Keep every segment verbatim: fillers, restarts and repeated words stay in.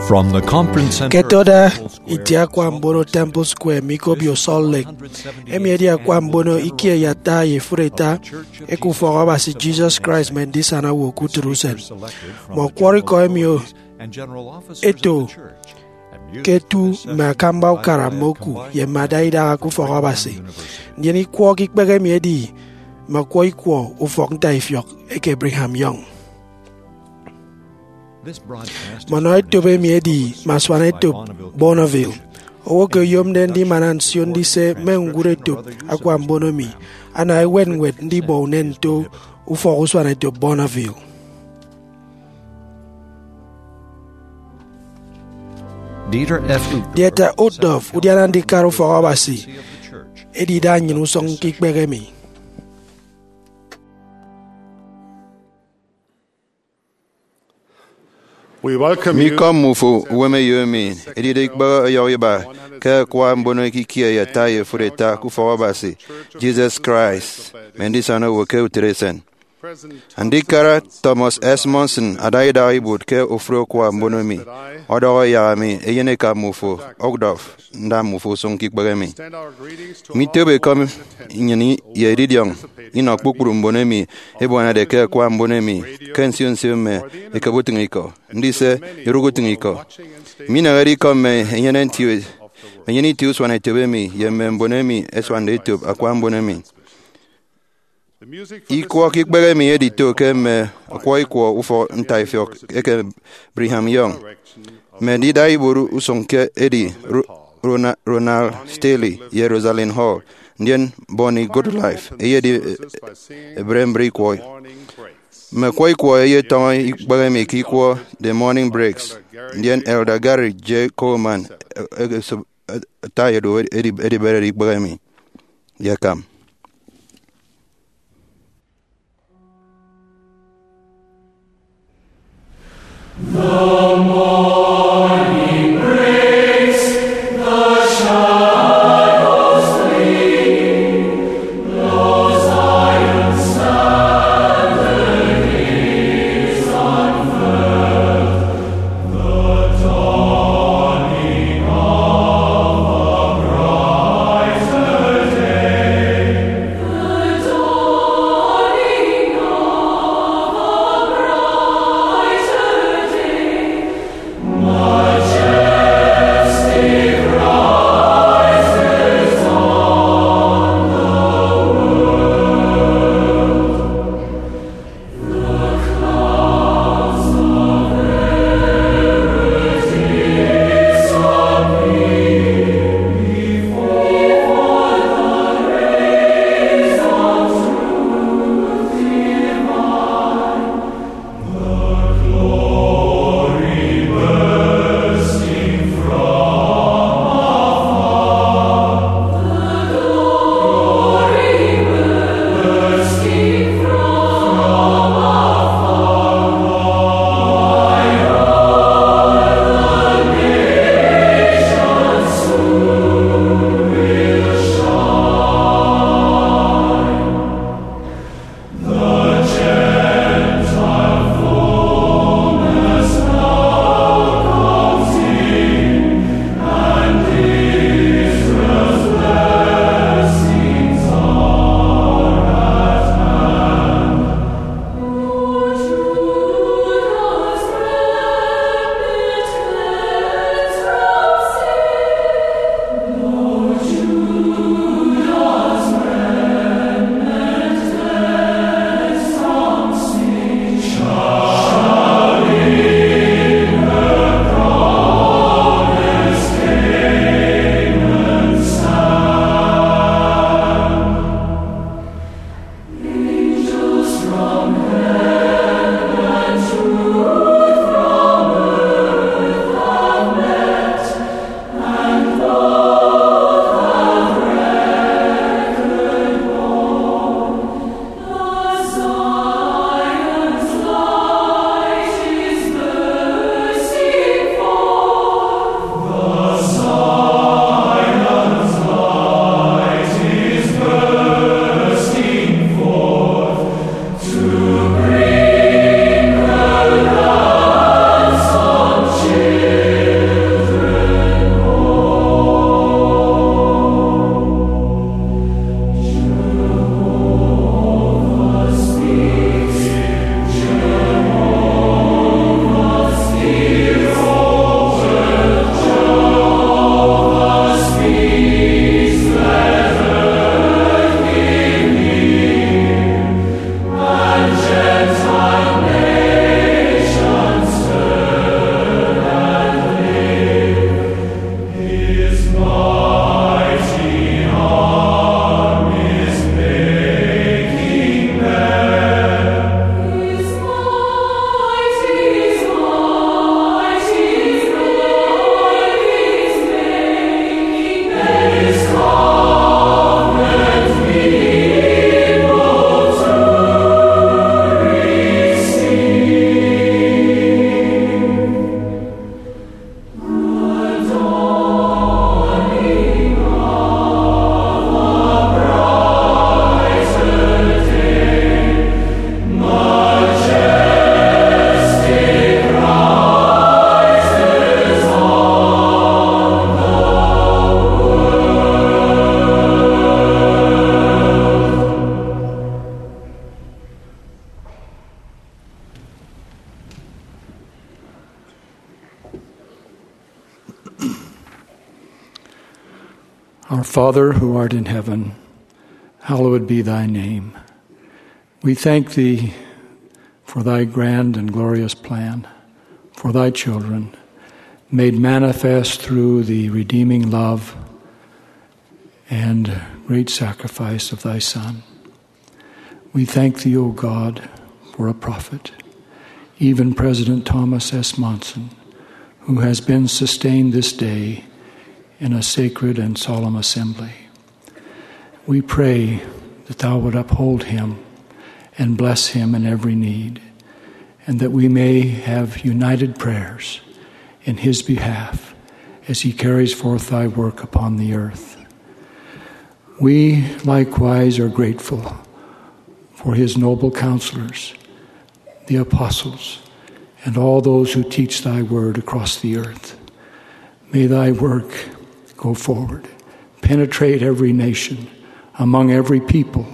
From the conference center, ke toda itie akwa mbono Temple Square mme ikobio Salt Lake, emi edi akwa mbono ikie ye ata ye efuri ata eke ufọk Abasi Jesus Christ mme Ndisana Owo ke Utịt Usen. Mme ọkwọrọ ikọ emi eto ke etu mme akamba ukara mme oku ye mme ada idaha ke ufọk Abasi. Ndien ikwọ ke ikpehe emi edi mme ọkwọ ikwọ ufọk ntaifiọk eke Brigham Young. Mme ọnọ etop emi edi mme asuana etop Bonneville. Owo ke oyomde ndimana nsio ndise mme ñwụre etop akwa mbono emi ana ewet ñwed ndibọ unen nto ufọk usuana etop Bonneville. Dieter F. Uchtdorf, udiana ndikara ufọk Abasi, edida nnyịn usụñ ke ikpehe emi. We welcome you. Mikọm mme ufo uwemeyo emi edide ikpehe ọyọhọ iba ke akwa mbono ikie ye ata ye efuri ata ke ufọk Abasi Jesus Christ mme Ndisana Owo ke Utịt Esen. Andikara Thomas S. Monson ada idaha ibuot ke ofụri akwa mbono emi, ọdọhọ yak ami eyeneka mme ufo, Uchtdorf, nda mme ufo usụñ ke ikpehe emi. Mitop ekọm nnyịn ye edidiọñ inọ kpukpru mbon emi ẹbuanade ke akwa mbono emi ke nsio nsio mme ekebe utịñikọ, ndise eruk utịñikọ. Minehede ikọ mme enyene nti, mme enyene itie usuana etop emi ye mme mbon emi ẹsuande etop akwa mbono emi. Ikwọ ke ikpehe emi edito ke mme ọkwọ ikwọ ufọk ntaifiọk eke Brigham Young. Mme ndida ibuot usụñ ke edi Ro-, Rona-, Ronald Stanley ye Rosalind Hall, ndien Bonnie Goodlife eyedi, eh, ebre mbre ikwọ. Mme ọkwọ ikwọ ẹyetọñọ ikpehe emi ke ikwọ The Morning Breaks, ndien Elder Gary J. Coleman, eh, eh, esop, eh, ata edu edi-, ediberede ikpehe emi ye akam. Father who art in heaven, hallowed be thy name. We thank thee for thy grand and glorious plan for thy children, made manifest through the redeeming love and great sacrifice of thy Son. We thank thee, O God, for a prophet, even President Thomas S. Monson, who has been sustained this day in a sacred and solemn assembly. We pray that thou would uphold him and bless him in every need, and that we may have united prayers in his behalf as he carries forth thy work upon the earth. We likewise are grateful for his noble counselors, the apostles, and all those who teach thy word across the earth. May thy work go forward, penetrate every nation, among every people,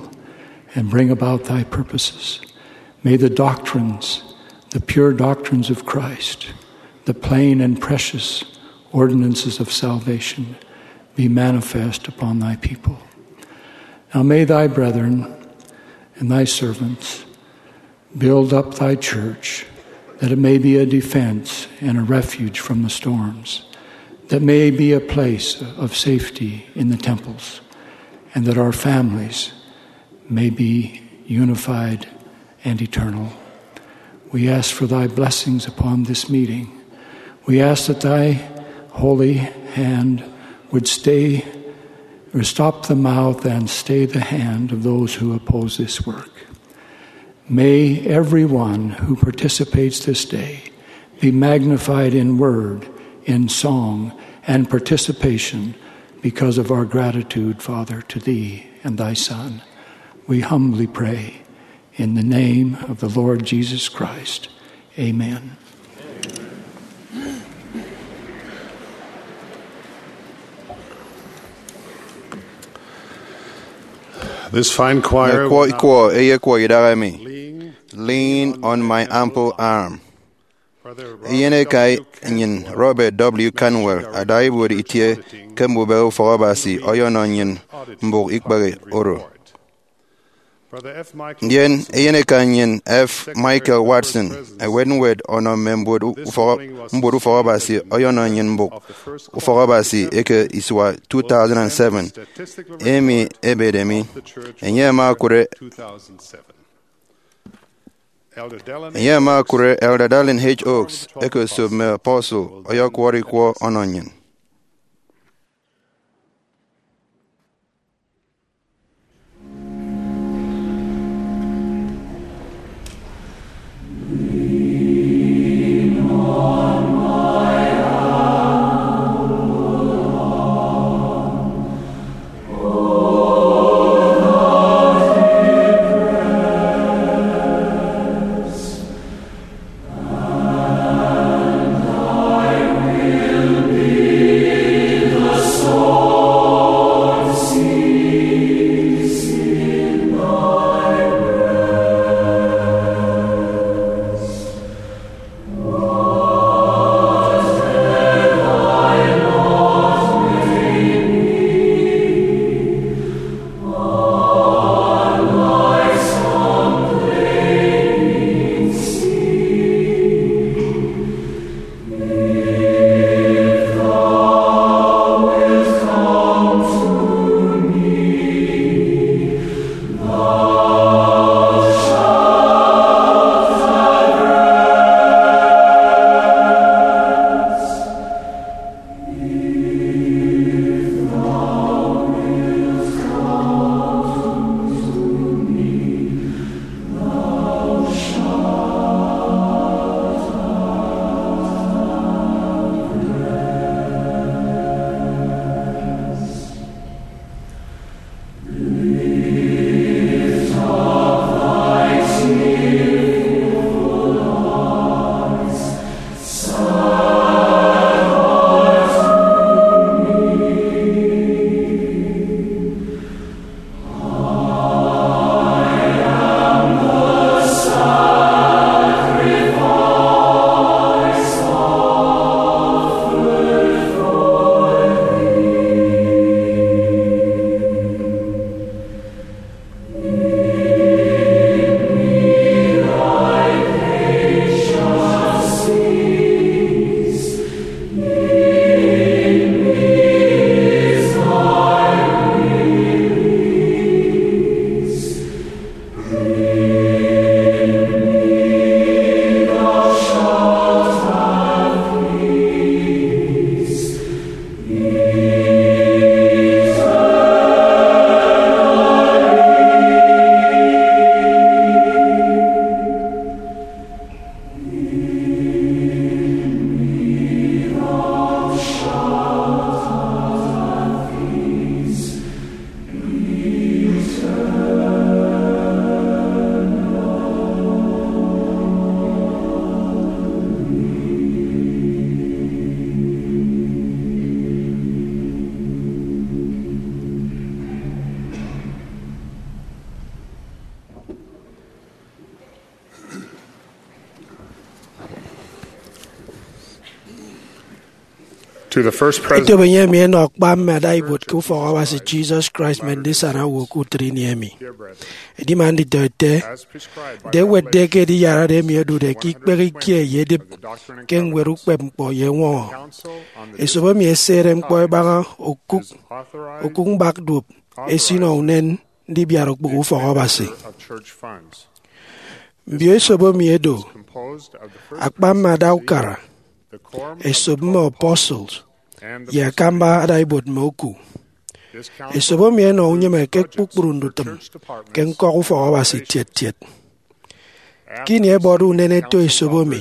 and bring about thy purposes. May the doctrines, the pure doctrines of Christ, the plain and precious ordinances of salvation, be manifest upon thy people. Now may thy brethren and thy servants build up thy church, that it may be a defense and a refuge from the storms, that may be a place of safety in the temples, and that our families may be unified and eternal. We ask for thy blessings upon this meeting. We ask that thy holy hand would stay or stop the mouth and stay the hand of those who oppose this work. May everyone who participates this day be magnified in word, in song, and participation because of our gratitude, Father, to thee and thy Son. We humbly pray in the name of the Lord Jesus Christ. Amen. This fine choir Ekwọ will now ikwọ eyekwọ idaha emi, Lean on my ample arm. Eyeneka nnyịn Robert W. Canwell ada ibuot itie ke mbubehe ufọk Abasi ọyọnọ nnyịn mbụk ikpehe oro. Ndien eyeneka nnyịn F. Michael Watson, ewet ñwed ọnọ mme mbuot ufọk, mbuot ufọk Abasi ọyọnọ nnyịn mbụk ufọk Abasi eke isua two thousand seven, emi ebede mi. Enye ama okụre Enye ama okụre Elder Dallin H. Oaks eke esop mme apostle ọyọkwọrọ ikwọ ọnọ nnyịn. Etop enye emi enọ akpa mme adaibuot ke ufọk Abasi Jesus Christ mme Ndisana Owo ke Utịt Ini emi. Edima nditọete, nte ewetde ke Ediyarade emi odude ke ikpehe ikie ye edịp ke ñwed ukpepñkpọ ye eñwọñọ, esop emi esehere ñkpọ ebaña okụk, okụk mbak duop esinọ unen ndibiat okpụkpọ ufọk Abasi. Mbio esop emi edo akpa mme ada ukara, esop mme apostles, ye akamba adaibuot mme oku. Esop emi enọ unyịme ke kpukpru ndutịm ke ñkọk ufọk Abasi tiet tiet. Ke ini ẹbọde unen ẹto esop emi,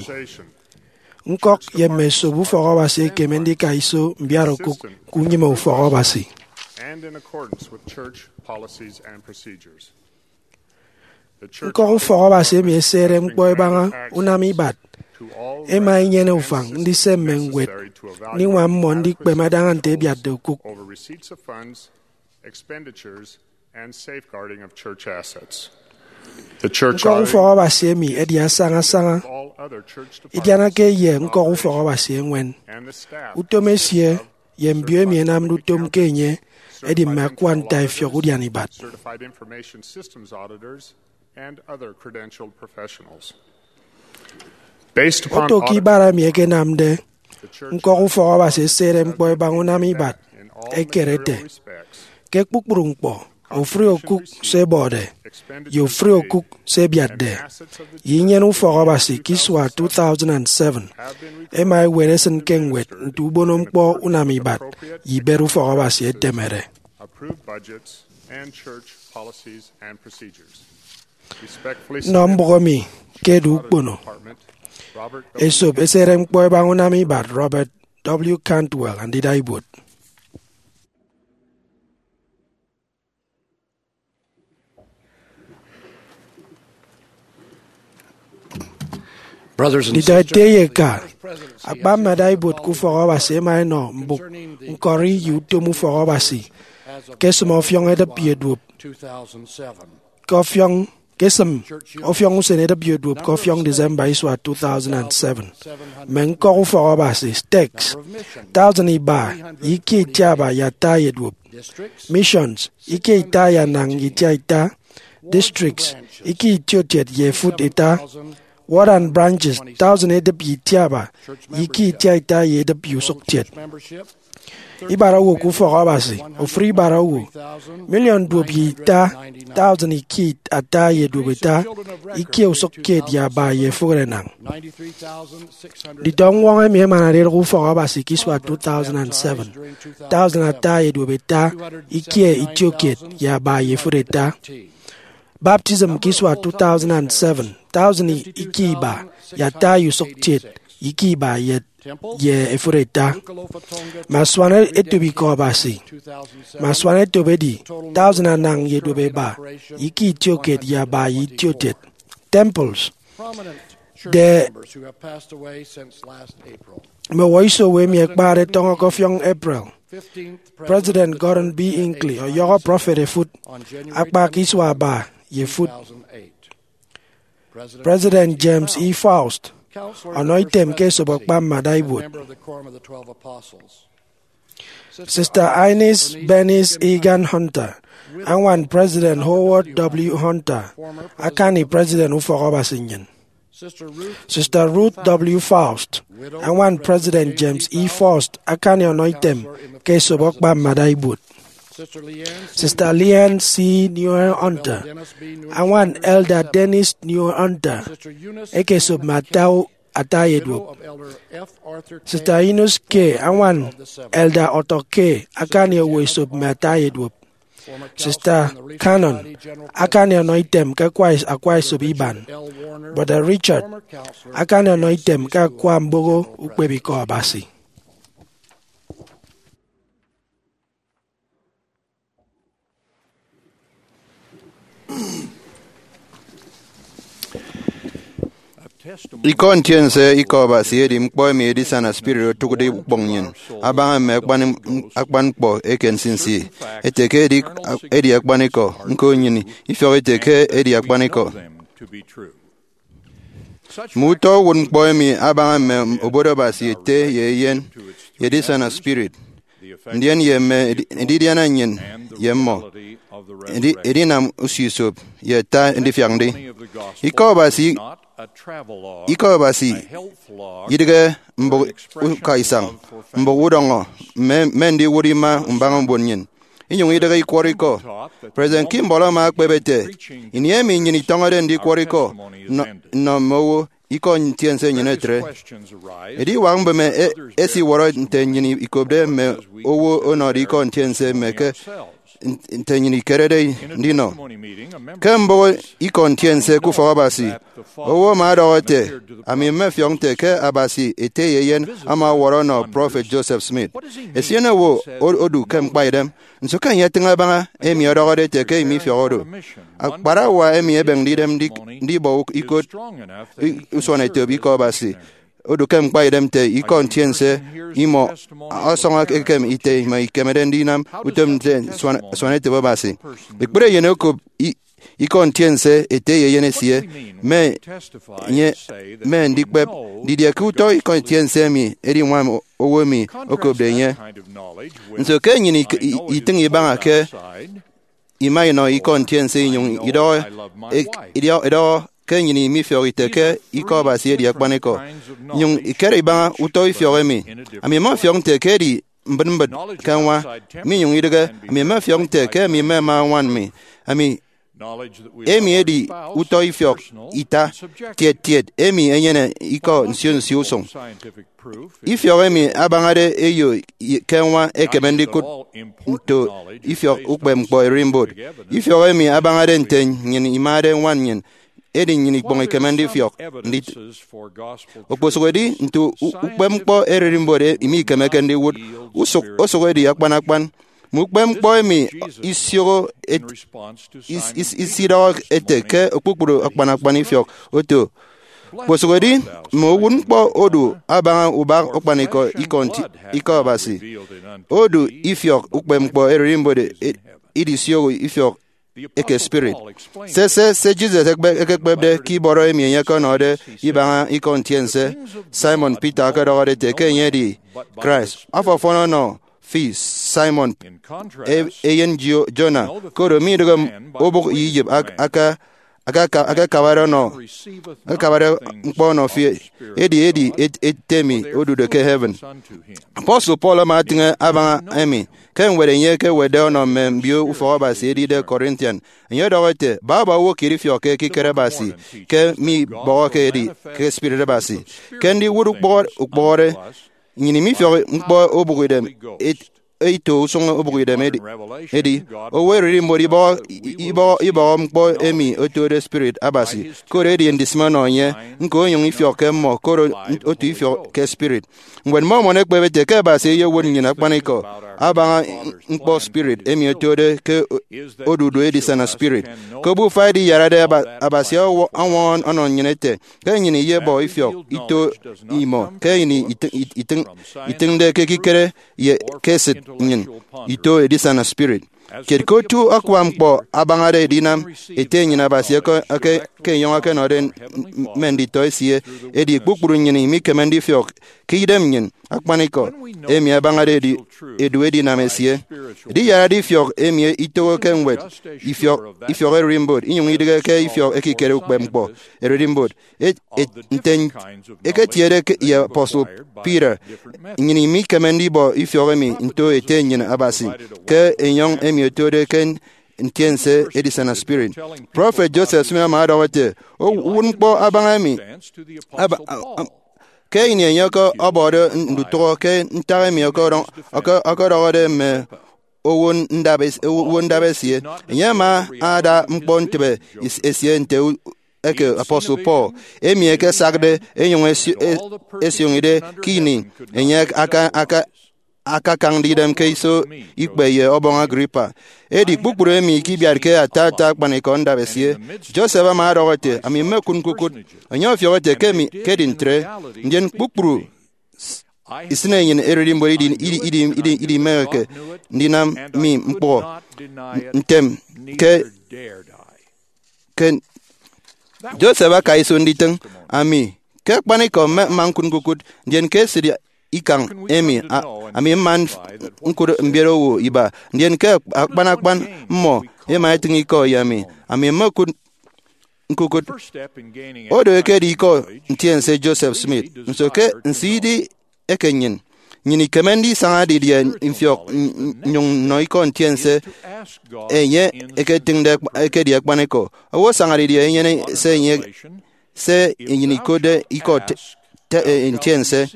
ñkọk ye mme esop ufọk Abasi ẹkeme ndika iso mbiat okụk ke unyịme ufọk Abasi. Ñkọk ufọk Abasi emi esehere ñkpọ ebaña unam ibat ẹma ẹnyene ufañ ndise mme ñwed ndiñwam mmọ ndikpeme adaña nte ẹbiatde okụk. Ñkọk ufọk Abasi emi ẹdi asaña asaña idianake ye ñkọk ufọk Abasi eñwen. Utom esie ye mbio emi ẹnamde utom ke enye ẹdi mme akua ntaifiọk udian ibat. Oto ke ibara emi ẹkenamde, ñkọk ufọk Abasi esehere ñkpọ ẹbaña unam ibat, ẹkere ẹte, ke kpukpru ñkpọ, ofụri okụk se ẹbọde, ye ofụri okụk se ẹbiatde, ye inyene ufọk Abasi ke isua two thousand and seven, ẹma ẹwet ẹsịn ke ñwed nte ubono ñkpọ unam ibat ye ibet ufọk Abasi ẹtemede. Nnọ mbụk emi ke edu ukpono, esop esehere ñkpọ ẹbaña unam ibat Robert W. Cantwell, andida ibuot. Nditọete ye eka, akpa mme adaibuot ke ufọk Abasi ẹma ẹnọ mbụk ñkọri ye utom ufọk Abasi ke esịm ọfiọñ edịp ye duop ke ọfiọñ ke esịm ọfiọñ usen edịp ye duop ke ọfiọñ December isua two thousand and seven. Mme ñkọk ufọk Abasi, stakes, tausin iba ye ikie itiaba ye ata ye duop. Missions, ikie ita ye anañ ye itiaita. Districts, ikie itiokiet ye efụt ita. Ward and branches, tausin edịp ye itiaba ye ikie itiaita ye edịp ye usụkkiet. Ibara owo ke ufọk Abasi, ofụri ibara owo, miliọn duop ye ita, tausin ikie ata ye duop ita, ikie usụkkiet ye aba ye efụk enañ. Nditọ ñwọñọ emi ẹmanade idụk ufọk Abasi ke isua two thousand and seven, tausin ata ye duop ita, ikie itiokiet ye aba ye efụt ita. Baptism ke isua two thousand and seven, tausin ikie iba ye ata ye usụkkiet, ikie iba ye ye efụt ita. Mme asuan etop ikọ Abasi, mme asuan etop edi tausin anañ ye duop eba, ikie itiokiet ye aba ye itiokiet. Temples, de mme owo iso owo emi ẹkpade tọñọ ke ọfiọñ April. President Gordon B. Hinckley ọyọhọ prọfet efụt akpa ke isua aba ye efụt. President James E. Faust ọnọ item ke esop akpa mme adaibuot. Sister Ines Bernice Egan Hunter, añwan President Howard W. Hunter, akani President Ufọk Abasi nnyịn. Sister Ruth W. Faust, añwan President James E. Faust, akani ọnọ item ke esop akpa mme adaibuot. Sister Leanne C. Newer Hunter, añwan Elder Dennis Newer Hunter, eke esop mme ata, ata ye duop. Sister Eunice K., añwan Elder Arthur K., akani owo esop mme ata ye duop. Sister Cannon, akani ọnọ item ke akwa, akwa esop iban. Brother Richard, akani ọnọ item ke akwa mboho ukpepikọ Abasi. Ikọ ntiense ikọ Abasi edi ñkpọ emi edisana spirit otụkde ukpọñ nnyịn abaña mme akpan, akpan ñkpọ eke nsinsi, ete ke edi, edi akpanikọ, ñko nnyịn ifiọk ete ke edi akpanikọ. Mme utọ uwụtñkpọ emi abaña mme obodo Abasi ete ye eyen ye edisana spirit, ndien ye mme edi- edidiana nnyịn ye mmọ, edi- edinam usio-isop ye ata ndifiak ndi. Ikọ Abasi, Ikọ Abasi idịghe mbụk ukaisañ, mbụk udọñọ mme, mme ndiwụt ima mbaña mbon nnyịn, inyụñ idịghe ikwọrọ ikọ. President Kimball ama ekpep ete, ini emi nnyịn itọñọde ndikwọrọ ikọ nnọ, nnọ mme owo, ikọ ntiense nnyịn etre. Ediwak mbịme e- esiwọrọ nte nnyịn ikopde mme owo ọnọde ikọ ntiense mme ke nte nnyịn ikerede ndinọ. Ke mbụk ikọ ntiense ke ufọk Abasi, owo ama ọdọhọ ete, ami mmefiọk nte ke Abasi ete ye eyen ama ọwọrọ ọnọ Prọfet Joseph Smith. Esien owo o- odu ke ñkpaidem. Nso ke enye etịñ abaña emi ọdọhọde ete ke emi ifiọk odu? Akparawa emi ebekde idem ndi- ndibọ ikot i- usuanetop ikọ Abasi odu ke ñkpaidem nte ikọ ntiense imọ ọsọñọ ekem ite imọ ikemede ndinam utom nte suan- suanetop Abasi. Ekpere eyen okop i- ikọ ntiense ete ye eyen esie, mme enye mme ndikpep didie ke utọ ikọ ntiense emi ediñwam owo emi okopde enye. Nso ke nnyịn ik- i- itịñ ibaña ke ima inọ ikọ ntiense inyụñ idọhọ, e- idọhọ, idọhọ ke nnyịn mifiọk ite ke ikọ Abasi edi akpanikọ, inyụñ ikere ibaña utọ ifiọk emi? Ami mmefiọk nte ke edi mbịt mbịt ke ñwa, minyụñ idịghe. Ami mmefiọk nte ke ami mmema ñwan mi. Ami emi edi utọ ifiọk ita tiet tiet emi enyene ikọ nsio nsio usụñ. Ifiọk emi abañade eyo ke ñwa ekeme ndikụt nto ifiọk ukpepñkpọ ererimbot. Ifiọk emi abañade nte nnyịn imade ñwan nnyịn, edi nnyịn ikpọñ ikeme ndifiọk ndit. Okposụkedi nto u- ukpepñkpọ ererimbot e- mikemeke ndiwụt, usụk osụk edi akpan akpan. Mme ukpepñkpọ emi isioho et- is- is- isidọhọ ete ke kpukpru akpan akpan ifiọk oto. Kposụkedi mme uwụtñkpọ odu abaña ubak akpanikọ ikọ nti- ikọ Abasi, odu ifiọk ukpepñkpọ ererimbot e- idisioho ifiọk eke spirit. Se, se, se Jesus ekpe- ekekpepde ke ibọrọ emi enye ọkọnọde ibaña ikọ ntiense, Simon Peter ọkọdọhọde ete ke enye edi Christ. Afo ọfọn ọnọ fi, Simon, e- eyen Jo- Jonah, koro midịghe obụk ye Egypt ak- aka- aka- akakabade ọnọ, akakabade ñkpọ ọnọ fi, edi edi et- ete emi odude ke heaven. Apostle Paul ama atịñ abaña emi ke ñwed enye ekewetde ọnọ mme mbio ufọk Abasi ẹdide Corinthian. Enye ọdọhọ ete, baba owo kiet ifiọkke ekikere Abasi ke mibọhọke edi ke Spirit Abasi. Ke ndiwụt ukpọhọ- ukpọhọde, nnyịn mifiọk ñkpọ obụkidem et- ito usụñ obụkidem edi, edi owo ererimbot ibọhọ, ibọhọ, ibọhọ ñkpọ emi otode Spirit Abasi, koro edi ndisịme ọnọ enye, ñko onyụñ ifiọkke mmọ, koro otu ifiọk ke Spirit. Ñwed Mormon ekpep ete ke Abasi eyewot nnyịn akpanikọ abaña ñkpọ spirit emi otode ke odudu edisana spirit. Ke obufa ediyarade, Aba- Abasi ọwọ- ọñwọñọ ọnọ nnyịn ete ke nnyịn iyebọ ifiọk ito imọ ke ini itịñ- itịñ- itịñde ke ekikere ye ke esịt nnyịn ito edisana spirit. Kiet ke otu akwa ñkpọ abañade edinam ete nnyịn Abasi eke- eke- ke enyọñ ọkọnọde mme nditọ esie, edi kpukpru nnyịn imikeme ndifiọk ke idem nnyịn akpanikọ emi abañade edi- edu edinam esie. Ediyarade ifiọk emi itoho ke ñwed ifiọk, ifiọk ererimbot, inyụñ idịghe ke ifiọk ekikere ukpepñkpọ ererimbot. Et- et- nte eketiede ke- ye Apostle Peter, nnyịn imikeme ndibọ ifiọk emi nto ete nnyịn Abasi ke enyọñ emi otode ke ntiense edisana spirit. Prọfet Joseph Smith ama ọdọhọ ete, uwụtñkpọ abaña emi aba- a- a- ke ini enye ọkọbọde ndutụhọ ke ntak emi ọkọdọ- ọkọ- ọkọdọhọde mme owo ndap es- owo ndap esie, enye ama ada ñkpọ ntịbe is- esie nte u- eke Apostle Paul, emi ekesakde enyụñ esio- e- esioñide ke ini enye aka- aka- akakañde idem ke iso ikpe ye Ọbọñ Agrippa. Edi kpukpru emi ikibiatke ata ata akpanikọ ndap esie. Joseph ama ọdọhọ ete, ami mmekụt ñkukụt. Enye ọfiọk ete ke emi ke edi ntre, ndien kpukpru isịnenyịn ererimbot idi- idi- idi- idi- idimeheke ndinam mi ñkpọ ntem ke ke Joseph aka iso nditịñ. Ami ke akpanikọ mme mma ñkụt ñkukụt, ndien ke esịt ikañ emi, a- ami mma ñkụt mbiet owo iba, ndien ke akpan akpan mmọ ema etịñ ikọ ye ami, ami mma ñkụt ñkukụt. Odo ekedi ikọ ntiense Joseph Smith. Nso ke nse idi eke nnyịn? Nnyịn ikeme ndisaña didie mfiọk n- n- nnyụñ nnọ ikọ ntiense enye eketịñde ekedi akpanikọ? Owo asaña didie enyene se enye, se enyịn ikotde ikọ te- te- eh, ntiense?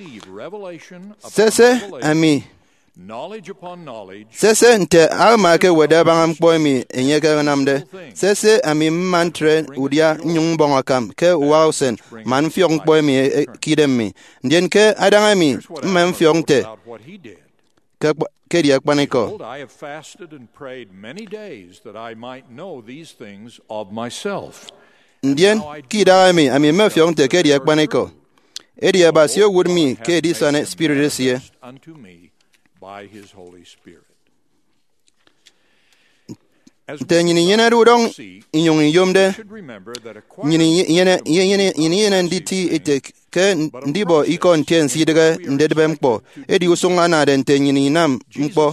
Sese ami, sese nte Alma ekewetde abaña ñkpọ emi enye ekenamde. Sese ami mma ntre udia nnyụñ mbọñ akam ke uwaha usen man mfiọk ñkpọ emi e- e- ke idem mi. Ndien ke adaña emi mma mfiọk nte ke akpa- ke edi akpanikọ. Behold, I have fasted and prayed many days that I might know these things of myself. Ndien ke idaha emi ami mmefiọk nte ke edi akpanikọ, edi Abasi owụt mi ke edisana Spirit esie. Unto me by his Holy Spirit. Nte nnyịn inyenede udọñ inyụñ iyomde, nnyịn inyene, inyene, nnyịn inyene nditi ete ke ndibọ ikọ ntiense idịghe ndedịbe ñkpọ, edi usụñ anade nte nnyịn inam ñkpọ.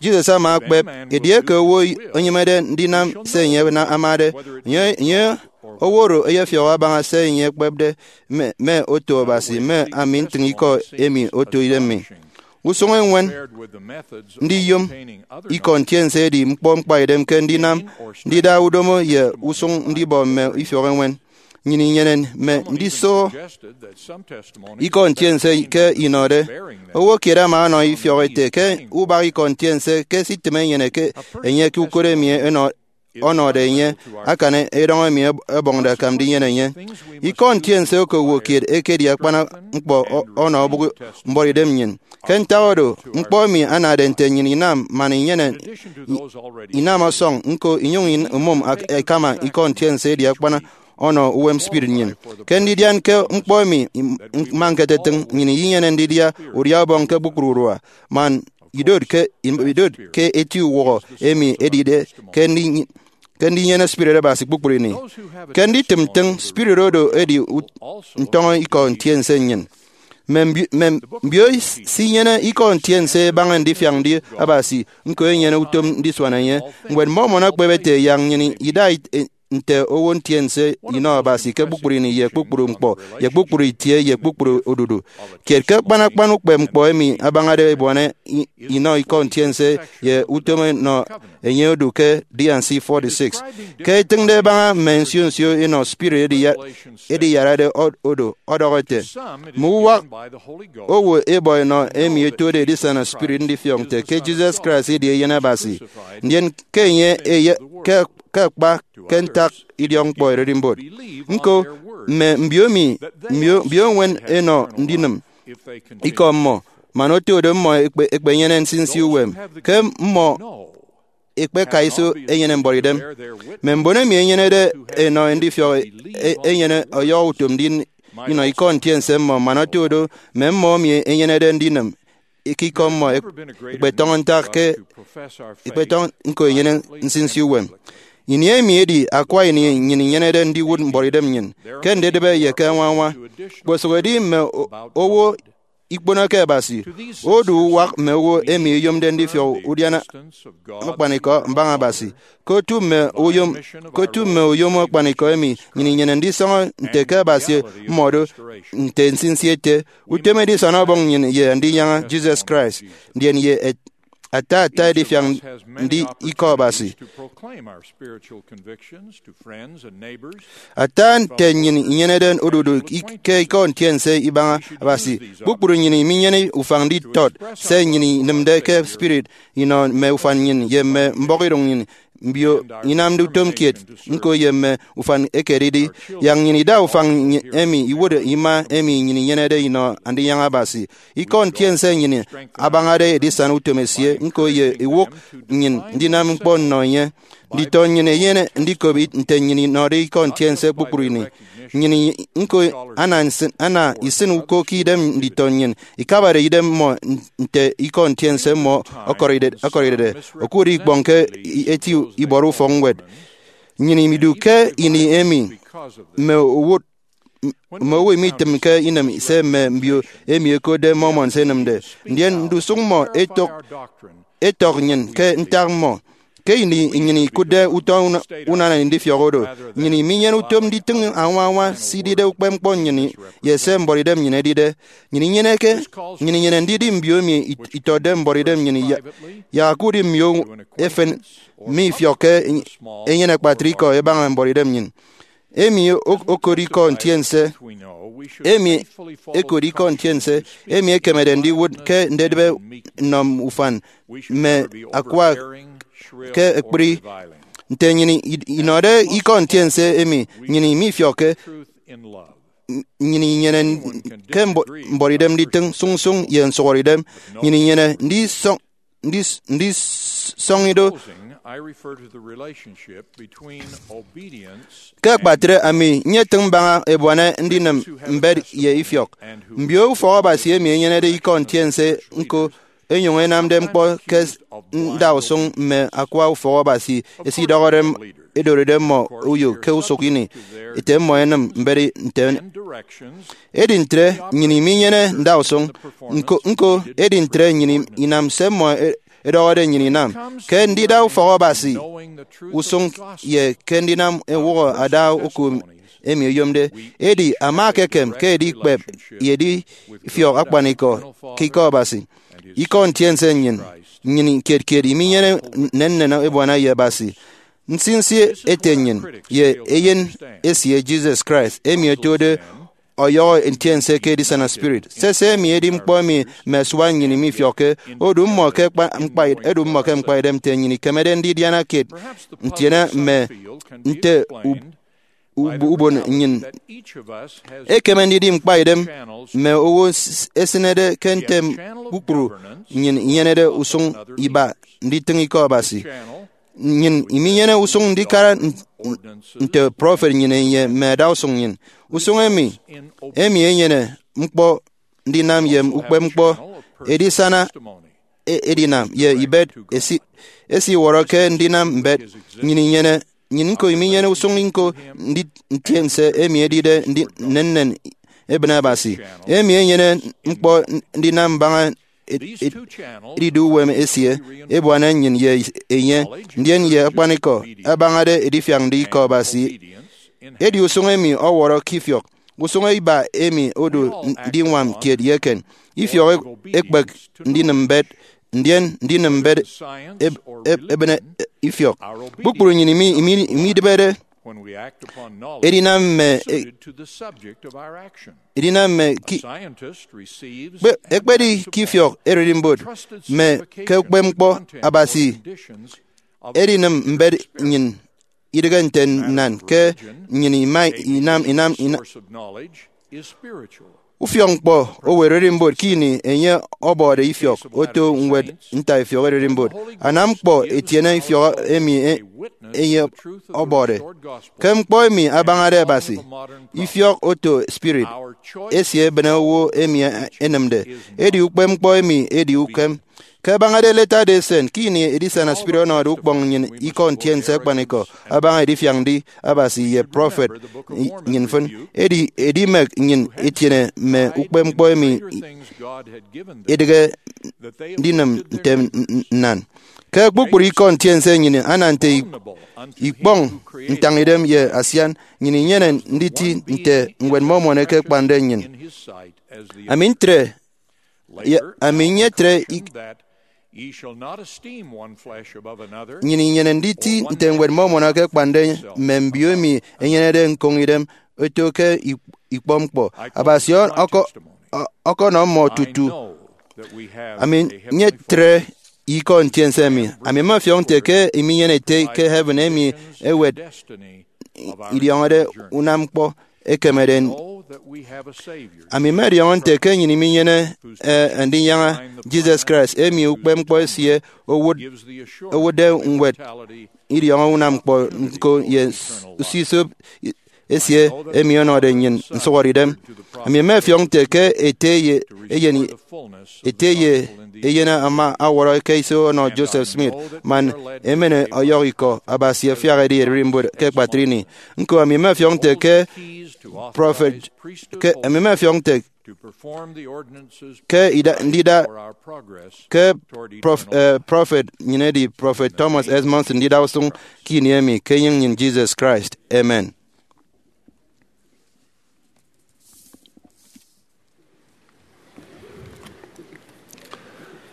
Jesus ama ekpep, edieke owo enyịmede ndinam se enye na- amade, enye, enye owo oro eyefiọk abaña se enye ekpepde mme, mme oto Abasi, mme ami ntịñ ikọ emi oto idem mi. Usụñ eñwen ndiyom ikọ ntiense edi ñkpọ ñkpaidem ke ndinam ndida udomo ye usụñ ndibọ mme ifiọk eñwen. Nnyịn inyene mme ndisoho ikọ ntiense ke inọde. Owo kiet ama ọnọ ifiọk ete ke ubak ikọ ntiense ke esitịm enyene ke enye ke ukot emi enọ- ọnọde enye akan edọñ emi ẹb- ẹbọñde akam ndinyene enye. Ikọ ntiense oko owo kiet ekedi akpan ñkpọ ọ- ọnọ obụk mbuọtidem nnyịn. Ke ntak oro, ñkpọ emi anade nte nnyịn inam man inyene, i- inam ọsọñ ñko inyụñ in- imụm ak- ẹkama ikọ ntiense edi akpan ọnọ uwem spirit nnyịn. Ke ndidian ke ñkpọ emi im- mma ñketetịñ, nnyịn inyene ndidia udia ubọñ ke kpukpru urua, man idot ke, idot ke eti uwụhọ emi edide ke ndi- ke ndinyene Spirit Abasi kpukpru ini. Ke nditịm ntịñ, Spirit oro edi ut- ntọñọ ikọ ntiense nnyịn. Mme mbio, mme mbio sinyene ikọ ntiense ẹbaña ndifiak ndi Abasi, ñko enyene utom ndisuan enye. Ñwed Mormon ekpep ete yak nnyịn ida it- e- nte owo ntiense inọ Abasi ke kpukpru ini ye kpukpru ñkpọ ye kpukpru itie ye kpukpru odudu. Kiet ke akpan akpan ukpep ñkpọ emi abañade ebuana i- inọ ikọ ntiense ye utom enọ enye odu ke D and C forty-six. Ke itịñde ẹbaña mme nsio nsio inọ spirit ediya- ediyarade ọ- odo, ọdọhọ ete, mme uwak owo ebọ enọ emi etode edisana spirit ndifiọk nte ke Jesus Christ edi Eyen Abasi. Ndien ke enye eye- ke, ke akpa ke ntak idiọkñkpọ ererimbot. Ñko, mme mbio mi, mbio, mbio eñwen enọ ndinịm ikọ mmọ, man oto do mmọ ekpe- ekpenyene nsinsi uwem ke mmọ ekpeka iso enyene mbuọtidem. Mme mbon emi enyenede enọ ndifiọk e- enyene ọyọhọ utom ndi- inọ ikọ ntiense mmọ, man oto do mme mmọ emi enyenede ndinịm ikọ mmọ ek- ekpetọñọ ntak ke ekpetọñọ ñko enyene nsinsi uwem. Ini emi edi akwa ini nnyịn inyenede ndiwụt mbuọtidem nnyịn ke ndedịbe ye ke añwañwa. Kposụk edi mme o- owo ikponoke Abasi, odu uwak mme owo emi eyomde ndifiọk udiana akpanikọ mbaña Abasi. Ke otu mme oyom, ke otu mme oyom akpanikọ emi nnyịn inyene ndisọñọ nte ke Abasi mmọdo nte nsinsi ete, utom edisana Ọbọñ nnyịn ye Andinyaña Jesus Christ, ndien ye et- ata ata edifiak ndi ikọ Abasi. Ata nte nnyịn inyenede odudu ik- ke ikọ ntiense ibaña Abasi, kpukpru nnyịn minyene ufañ nditọt se nnyịn inịmde ke spirit inọ mme ufan nnyịn ye mme mbọhọidụñ nnyịn, mbio inamde utom kiet ñko ye mme ufan ekededi, yak nnyịn ida ufañ nny- emi iwụt ima emi nnyịn inyenede inọ Andinyaña Abasi. Ikọ ntiense nnyịn abañade edisana utom esie ñko ye iwụk nnyịn ndinam ñkpọ nnọ enye. Nditọ nnyịn enyene ndikop it- nte nnyịn inọde ikọ ntiense kpukpru ini. Nnyịn i- ñko ana nsịn- ana isịn uko ke idem nditọ nnyịn ikabade idem mmọ n- nte ikọ ntiense mmọ ọkọride- ọkọridede. Okụre ikpọñ ke i- eti ibọrọ ufọkñwed. Nnyịn imidu ke ini emi mme owụt mme owo imitịmke inịm se mme mbio emi ẹkotde Mormons ẹnịmde. Ndien ndusụk mmọ ẹtọk ẹtọk nnyịn ke ntak mmọ. Ke ini nnyịn ikụtde utọ una- unana ndifiọk oro, nnyịn iminyene utom nditịñ añwañwa se idide ukpepñkpọ nnyịn ye se mbuọtidem nnyịn edide. Nnyịn inyeneke, nnyịn inyene ndidi mbio emi it- itọtde mbuọtidem nnyịn ya- yak ke udi mbio efen mifiọkke enyene akpatre ikọ ẹbaña mbuọtidem nnyịn. Emi o- okot ikọ ntiense emi ekot ikọ ntiense emi ekemede ndiwụt ke ndedịbe nnọ ufan mme akwa ke ekpri. Nte nnyịn i- inọde ikọ ntiense emi, nnyịn imifiọkke, nnyịn inyene ke mbo- mbuọtidem nditịñ sụñsụñ ye nsụhọrede idem. Nnyịn inyene ndisọñ ndis- ndisọñido. Closing, I refer to the relationship between obedience Ke akpatre, ami nyetịñ mbaña ebuana ndinịm mbet ye ifiọk. Mbio ufọk Abasi emi ẹnyenede ikọ ntiense ñko ẹnyụñ ẹnamde ñkpọ ke ndausụñ mme akwa ufọk Abasi ẹsidọhọde m- ẹdoride mmọ uyo ke usụk ini ete mmọ ẹnịm mbet nte. Edi ntre, nnyịn iminyene ndausụñ ñko, ñko, edi ntre nnyịn inam se mmọ e- edọhọde nnyịn inam. Ke ndida ufọk Abasi usụñ ye ke ndinam ewụhọ ada uko emi oyomde, edi ama ekekem ke edikpep ye edifiọk akpanikọ ke ikọ Abasi. Ikọ ntiense nnyịn, nnyịn kiet kiet iminyene nnennen ebuana ye Abasi. Nsinsi ete nnyịn ye Eyen esie Jesus Christ emi otode ọyọhọ ntiense ke edisana spirit. Sese emi edi ñkpọ emi mme asua nnyịn mifiọkke. Odu mmọ ke kpa- mkpa- odu mmọ ke mkpaidem nte nnyịn ikemede ndidiana kiet ntiene mme nte ub- ub- ubon nnyịn. Ekeme ndidi mkpaidem mme owo s- esịnede ke ntem kpukpru nnyịn inyenede usụñ iba nditịñ ikọ Abasi. Nnyịn iminyene usụñ ndikara n- nte prọfet nnyịn enye mme adausụñ nnyịn. Usụñ emi emi enyene ñkpọ ndinam ye ukpepñkpọ edisana e- edinam ye ibet esi- esiwọrọ ke ndinam mbet. Nnyịn inyene nnyịn ñko iminyene usụñ ñko ndi- ntiense emi edide ndi- nnennen ebịne Abasi, emi enyene ñkpọ ndinam mbaña ed- ed- edidu uwem esie ebuana nnyịn ye enye, ndien ye akpanikọ abañade edifiak ndi ikọ Abasi. Edi usụñ emi ọwọrọ ke ifiọk. Usụñ iba emi odu ndiñwam kiet ye eken. Ifiọk e- ekpek ndinịm mbet, ndien ndinịm mbet eb- eb- ebịne ifiọk. Kpukpru nnyịn imi- imi- imidịbede edinam mme e- edinam mme ki- kpe- ekpedi ke ifiọk ererimbot mme ke ukpepñkpọ Abasi edinịm mbet nnyịn. Idịghe nte nnan ke nnyịn ima inam inam ina- ufiọkñkpọ owo ererimbot ke ini enye ọbọde ifiọk oto ñwed ntaifiọk ererimbot. Anam ñkpọ etiene ifiọk emi e- enye ọbọde ke ñkpọ emi abañade Abasi. Ifiọk oto spirit esie ebịne owo emi e- enịmde. Edi ukpepñkpọ emi edi ukem. Ke abañade Latter-day Saint, ke ini edisana spirit ọnọde ukpọñ nnyịn ikọ ntiense akpanikọ abaña edifiak ndi Abasi ye prọfet nnyịn mfịn, edi edimek nnyịn etiene mme ukpepñkpọ emi idịghe ndinịm nte nnan. Ke kpukpru ikọ ntiense nnyịn ana nte ikpọñ ntañidem ye asian, nnyịn inyene nditi nte Ñwed Mormon eke akpande nnyịn. Ami ntre, ye ami nyetre ik- Nnyịn inyene nditi nte Ñwed Mormon akakpande mme mbio emi ẹnyenede ñkoñ idem oto ke ik- ikpọ ñkpọ. Abasi ọ- ọkọ- ọ- ọkọnọ mmọ tutu. Ami nyetre ikọ ntiense emi. Ami mmefiọk nte ke iminyene ete ke heaven emi ewet idiọñọde unam ñkpọ ekemede. Ami mmediọñọ nte ke nnyịn iminyene, eh, ndinyaña Jesus Christ, emi ukpepñkpọ esie owụt- owụtde ñwed idiọñọ unam ñkpọ ñko ye s- usisop i- esie emi ọnọde nnyịn nsụhọdeidem. Ami mmefiọk nte ke ete ye eyen ete ye eyen ama ọwọrọ ke iso ọnọ Joseph Smith, man emen ọyọhọ ikọ Abasi afiak edi ererimbot ke ekpatre ini. Ñko, ami mmefiọk nte ke prọfet ke ami mmefiọk nte ke ida- ndida ke prof- eh, prọfet nnyịn edi prọfet Thomas S. Monson ndida usụñ ke ini emi ke enyịñ nnyịn Jesus Christ. Amen.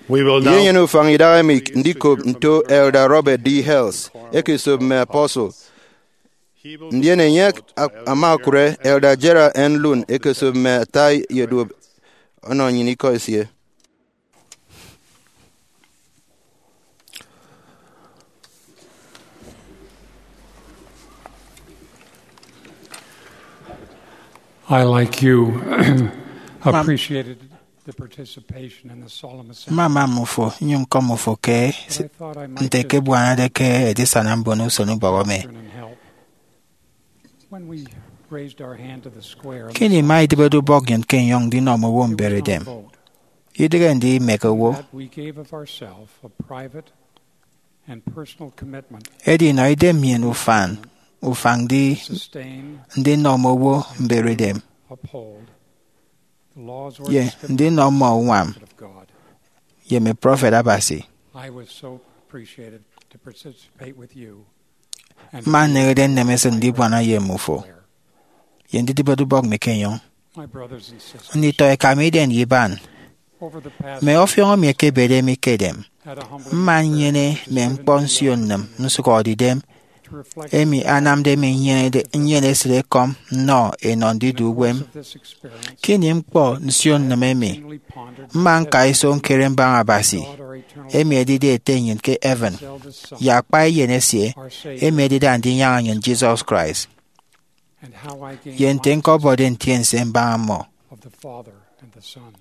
We will now Ye enyene ufañ idaha emi ndikop nto Elder Robert D. Hales ekesop mme apostle. Ndien enye ama okụre Elder Gerald N. Lund ekesop mme ata ye duop ọnọ nnyịn ikọ esie. I, like you, appreciated the participation in the solemn assembly. Mmama mmụfo, nyụñ ñkọm mmụfo ke But I thought I might nte just ke ebuanade ke edisana mbon usen ubọk emi. Doctrine and help. When we raised our hand to the square on the Kini ma idịbede ubọk nnyịn ke enyọñ ndinọ mme owo mberedem. Idịghe ndi imek owo. That we gave of ourselves a private and personal commitment Edi inọ idem nnyịn ufan, ufañ ndi, sustain, ndinọ mme owo mberedem, uphold the laws or ye dispensary ndinọ mme uñwam of God. Ye mme prọfet Abasi. I was so appreciated to participate with you and Mma nneñede nnemesịt ndibuana ye mmụfo ye ndidịbede ubọk mi ke enyọñ. My brothers and sisters, Nditọ eka mi, iden ye iban, over the past mme ọfiọñ emi ekebede mi ke edem, had a humble mma nnyene mme ñkpọ nsio nnịm nsụhọdeidem to reflect emi anamde mi nyenede, nnyene esịt ekọm nnọ enọ ndidu uwem. Of this experience, Ke ini ñkpọ nsio nnịm emi, keenly pondered mma nka iso ñkere mbaña Abasi, God, our eternal emi edide Ete nnyịn ke heaven, eldest Son, ye akpa Eyen esie, our Savior, emi edide Andinyaña nnyịn Jesus Christ, and how I gained ye nte ñkọbọde ntiense mbaña mmọ. Of the Father and the Son.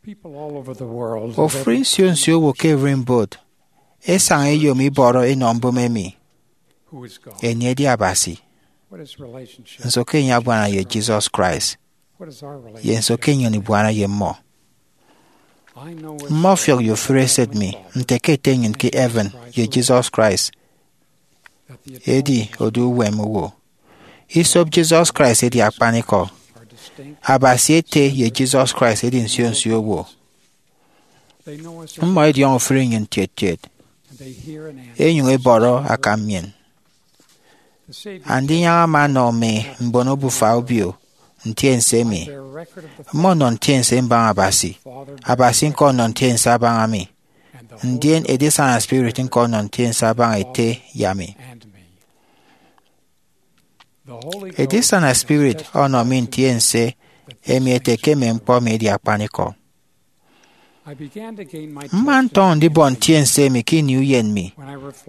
People all over the world have Ofụri nsio nsio owo ke ererimbot ẹsaña ẹyom ibọrọ enọ mbụme emi, who is God? Enye edi Abasi. What is relationship? Nso ke enye abuana ye Jesus Christ? What is our relationship? Ye nso ke nnyịn ibuana ye mmọ? I know as Mmọfiọk ye ofụri esịt mi nte ke Ete nnyịn ke heaven ye Jesus Christ edi odu uwem owo. Isop Jesus Christ edi akpanikọ. Abasi Ete ye Jesus Christ edi nsio nsio owo. Mmọ ẹdiọñọ ofụri nnyịn kiet kiet, ẹnyụñ ẹbọrọ akam nnyịn. Andinyaña ama ọnọ mme mbon obufa obio ntiense emi. Mmọ ọnọ ntiense mbaña Abasi. Abasi ñko ọnọ ntiense abaña mi. Ndien Edisana Spirit ñko ọnọ ntiense abaña Ete ye ami. Edisana Spirit ọnọ mi ntiense emi ete ke mme ñkpọ mi edi akpanikọ. Mma ntọñọ ndibọ ntiense emi ke ini uyen mi,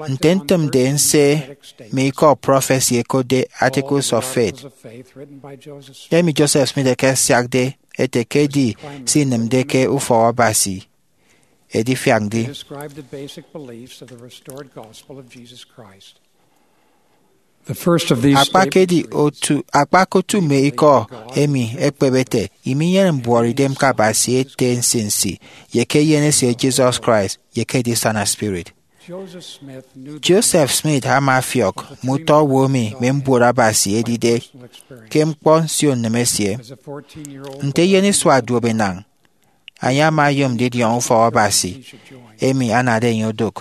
nte ntịmde nse mme ikọ prọfesi ẹkotde Articles of Faith, emi Joseph Smith ekesiakde ete ke edi se inịmde ke Ufọk Abasi edifiak ndi. Describe the basic beliefs of the restored gospel of Jesus Christ. The first of these Akpa ke edi statements reads, otu, akpa ke otu mme ikọ emi ekpep ete, iminyene mbuọtidem ke Abasi Ete nsinsi, ye ke Eyen esie Jesus Christ, ye ke Edisana Spirit. Joseph Smith knew the Joseph Smith ama afiọk mme utọ owo emi mme mbuot Abasi edide ke ñkpọ nsio nnịm esie. As a fourteen-year-old Nte eyen isua duop enañ, enye ama oyom ndidiọñọ Ufọk Abasi emi anade enye odụk.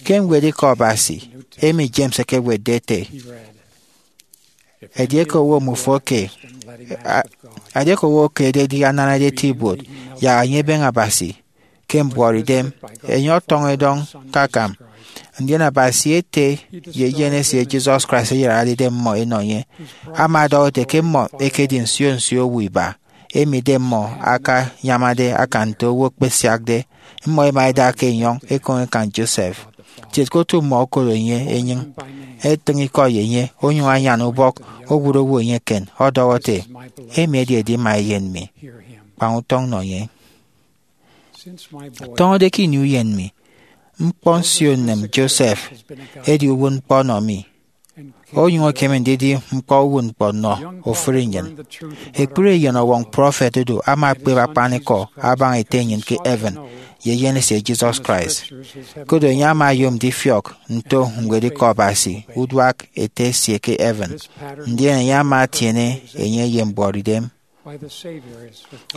Ke ñwed Ikọ Abasi emi James ekewetde ete, edieke owo mufoke, a- edieke owo ke ededi ananade eti ibuot, yak enye ebeñe Abasi ke mbuọtidem, enye ọtọñọ edọñ ke akam. Ndien Abasi Ete ye Eyen esie Jesus Christ eyararede mmọ enọ enye, ama ọdọhọ ete ke mmọ ẹkedi nsio nsio owo iba, emi idem mmọ akanyamade akan nte owo ekpesiakde. Mmọ ẹma ẹda ke enyọñ ekoñ ekan Joseph. Kiet ke otu mmọ okodo enye enyịñ, etịñ ikọ ye enye, onyụñ anyan ubọk, owụt owo enye eken, ọdọhọ ete, emi edi edima eyen mi. Kpañ utọñ nọ enye. Tọñọde ke ini uyen mi, ñkpọ nsio nnịm Joseph edi uwụtñkpọ ọnọ mi. onyụñ ekeme ndidi ñkpọ uwụtñkpọ nnọ ofụri nnyịn. Ekpri Eyen Ọwọñ prọfet Odo ama ekpep akpanikọ abaña Ete nnyịn ke heaven ye Eyen esie Jesus Christ. Koro enye ama oyom ndifiọk nto ñwedikọ Abasi uduak Ete esie ke heaven, ndien enye ama etiene enye ye mbuọtidem.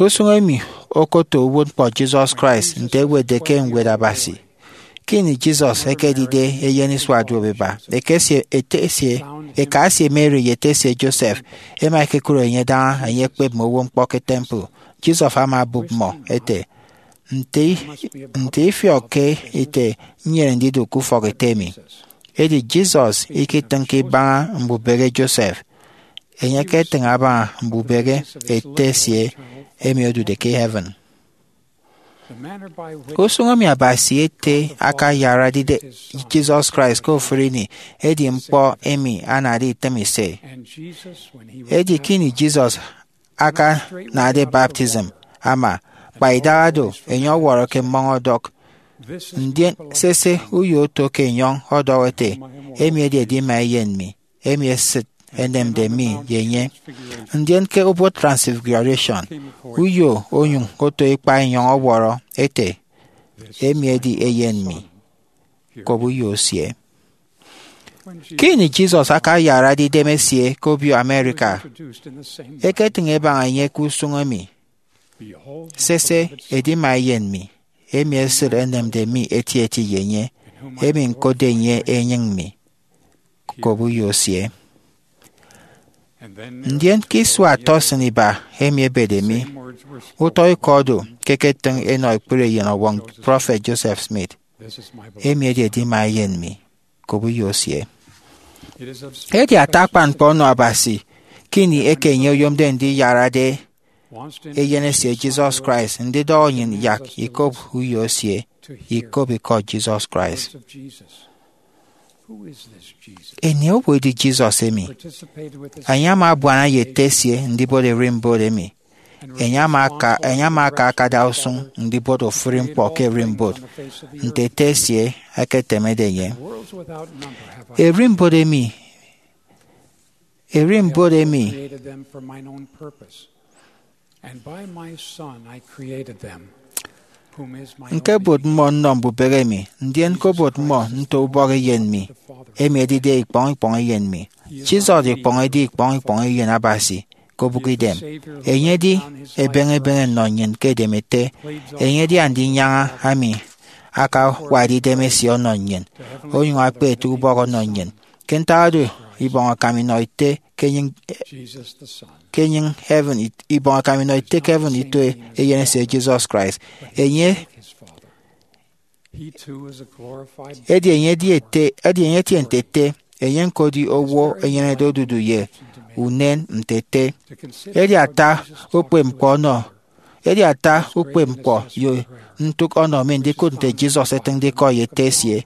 Usụñ emi okoto uwụtñkpọ Jesus Christ nte ewetde ke Ñwed Abasi. Ke ini Jesus ekedide eyen isua duop iba, eke esie, ete esie, eka esie Mary ye ete esie Joseph ema ekekụre enye daña enye ekpep mme owo ñkpọ ke temple. Joseph ama obụp mmọ ete, "Nte, nte ifiọkke ite nnyene ndidụk ke ufọk ete mi?" Edi Jesus iketịñke ibaña mbubehe Joseph. Enye eketịñ abaña mbubehe ete esie emi odude ke heaven. Usụñ emi Abasi Ete akayarade Jesus Christ ke ofụri ini edi ñkpọ emi anade itịm ise. Edi ke ini Jesus akanade baptism ama, kpa idaha do, enye ọwọrọ ke mmọñ ọdọk. Ndien sese, uyo oto ke enyọñ ọdọhọ ete, "Emi edi edima eyen mi, emi esịt enemde mi ye enye." Ndien ke obot Transfiguration, uyo onyụñ oto ikpa enyọñ ọwọrọ ete, "Emi edi eyen mi, kop uyo esie." Ke ini Jesus akayarade idem esie ke obio America, eketịñ ebaña enye ke usụñ emi, "Sese, edima eyen mi, emi esịt enemde mi etieti ye enye, emi ñkotde enye enyịñ mi, kop uyo esie." Ndien ke isua tọsịn iba emi ebede mi, utọ ikọ do ke eketịñ enọ ekpri Eyen Ọwọñ prọfet Joseph Smith, "Emi edi edima eyen mi, kop uyo esie." Edi ata akpan ñkpọ ọnọ Abasi ke ini eke enye oyomde ndiyarade Eyen esie Jesus Christ ndidọhọ nnyịn yak ikop uyo esie, ikop ikọ Jesus Christ. Anie owo edi Jesus emi? Enye ama abuana ye Ete esie ndibot ererimbot emi. Enye ama aka, enye ama aka akada usụñ ndibot ofụri ñkpọ ke ererimbot, nte Ete esie eketemede enye. Ererimbot emi, ererimbot emi, Created them for mine own purpose, and by my Son I created them, whom is my only Ñkebot mmọ nnọ mbubehe mi, ndien ñkobot mmọ nto ubọk Eyen mi, emi edide ikpọñ ikpọñ Eyen mi. Jesus ikpọñ edi ikpọñ ikpọñ Eyen Abasi ke obụkidem. Enye edi ebeñe ebeñe nnọ nnyịn ke edem Ete. Enye edi Andinyaña emi akawakde idem esie ọnọ nnyịn, onyụñ akpe ete ubọk ọnọ nnyịn. Ke ntak oro, ibọñ akam inọ ete ke enyịñ, Jesus the Son, ke enyịñ heaven it-, ibọñ akam inọ ete ke heaven ito Eyen esie Jesus Christ. Enye, his Father. He too is a glorified edi enye edi ete, edi enye etie nte Ete, enye ñko edi owo enyenede odudu ye unen nte Ete. Edi ata ukpepñkpọ ọnọ, edi ata ukpepñkpọ ye ntụk ọnọ mi ndikụt nte Jesus etịñde ikọ ye Ete esie.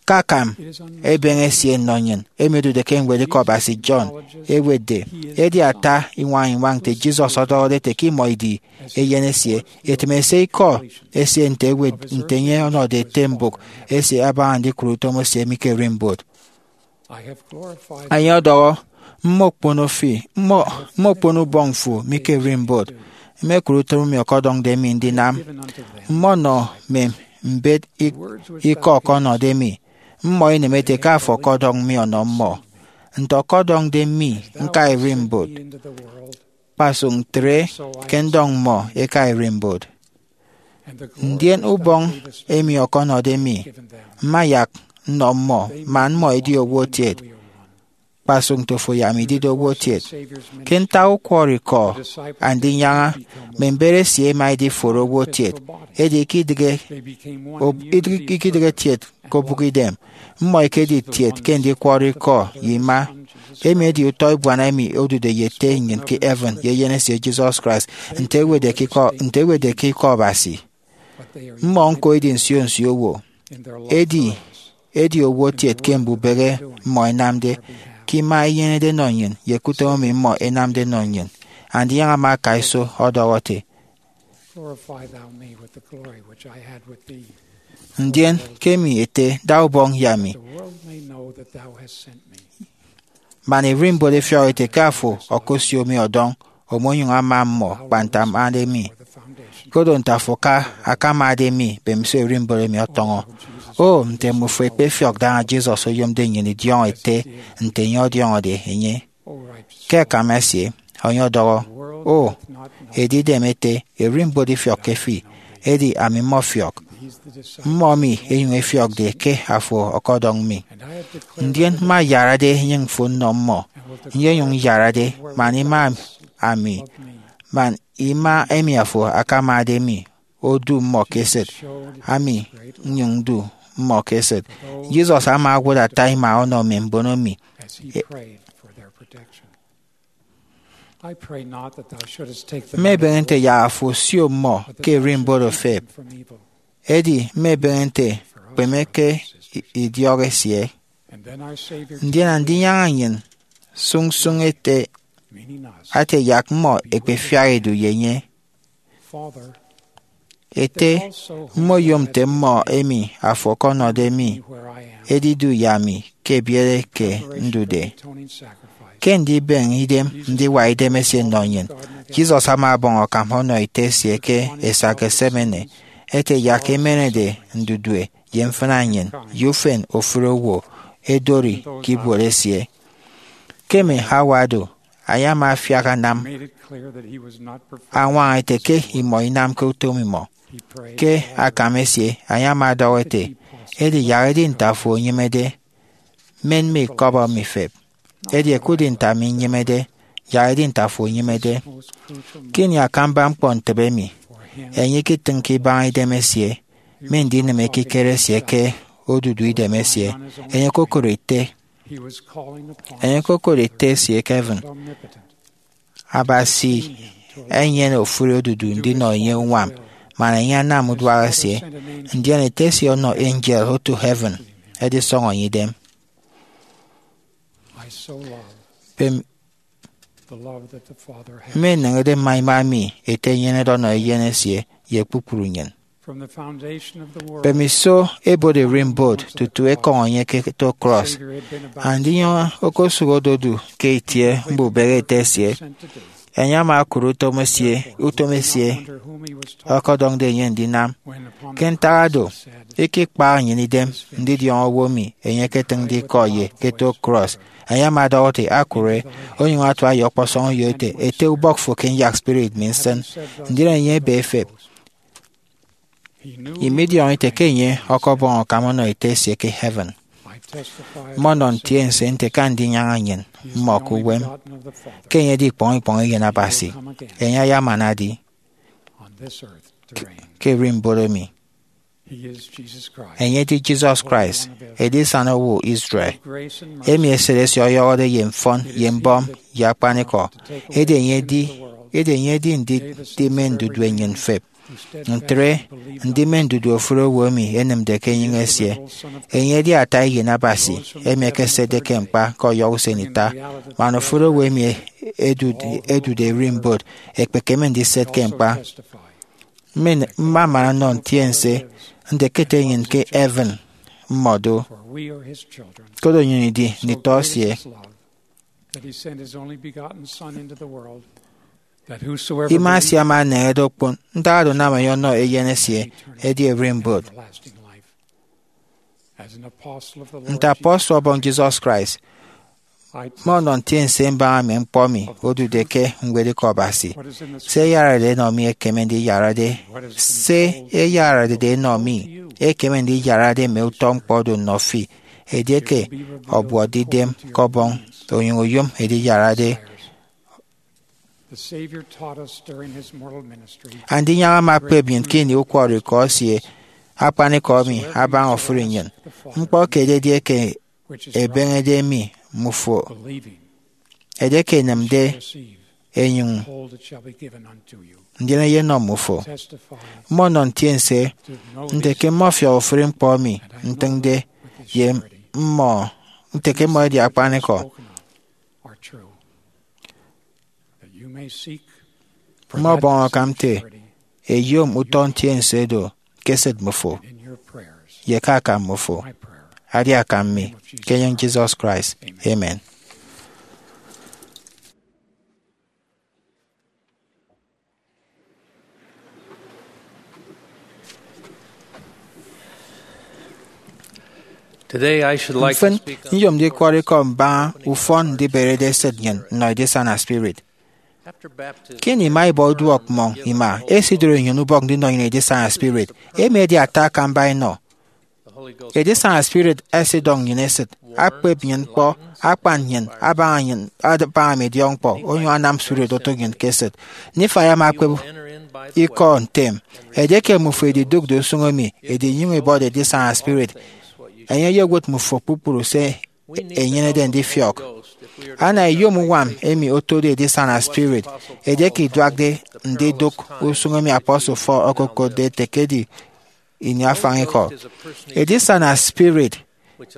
Ke akam ebeñe esie nnọ nnyịn, emi odude ke ñwedikọ Abasi John, ewetde, edi ata iñwañ iñwañ nte Jesus ọdọhọde ete ke imọ idi Eyen esie, etịm ese ikọ esie nte ewet, nte enye ọnọde ete mbụk esie abaña ndikụre utom esie mi ke ererimbot. I have glorified Enye ọdọhọ, "Mmokpono fi, mmo-, mmokpono ubọñ fo mi ke ererimbot. Mmekụre utom emi ọkọdọñde mi ndinam. Mmọnọ mme mbet ik-, ikọ ọkọnọde mi. Mmọ inemede ke afo ọkọdọñ mi ọnọ mmọ." Nte ọkọdọñde mi ñka ererimbot, kpasụk ntre ke ndọñ mmọ ẹka ererimbot. Ndien ubọñ emi ọkọnọde mi, mma yak nnọ mmọ, man mmọ ẹdi owo kiet, kpasụk nte ofo ye ami idide owo kiet. Ke ntak ukwọrọikọ Andinyaña, mme mbet esie ẹma ẹdiforo owo kiet, edi ikidịghe, ob-, ikidịghe kiet ke obụkidem. Mmọ ikedi kiet ke ndikwọrọ ikọ ye ima. Emi edi utọ ebuana emi odude ye Ete nnyịn ke heaven ye Eyen esie Jesus Christ, nte ewetde ke ikọ, nte ewetde ke ikọ Abasi. Mmọ ñko edi nsio nsio owo. Edi, edi owo kiet ke mbubehe mmọ ẹnamde, ke ima inyenede nọ nnyịn, ye ke utom emi mmọ ẹnamde nọ nnyịn. Andinyaña ama aka iso ọdọhọ ete, Glorify thou me with the glory which I had with thee. Ndien ke emi Ete, da ubọñ ye ami. The world may know that thou hast sent me. man ererimbot efiọk ete ke afo okosio mi ọdọñ, omonyụñ ama mmọ kpa nte amade mi. Koro nte afo ka akamade mi, mbemiso ererimbot emi ọtọñọ. O, nte mmufo ẹkpefiọk daña Jesus oyomde nnyịn idiọñọ ete nte enye ọdiọñọde enye! Ke akam esie, enye ọdọhọ, O, edidem ete, ererimbot ifiọkke fi, edi ami mmọfiọk, mmọ emi ẹnyụñ ẹfiọkde ke afo ọkọdọñ mi. Ndien mma ayarade enyịñ fo nnọ mmọ, nyenyụñ nyarade man ima ami, man ima emi afo akamade mi, odu mmọ ke esịt, ami nnyụñ ndu mmọ ke esịt. Jesus ama owụt ata ima ọnọ mme mbono mi. Mmebeñe nte yak afo osio mmọ ke ererimbot ofep, edi mmebeñe nte kpeme ke idiọk esie. Ndien Andinyaña nnyịn sụñsụñ ete, ate yak mmọ ẹkpefiak ẹdu ye enye. Ete, mmoyom nte mmọ emi afo ọkọnọde mi ẹdidu ye ami ke ebiet eke ndude. Ke ndibeñe idem ndiwa idemesie nnọ nnyịn, Jesus ama ọbọñ akam ọnọ Ete esie ke esak Gethsemane, ete yak emenede ndudue ye mfịna nnyịn ye ufen ofụri owo, edori ke ibuot esie. Ke mme hour do, enye ama afiak anam añwaña ete ke imọ inamke utom imọ. Ke akam esie, enye ama ọdọhọ ete, edi yak edi nte afo enyịmede, men mme ikọbọ mi fep. Edi ẹkụtde nte ami nnyịmede, yak edi nte afo enyịmede. Ke ini akamba ñkpọntịbe emi, enye iketịñke ibaña idemesie mme ndinịm ekikere esie ke odudu idemesie. Enye okokụre ete, enye okokụre Ete esie ke heaven. Abasi enyene ofụri odudu ndinọ enye uñwam, man enye anam uduak esie, ndien Ete esie ọnọ angel oto heaven ẹdisọñọ enye idem. Mme eneñede mma ima emi Ete enyenede ọnọ Eyen esie ye kpukpru nnyịn. Mbemiso ebot ererimbot tutu ekọñọ enye ke eto cross, Andinyaña okosụk ododu ke itie mbubehe Ete esie. Enye ama okụre utom esie, utom esie ọkọdọñde enye ndinam. Ke ntak do, ikikpaha nnyịn idem ndidiọñọ owo emi enye eketịñde ikọ ye ke eto cross. Enye ama ọdọhọ ete, akụre, onyụñ atua ye ọkpọsọñ uyo ete, ete ubọk fo ke nyak spirit mi nsịn. Ndien enye ebe efep. Imidiọñọ ite ke enye ọkọbọñ akam ọnọ Ete esie ke heaven. Mmọnọ ntiense nte ke Andinyaña nnyịn mmọ ke uwem, ke enye edi ikpọñ ikpọñ Eyen Abasi. Enye ayamana adi ke ererimbot emi. Enye edi Jesus Christ, Edisana Owo Israel, emi esịt esie ọyọhọde ye mfọn ye mbọm ye akpanikọ. Edi enye edi, edi enye edi ndidi mme ndudue nnyịn fep. Ntre, ndi mme ndudue ofụri owo emi ẹnịmde ke enyịñ esie. Enye edi ata Eyen Abasi, emi ekesetde ke ñkpa ke ọyọhọ usen ita, man ofụri owo emi ẹdude, ẹdude ererimbot ẹkpekeme ndiset ke ñkpa. Mma-, mmamana nnọ ntiense nte ke Ete nnyịn ke heaven mmọ do, koro nnyịn idi nditọ esie. Ima esie ama eneñede okpon ntak oro anam enye ọnọ Eyen esie edi ererimbot. Nte apostle Ọbọñ Jesus Christ, mmọnọ ntiense mbaña mme ñkpọ emi odude ke ñwed Ikọ Abasi. Se ẹyararede ẹnọ mi ekeme ndiyarade, se ẹyararede ẹnọ mi ekeme ndiyarade mme utọ ñkpọ do nnọ fi. Edieke ọbuọtde idem ke Ọbọñ, onyụñ oyom ediyarade. Andinyaña ama ekpep nnyịn ke ini ukwọrọikọ esie akpanikọ emi abaña ofụri nnyịn. Ñkpọ kiet edi eke ebeñede mi mmufo, edieke enịmde enyụñ ndien eyenọ mmufo. Mmọnọ ntiense nte ke mmọfiọk ofụri ñkpọ emi ntịñde ye mmọ nte ke mmọ ẹdi akpanikọ. Mmọbọñ akam nte eyom utọ ntiense do ke esịt mmufo ye ke akam mmufo. Adi akam mi, ke enyịñ Jesus Christ, amen. Today I should like to Mfịn, speak on nyom ndikwọrọ ikọ mbaña ufọn ndiberede esịt nnyịn nnọ edisana spirit. After baptism, Ke ini ima ibọ uduọk mmọñ ima, esidoro nnyịn ubọk ndinọ nnyịn edisana spirit. Emi edi ata akamba inọ. Edisana spirit esidọñ nnyịn esịt, akpep nnyịn ñkpọ, akpan nnyịn, abaña nnyịn abaña mme idiọkñkpọ, onyụñ anam spirit otụk nnyịn ke esịt. Nifai ama akpep ikọ ntem. Edieke mmufo ididụkde usụñ emi, edi inyụñ ibọde edisana spirit, enye eyewet mmufo kpukpru se enyenede ndifiọk. Ana iyom uñwam emi otode edisana spirit edieke iduakde ndidụk usụñ emi apostle Paul okokotde ete ke edi ini afañ ikọ. Edisana spirit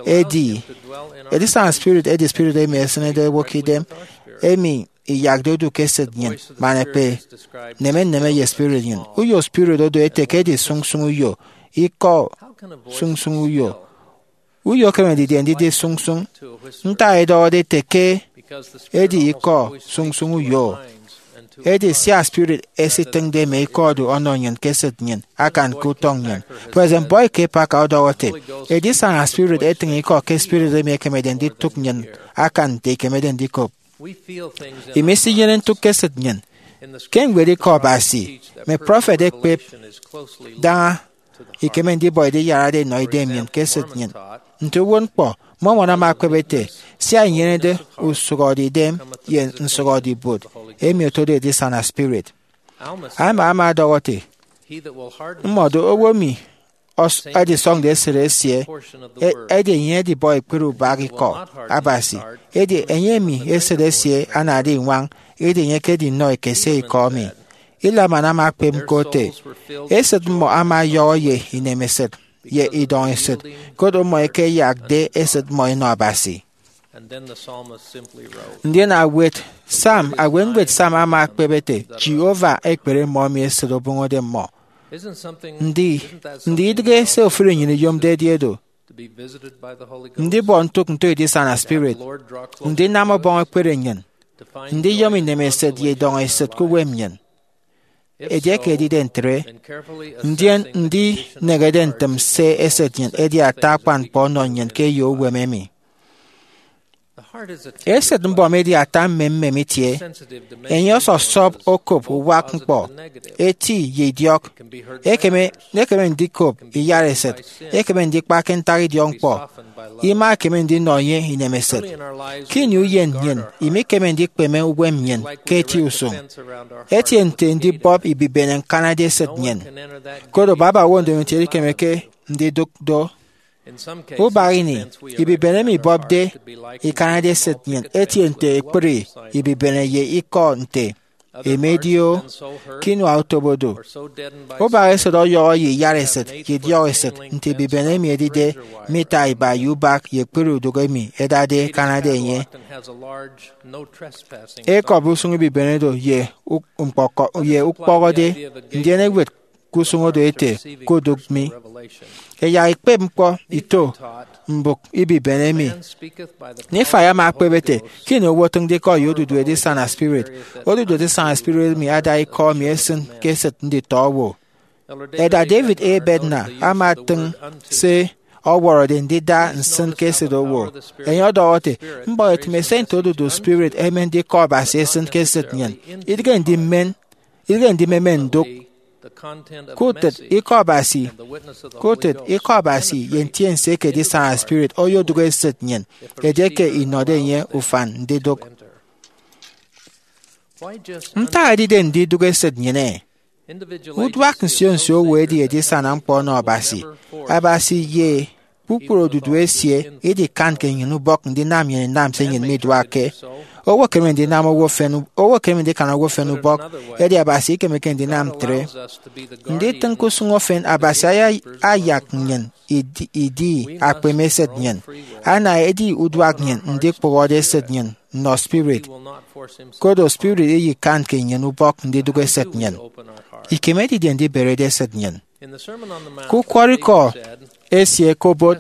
edi edisana spirit edi spirit emi esịnede owo ke idem, emi iyakde odu ke esịt nnyịn man ekpe neme nneme ye spirit nnyịn. Uyo spirit odo ete ke edi sụñsụñ uyo, ikọ sụñsụñ uyo. Uyo ekeme ndidi ndidi sụñsụñ. Ntak edọhọde ete ke edi ikọ sụñsụñ uyo? Edi sia spirit esitịñde mme ikọ odu ọnọ nnyịn ke esịt nnyịn akan ke utọñ nnyịn. President Boyd K. Packer ọdọhọ ete, edisana spirit etịñ ikọ ke spirit emi ekemede nditụk nnyịn akan nte ikemede ndikop. Imisinyene ntụk ke esịt nnyịn. Ke ñwed ikọ Abasi, mme prọfet ẹkpep daña ikeme ndibọ ediyarade nọ idem nnyịn ke esịt nnyịn. Nte uwụtñkpọ, Mormon ama akpep ete, sia inyenede usụhọde idem ye nsụhọde ibuot, emi otode edisana spirit. Alma ama ọdọhọ ete, mmọdo owo emi ọs- edisọñde esịt esie, e- edi enye edibọ ekpere ubak ikọ Abasi, edi enye emi esịt esie anade iñwañ, edi enye ekedi nnọ ekese ikọ emi. Helaman ama akpep ñko ete, esịt mmọ ama ọyọhọ ye inemesịt ye idọñ esịt, koro mmọ ẹkeyakde esịt mmọ ẹnọ Abasi. Ndien awet Psalm, awetñwed Psalm ama ekpep ete, Jehovah ekpere mmọ emi esịt obụñọde mmọ. Ndi, ndi idịghe se ofụri nnyịn iyomde edi edo? Ndibọ ntụk nto edisana spirit, ndinam ọbọñ ekpere nnyịn, ndiyom inemesịt ye idọñ esịt ke uwem nnyịn. Edieke edide ntre, ndien ndinehede ntịm se esịt nnyịn edi ata akpan ñkpọ ọnọ nnyịn ke eyo uwem emi. Esịt mbọm edi ata mmemmem itie. Enye ọsọsọp okop uwak ñkpọ, eti ye idiọk. Ekeme, ekeme ndikop iyara esịt, ekeme ndikpa ke ntak idiọkñkpọ. Ima ekeme ndinọ enye inemesịt. Ke ini uyen nnyịn, imikeme ndikpeme uwem nnyịn ke eti usụñ, etie nte ndibọp ibibene ñkanade esịt nnyịn. Koro baba owo ndomokiet ikemeke ndidụk do. Ubak ini, ibibene emi ibọpde ikanade esịt nnyịn etie nte ekpri ibibene ye ikọ nte emi edi-o ke inua otobo do. Ubak esịt ọyọhọ ye iyara esịt ye idiọk esịt nte ibibene emi edide mita iba ye ubak ye ekpri udụk emi ẹdade ẹkanade enye. Ekọbi usụñ ibibene do ye u- ñkpọkọ- ye ukpọhọde, ndien ewet ke usụñ odo ete, kudụk mi. Ẹyak ikpep ñkpọ ito mbụk ibibene emi. Nifai ama ekpep ete, ke ini owo otịñde ikọ ye odudu edisana spirit, odudu edisana spirit emi ada ikọ emi esịn ke esịt nditọ owo. Elder David A. Bednar ama atịñ se ọwọrọde ndida nsịn ke esịt owo. Enye ọdọhọ ete, mbọhetịm ese nte odudu spirit emende ikọ Abasi esịn ke esịt nnyịn, idịghe ndimen, idịghe ndimemen ndụk. Ke utịt ikọ Abasi, ke utịt ikọ Abasi ye ntiense eke edisana spirit oyodụk esịt nnyịn edieke inọde enye ufan ndidụk. Ntak edide ndidụk esịt nnyịn-e? Uduak nsio nsio owo edi edisana ñkpọ ọnọ Abasi. Abasi ye kpukpru odudu esie idikanke nnyịn ubọk ndinam nnyịn inam se nnyịn miduakke. Owo ekeme ndinam owo efen, owo ekeme ndikan owo efen ubọk, edi Abasi ikemeke ndinam ntre. Nditịñ ke usụñ efen Abasi aya- ayak nnyịn idi, idi akpeme esịt nnyịn. Ana edi uduak nnyịn ndikpụhọde esịt nnyịn nnọ spirit. Koro spirit iyikanke nnyịn ubọk ndidụk esịt nnyịn. Ikeme didie ndiberede esịt nnyịn? Ke ukwọrọikọ esie ke obot,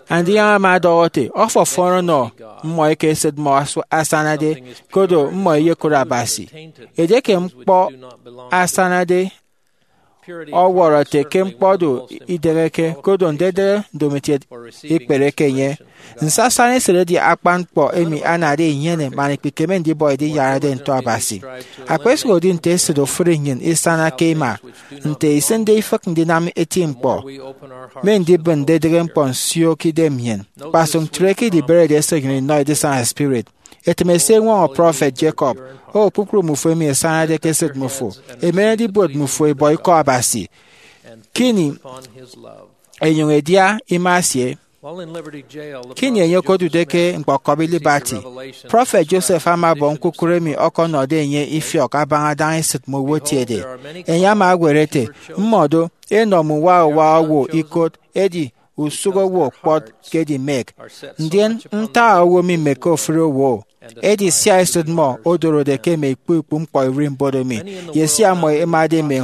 Andiyaña ama ọdọhọ ete, ọfọfọn ọnọ mmọ eke esịt mmọ asu- asanade, koro mmọ ẹyekot Abasi. Edieke ñkpọ asanade ọwọrọ ete ke ñkpọ do ideheke, koro ndedere ndomokiet ikpereke enye. Nsasana esịt edi akpan ñkpọ emi anade inyene man ikpikeme ndibọ ediyarade nto Abasi. Akpesụk edi nte esịt ofụri nnyịn isana ke ima, nte isịnde ifịk ndinam eti ñkpọ, mme ndibịn ndedịghe ñkpọ nsio ke idem nnyịn. Kpasụk ntre ke idiberede esịt nnyịn inọ edisana spirit. Etịm esie eñwọñọ prọfet Jacob, O kpukpru mmufo emi ẹsañade ke esịt mmufo, emenede ibuot mmufo ibọ ikọ Abasi, ke ini enyụñ edia ima esie. Ke ini enye okodude ke ñkpọkọbi Liberty, prọfet Joseph ama ọbọ ñkukụre emi ọkọnọde enye ifiọk abaña adaña esịt mme owo ẹtiede. Enye ama añwere ete, Mmọdo, enọ mme uwa uwa owo ikot, edi usụk owo kpọt ke edimek, ndien ntak owo mimekke ofụri owo. Edi sia esịt mmọ odorode ke mme ikpu ikpu ñkpọ ererimbot emi, ye sia mmọ ẹmade mme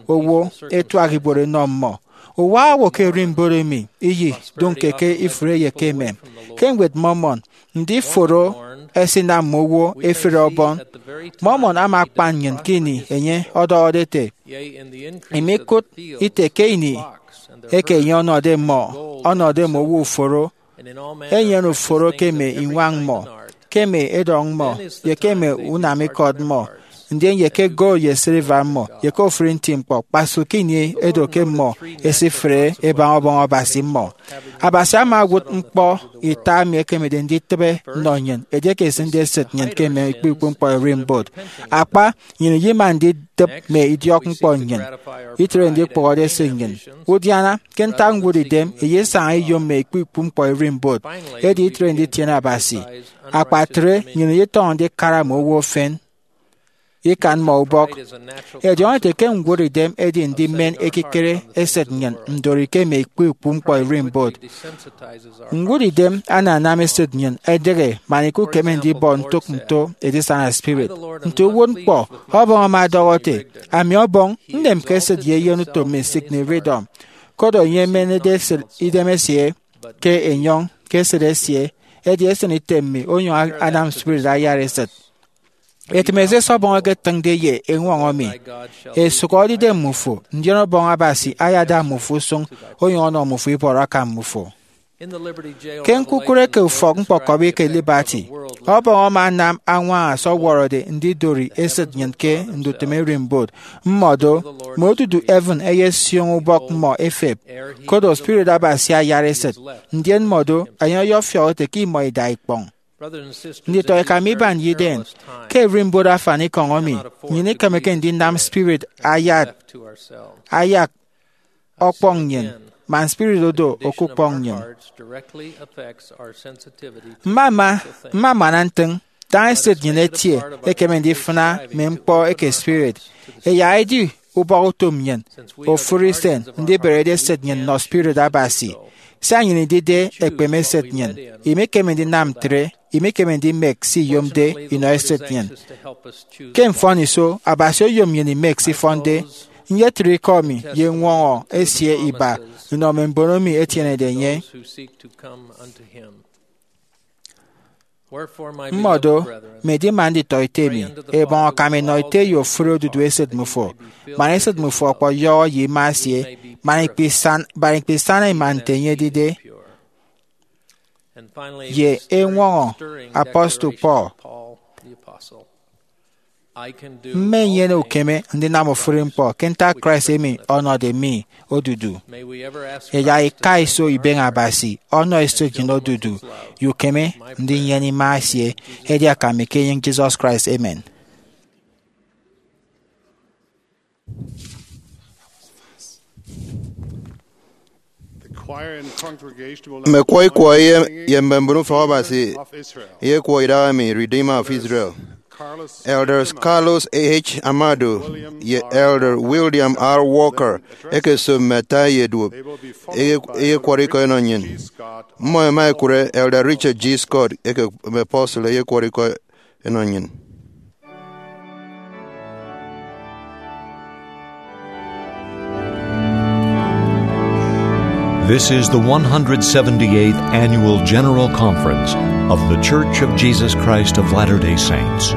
owo ẹtuak ibuot ẹnọ mmọ. Uwa owo ke ererimbot emi iyidụñke ke ifụre ye ke emem. Ke Ñwed Mormon, ndiforo ẹsinam mme owo ẹfre Ọbọn. Mormon ama akpan nnyịn ke ini enye ọdọhọde ete, Imikụt ite ke ini eke enye ọnọde mmọ, ọnọde mme owo uforo, enyene uforo ke mme iñwañ mmọ, ke mme edọñ mmọ, ye ke mme unam ikọt mmọ, ndien ye ke gold ye silver mmọ, ye ke ofụri nti ñkpọ, kpasụk ke ini edo ke mmọ ẹsifre ẹbaña ọbọñ abasi mmọ. Abasi ama owụt ñkpọ ita emi ekemede nditịbe nnọ nnyịn edieke esịnde esịt nnyịn ke mme ikpu ikpu ñkpọ ererimbot. Akpa, nnyịn iyima nditịp mme idiọk ñkpọ nnyịn, itre ndikpụhọde esịt nnyịn. Udiana, ke ntak ñwụt idem, iyesaña iyom mme ikpu ikpu ñkpọ ererimbot, edi itre nditiene Abasi. Akpa ntre, nnyịn iyetọñọ ndikara mme owo efen, ikan mmọ ubọk. Ẹdiọñọ ete ke ñwụt idem edi ndimen ekikere esịt nnyịn ndori ke mme ikpu ikpu ñkpọ ererimbot. Ñwụt idem ananam esịt nnyịn ẹdịghe man ikukeme ndibọ ntụk nto edisana spirit. Nte uwụtñkpọ, Ọbọñ ama ọdọhọ ete, Ami Ọbọñ, nnemke esịt ye eyenutom mi, Sidney Rigdon. Koro enye emenede esịt idem esie ke enyọñ ke esịt esie, edi esịn item mi onyụñ anam spirit ayat esịt. Etịm esie Ọbọñ eketịñde ye eñwọñọ mi, Esụk edidem mmufo, ndien Ọbọñ Abasi ayada mmufo usụñ, onyụñ ọnọ mmufo ibọrọ akam mmufo. Ke ñkukụre ke ufọk ñkpọkọbi ke Liberty, Ọbọñ ama anam añwaña se ọwọrọde ndidori esịt nnyịn ke ndutịm ererimbot. Mmọdo, mme odudu heaven ẹyesioño ubọk mmọ efep, koro spirit Abasi ayat esịt, ndien mmọdo, enye ọyọfiọk ete ke imọ ida ikpọñ. Nditọ eka mi iban ye idem, ke ererimbot afanikọñ emi, nnyịn ikemeke ndinam spirit ayat, ayak ọkpọñ nnyịn, man spirit odo okukpọñ nnyịn. Mmama, mmamana ntịñ, daña esịt nnyịn etie ekeme ndifịna mme ñkpọ eke spirit. Ẹyak edi ubọk utom nnyịn ofụri usen ndiberede esịt nnyịn nnọ spirit Abasi. Sia nnyịn idide ekpeme esịt nnyịn, imikeme ndinam ntre, imikeme ndimek se iyomde inọ esịt nnyịn. Ke mfọniso, Abasi oyom nnyịn imek se ifọnde. Nyetre ikọ mi ye ñwọñọ esie iba inọ mme mbon emi ẹtienede enye. Mmọdo, mme edima nditọ ete mi, ebọñ akam enọ ete ye ofụri odudu esịt mmufo, man esịt mmufo ọkpọyọhọ ye ima esie, man ikpisan, man ikpisana ima nte enye edide, ye eñwọñọ apostle Paul. Mmenyene ukeme ndinam ofụri ñkpọ ke ntak Christ emi ọnọde mi odudu. Ẹyak ika iso ibeñe Abasi ọnọ esịt nnyịn odudu, ye ukeme ndinyene ima esie, edi akam mi ke enyịñ Jesus Christ. Amen. Mme kwọ ikwọ ye, ye mme mbon ufọk Abasi eyekwọ idaha emi, Redeemer of Israel. Elders Carlos H. Amado ye Elder William R. Walker ẹkeso mme ata ye duop eye-, eyekwọrọ ikọ ẹnọ nnyịn. Mmọ ẹma ẹkụre Elder Richard G. Scott eke mme apostle eyekwọrọ ikọ ẹnọ nnyịn. This is the one hundred seventy-eighth Annual General Conference of The Church of Jesus Christ of Latter-day Saints.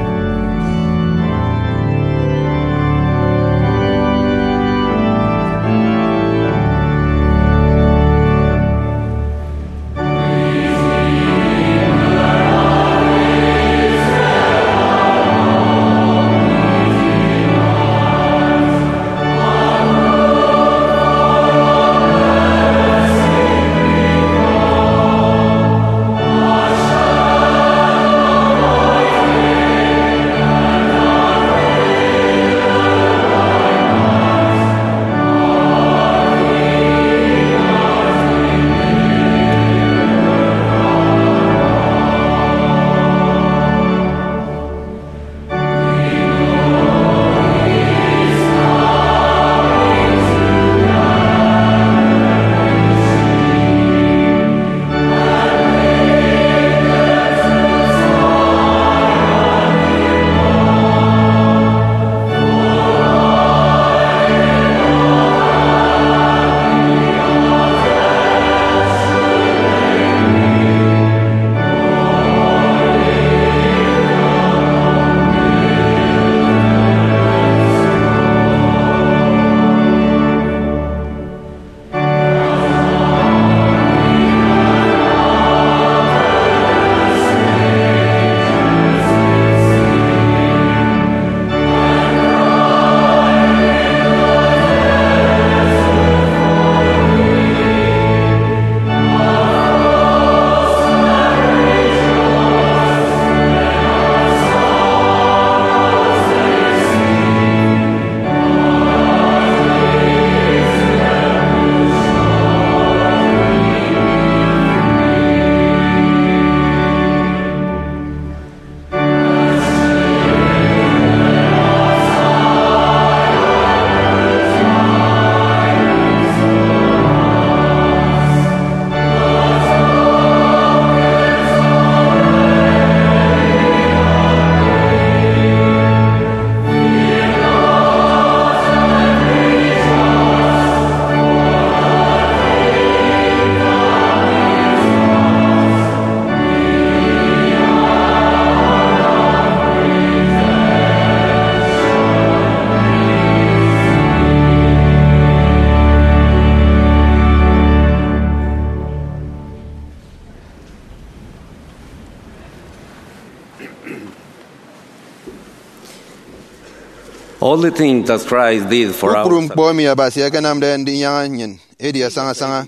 All the things that Christ did for us. Kpukpru ñkpọ emi Abasi akanamde ndinyaña nnyịn edi asaña asaña.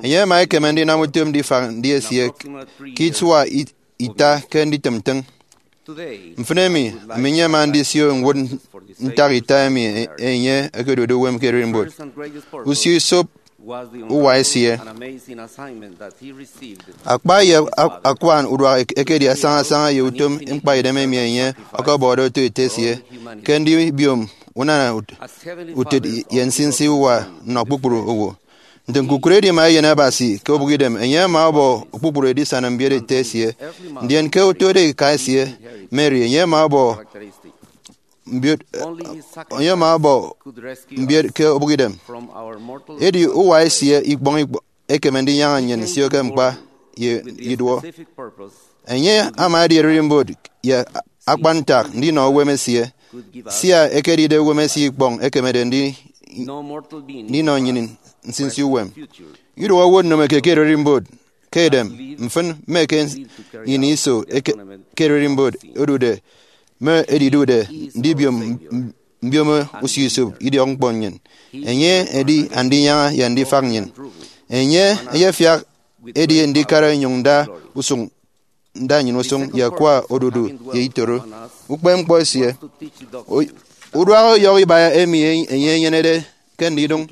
Enye ama ekeme ndinam utom ndifak ndi esie ke isua it- ita ke nditịm ntịñ. Mfịn emi, ami nyema ndisio ñwụt ntak ita emi e- enye ekedude uwem ke ererimbot. Usio isop uwa esie. Akpa ye ak- akuan uduak ek- ekedi asaña asaña ye utom ñkpaidem emi enye ọkọbọde oto ete esie ke ndibiom unana ut- utịt ye nsinsi uwa nnọ kpukpru owo. Nte ñkukụre edima eyen Abasi ke obụkidem, enye ama ọbọ kpukpru edisana mbiet ete esie, ndien ke otode ika esie, Mary, enye ama ọbọ mbiet, enye ama ọbọ mbiet ke obụkidem. Edi uwa esie ikpọñ ikpọ- ekeme ndinyaña nnyịn nsio ke ñkpa ye iduọ. Enye ama edi ererimbot ye akpan ntak ndinọ uwem esie, sia ekedide uwem esie ikpọñ ekemede ndi- ndinọ nnyịn nsinsi uwem. Iduọ owo nneme ke ererimbot ke edem, mfịn, mme ke ini iso eke- ke ererimbot odude, mme edidude ndibiom m- mbiomo usio isop idiọk ñkpọ nnyịn. Enye edi andinyaña ye andifak nnyịn. Enye eyefiak edi ndikara nyụñ nda usụñ, nda nnyịn usụñ ye akwa odudu ye itoro ukpepñkpọ esie. O- uduak ọyọhọ iba emi enye enyenede ke ndidụñ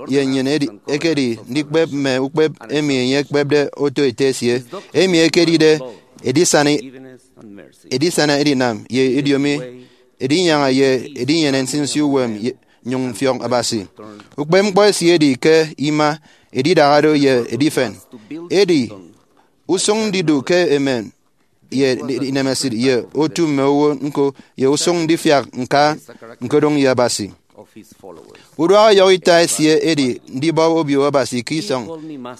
ye nnyịn edi- ekedi ndikpep mme ukpep emi enye ekpepde oto ete esie, emi ekedide edisana edisana edinam ye ediomi, edinyaña ye edinyene nsinsi uwem ye- nyụñ mfiọk Abasi. Ukpepñkpọ esie edi ke ima, edidaha do ye edifen. Edi usụñ ndidu ke emem ye inemesịt ye otu mme owo ñko ye usụñ ndifiak ñka ñkodụñ ye Abasi. Uduak ọyọhọ ita esie edi ndibọp obio Abasi ke isọñ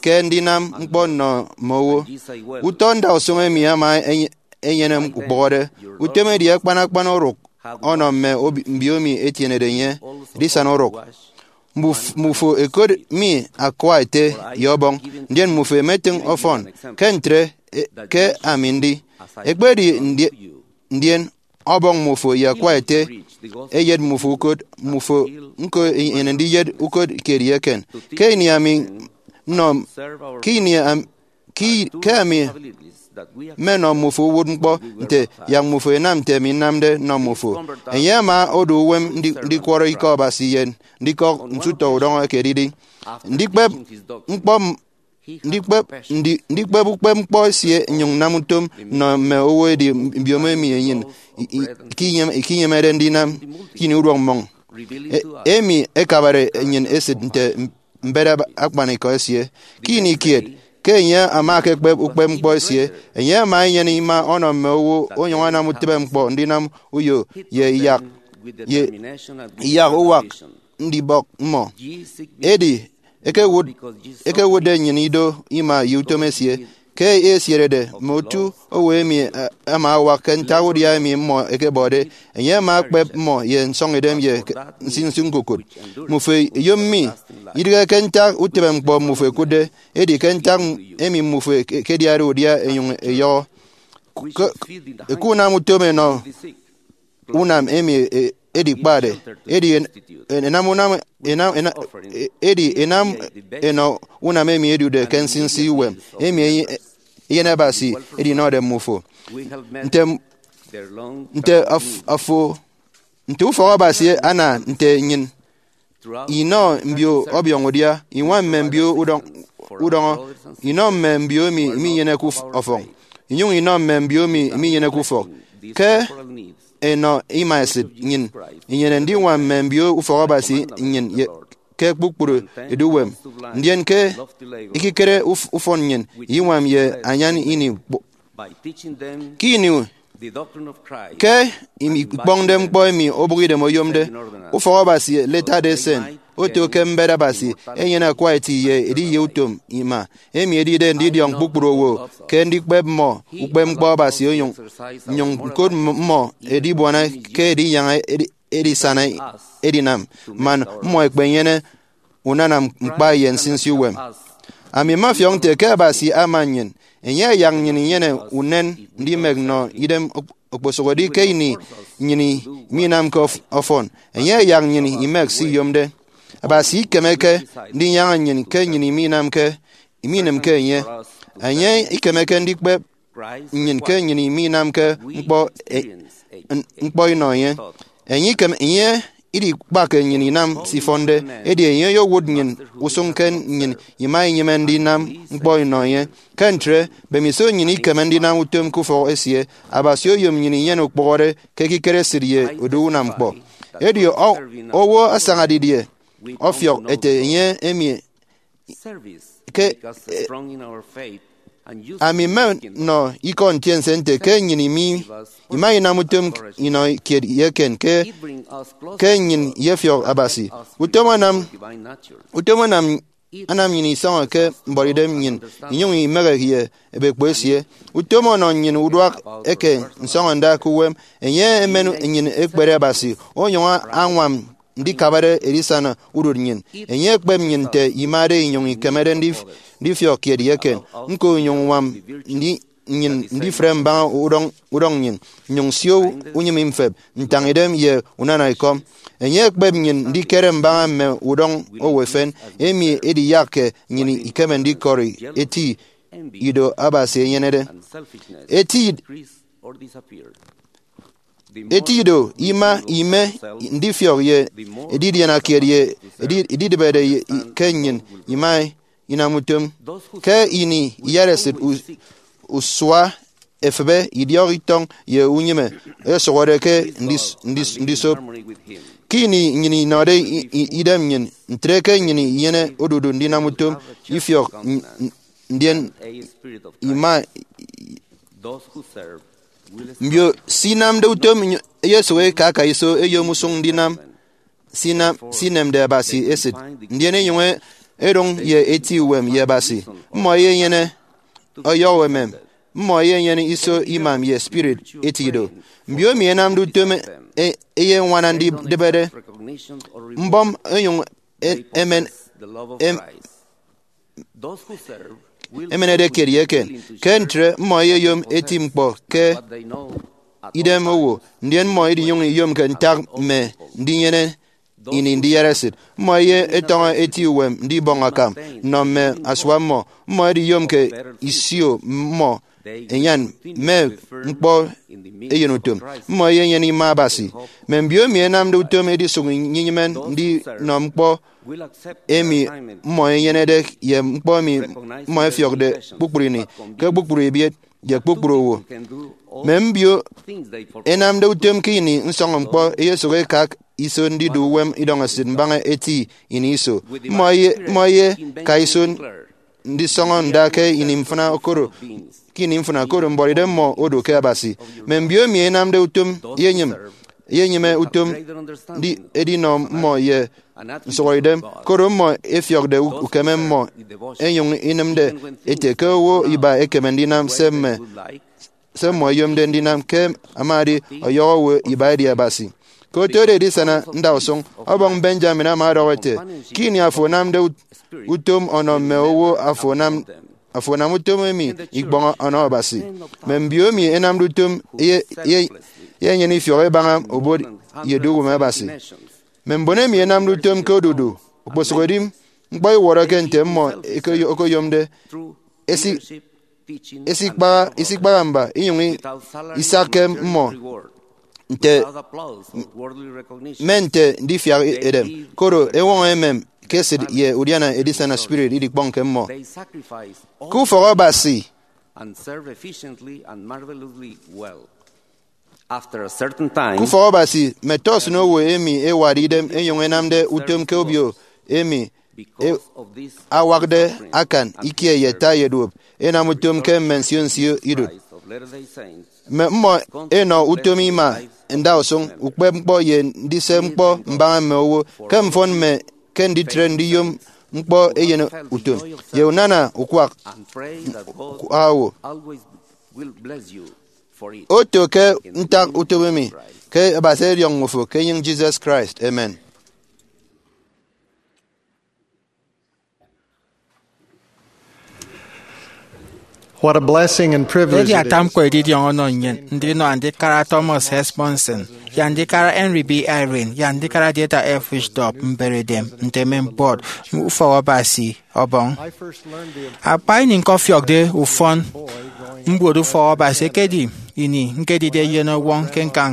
ke ndinam ñkpọ nnọ mme owo. Utọ ndausụñ emi ama enye- enyene ukpụhọde. Utom edi akpan akpan orụk ọnọ mme obi- mbiomi etienede enye edisana orụk. Mbuf- mbufo ẹkot mi akwa ete ye ọbọñ, ndien mbufo ẹmetịñ ọfọn. Ke ntre, e- ke ami ndi, ekpedi ndi- ndien ọbọñ mbufo ye akwa ete, eyet mbufo ukot, mbufo ñko enyene ndiyet ukot kiet ye eken. Ke ini ami nnọ, ke ini am- ke, ke ami mmenọ mmufo uwụtñkpọ nte yak mmufo ẹnam nte ami nnamde nnọ mmufo. Enye ama odu uwem ndi- ndikwọrọ Ikọ Abasi ye ndikọk nte utọ udọñọ ekedidi. Ndikpep ñkpọ m- ndikpep ndi- ndikpep ukpepñkpọ esie nnyụñ nnam utom nnọ mme owo edi mbiomo emi enyịn i- i- ikinyem- ikinyemede ndinam ke ini uduak mmọñ. E- emi ekabare nnyịn esịt nte mbet akpanikọ esie. Ke ini kiet, ke enye ama ekekpep ukpepñkpọ esie, enye ama enyene ima ọnọ mme owo onyụñ anam utịbeñkpọ ndinam uyo ye iyak ye iyak uwak ndibọk mmọ. Edi ekewụt- ekewụtde nnyịn ido ima ye utom esie. Ke esierede, mme otu owo emi, eh, ama awak ke ntak udia emi mmọ ẹkebọde, enye ama ekpep mmọ ye nsọñidem ye ke- nsinsi ñkukụt. Mmufo ẹyom mi, idịghe ke ntak utịbeñkpọ mmufo ẹkụtde, edi ke ntak emi mmufo ẹke- ẹkediade udia ẹnyụñ ẹyọhọ. Ke- ke unam utom ẹnọ unam emi e- edikpade, edi en- enam unam enam ena- e- edi enam enọ unam emi edude ke nsinsi uwem emi enye- eyen Abasi edinọde mmufo. Nte nte af- afo nte ufọk Abasi ana nte nnyịn inọ mbio ọbiọñ udia, iñwam mme mbio udọñ- udọñọ, inọ mme mbio emi minyeneke uf- ọfọñ, inyụñ inọ mme mbio emi minyeneke ufọk. Ke enọ ima esịt, nnyịn inyene ndiñwam mme mbio ufọk Abasi nnyịn ye- ke kpukpru eduuwem, ndien ke ekikere uf- ufọn nnyịn iñwam ye anyan ini kpọ- ke ini ke imi- ikpọñde ñkpọ emi obụkidem oyomde. Ufọk Abasi Latter-day Saint oto ke mbet Abasi enyene akwa eti ye ediye utom ima, emi edide ndidiọñ kpukpru owo ke ndikpep mmọ ukpepñkpọ Abasi onyụñ nnyụñ ñkot mmọ edibuana ke edinyaña edi- edisana edinam man mmọ ẹkpenyene unana ñkpa ye nsinsi uwem. Ami mmafiọk nte ke Abasi ama nnyịn Enye ayak nnyịn inyene unen ndimek nnọ idem okposụkedi ke ini nnyịn minamke ọf-, ọfọn. Enye ayak nnyịn imek se iyomde. Abasi ikemeke ndinyaña nnyịn ke nnyịn minamke, minịmke enye. Enye ikemeke ndikpep nnyịn ke nnyịn minamke ñkpọ, e, n-, ñkpọ inọ enye. Enye ikem, enye idikpakke nnyịn inam se ifọnde, edi enye oyowụt nnyịn usụñ ke nnyịn ima inyịme ndinam ñkpọ inọ enye. Ke ntre, mbemiso nnyịn ikeme ndinam utom ke ufọk esie, Abasi oyom nnyịn inyene ukpụhọde ke ekikere esịt ye odu unam ñkpọ. Edi o-, owo asaña didie ọfiọk ete enye emi ke, ami mme nnọ ikọ ntiense nte ke nnyịn imi, ima inam utom inọ kiet ye eken ke, ke nnyịn iyefiọk Abasi. Utom anam, utom anam, anam nnyịn isọñọ ke mbuọtidem nnyịn, inyụñ imehe ye ebekpo esie. Utom ọnọ nnyịn uduak eke nsọñọnda ke uwem. Enye emen nnyịn ekpere Abasi, onyụñ añwam ndikabade edisana udụt nnyịn. Enye ekpep nnyịn nte imade inyụñ ikemede ndif-, ndifiọk kiet ye eken. Ñko inyụñ ñwam ndi-, nnyịn ndifre mbaña udọñ, udọñ nnyịn, nnyụñ sio unyịme mfep, ntañidem ye unana ekọm. Enye ekpep nnyịn ndikere mbaña mme udọñ owo efen, emi ediyakke nnyịn ikeme ndikọri eti ido Abasi enyenede. Eti eti ido ima ime ndifiọk ye edidianakiet ye edi-, edidịbede ye i-, ke nnyịn ima inam utom. Ke ini iyaresit u-, usua efịbe, idiọk itọñ ye unyịme ẹsụhọde ke ndis-, ndis-, ndisop. Ke ini nnyịn inọde i-, i-, idem nnyịn, ntre ke nnyịn inyene odudu ndinam utom ifiọk n-, n-, ndien ima. Mbio se inamde utom nyo-, eyesụk eka aka iso eyom usụñ ndinam se inam, se inemde Abasi esịt, ndien enyụñ e-, edụñ ye eti uwem ye Abasi. Mmọ eyenyene ọyọhọ emem. Mmọ eyenyene iso imam ye spirit eti ido. Mbio emi enamde utom e-, eyeñwana ndidịbede mbọm enyụñ e-, emen, em-, emenede kiet ye eken. Ke ntre, mmọ eyeyom eti ñkpọ ke idem owo, ndien mmọ idinyụñ iyomke ntak mme ndinyene ini ndiyaresit. Mmọ eyetọñọ eti uwem ndibọñ akam nnọ mme asua mmọ. Mmọ ediyomke isio mmọ enyan mme ñkpọ eyenutom. Mmọ eyenyene ima Abasi. Mme mbio emi enamde utom edisụk nnyịn inyịme ndinọ ñkpọ emi mmọ enyenede ye ñkpọ emi mmọ ẹfiọkde kpukpru ini ke kpukpru ebiet ye kpukpru owo. Mme mbio enamde utom ke ini nsọñọ ñkpọ eyesụk ekak iso ndidu uwem idọñesịt mbaña eti ini iso. Mmọ eye-, mmọ eyeka iso ndisọñọ nda ke ini mfịna okodo, ke ini mfịna okodo mbuọtidem mmọ odu ke Abasi. Mme mbio emi enamde utom eyenyịm, eyenyịme utom ndi-, edinọ mmọ ye nsụhọidem, koro mmọ efiọkde u-, ukeme mmọ, enyụñ inịmde ete ke owo iba ekeme ndinam se mme, se mmọ eyomde ndinam ke amadi ọyọhọ owo iba edi Abasi. Ke otode edisana ndausụñ, ọbọñ Benjamin ama ọdọhọ ete, ke ini afo anamde ut-, utom ọnọ mme owo, afo anam, afo anam utom emi ikpọñ ọnọ Abasi. Mme mbio emi enamde utom eye-, eye-, eyenyene ifiọk ebaña obot ye eduuwem Abasi. Mme mbon emi enamde utom ke odudu okposụkedi ñkpọ iwọrọke nte mmọ eke-, okoyomde, esi-, esikpaha, isikpaha mba, inyụñ i-, isakke mmọ nte, mme nte ndifiak edem, koro eñwọñọ emem ke esịt ye udiana edisana spirit idikpọñke mmọ. Ke ufọk Abasi, ke ufọk Abasi, mme tọsịn owo emi ẹwade idem ẹnyụñ ẹnamde utom ke obio emi e-, awakde akan ikie ye ata ye duop, ẹnam utom ke mme nsio nsio idụt. Mme mmọ ẹnọ utom ima ndausụñ, ukpep ñkpọ ye ndise ñkpọ mbaña mme owo, ke mfọn mme ke nditre ndiyom ñkpọ eyen utom, ye unana ukwak, ukwak owo. Oto ke ntak utom emi, ke Abasi ọdiọñ mmọ fo ke enyịñ Jesus Christ. Amen. What a blessing and privilege edi it ata is. Ñkpọ edidiọñ ọnọ nnyịn ndinọ Andikara Thomas S. Monson ye Andikara Henry B. Eyring ye Andikara Dieter F. Uchtdorf mberedem nte mme mbuọt ufọk Abasi Ọbọñ. Akpa ini ñkọfiọkde ufọn mbuot ufọk Abasi ekedi ini ñkedide eyen ọwọñ ke ñkañ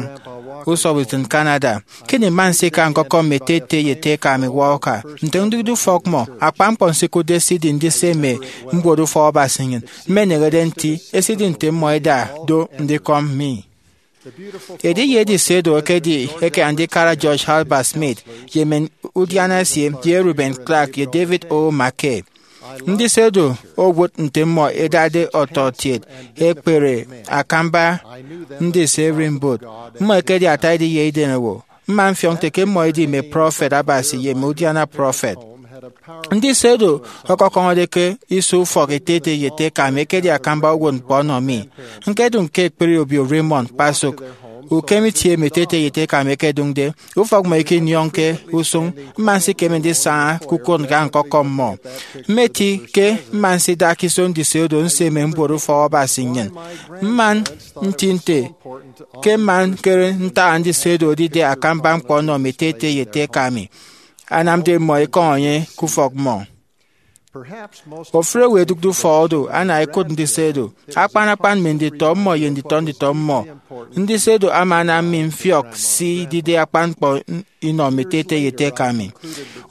usọbọtitn Canada. Kini mma nsika ñkọkọm mme ete ete ye ete eka mi Walker nte ndide ufọk mmọ. Akpa ñkpọ nsikụtde esidi ndise mme mbuot ufọk Abasi nnyịn. Mmeneñede nti esidi nte mmọ ẹda do ndikọm mi. Ediye edisedo ekedi eke Andikara George Herbert Smith ye mme udiana esie ye Reuben Clark ye David O. McKay. Ndisedo owụt nte mmọ ẹdade ọtọkiet ẹkpere akamba ndise ererimbot. Mmọ ẹkedi ata ediye idemewo. Mma mfiọk nte ke mmọ ẹdi mme prọfet Abasi ye mme udiana prọfet. Ndisedo ọkọkọñọde ke iso ufọk ete ete ye ete eka mi ekedi akamba uwụtñkpọ ọnọ mi. Ñkedụñ ke ekpri obio Raymond kpasụk ukem itie emi ete ete ye ete eka mi ẹkedụñde. Ufọk mmọ ikinyọñke usụñ. Mma nsikeme ndisaña ke ukot ñka ñkọkọm mmọ. Mmeti ke mma nsidak iso ndisedo nse mme mbuot ufọk Abasi nnyịn. Mma nti nte ke mma ñkere ntak ndisedo edide akamba ñkpọ ọnọ mme ete ete ye ete eka mi, anamde mmọ ekọñ enye ke ufọk mmọ. Ofụri owo ẹdụkde ufọk odu ana ẹkụt ndisedo. Akpan akpan mme nditọ mmọ ye nditọ nditọ mmọ, ndisedo ama anam mi mfiọk se idide akpan ñkpọ inọ mme ete ete ye ete eka mi.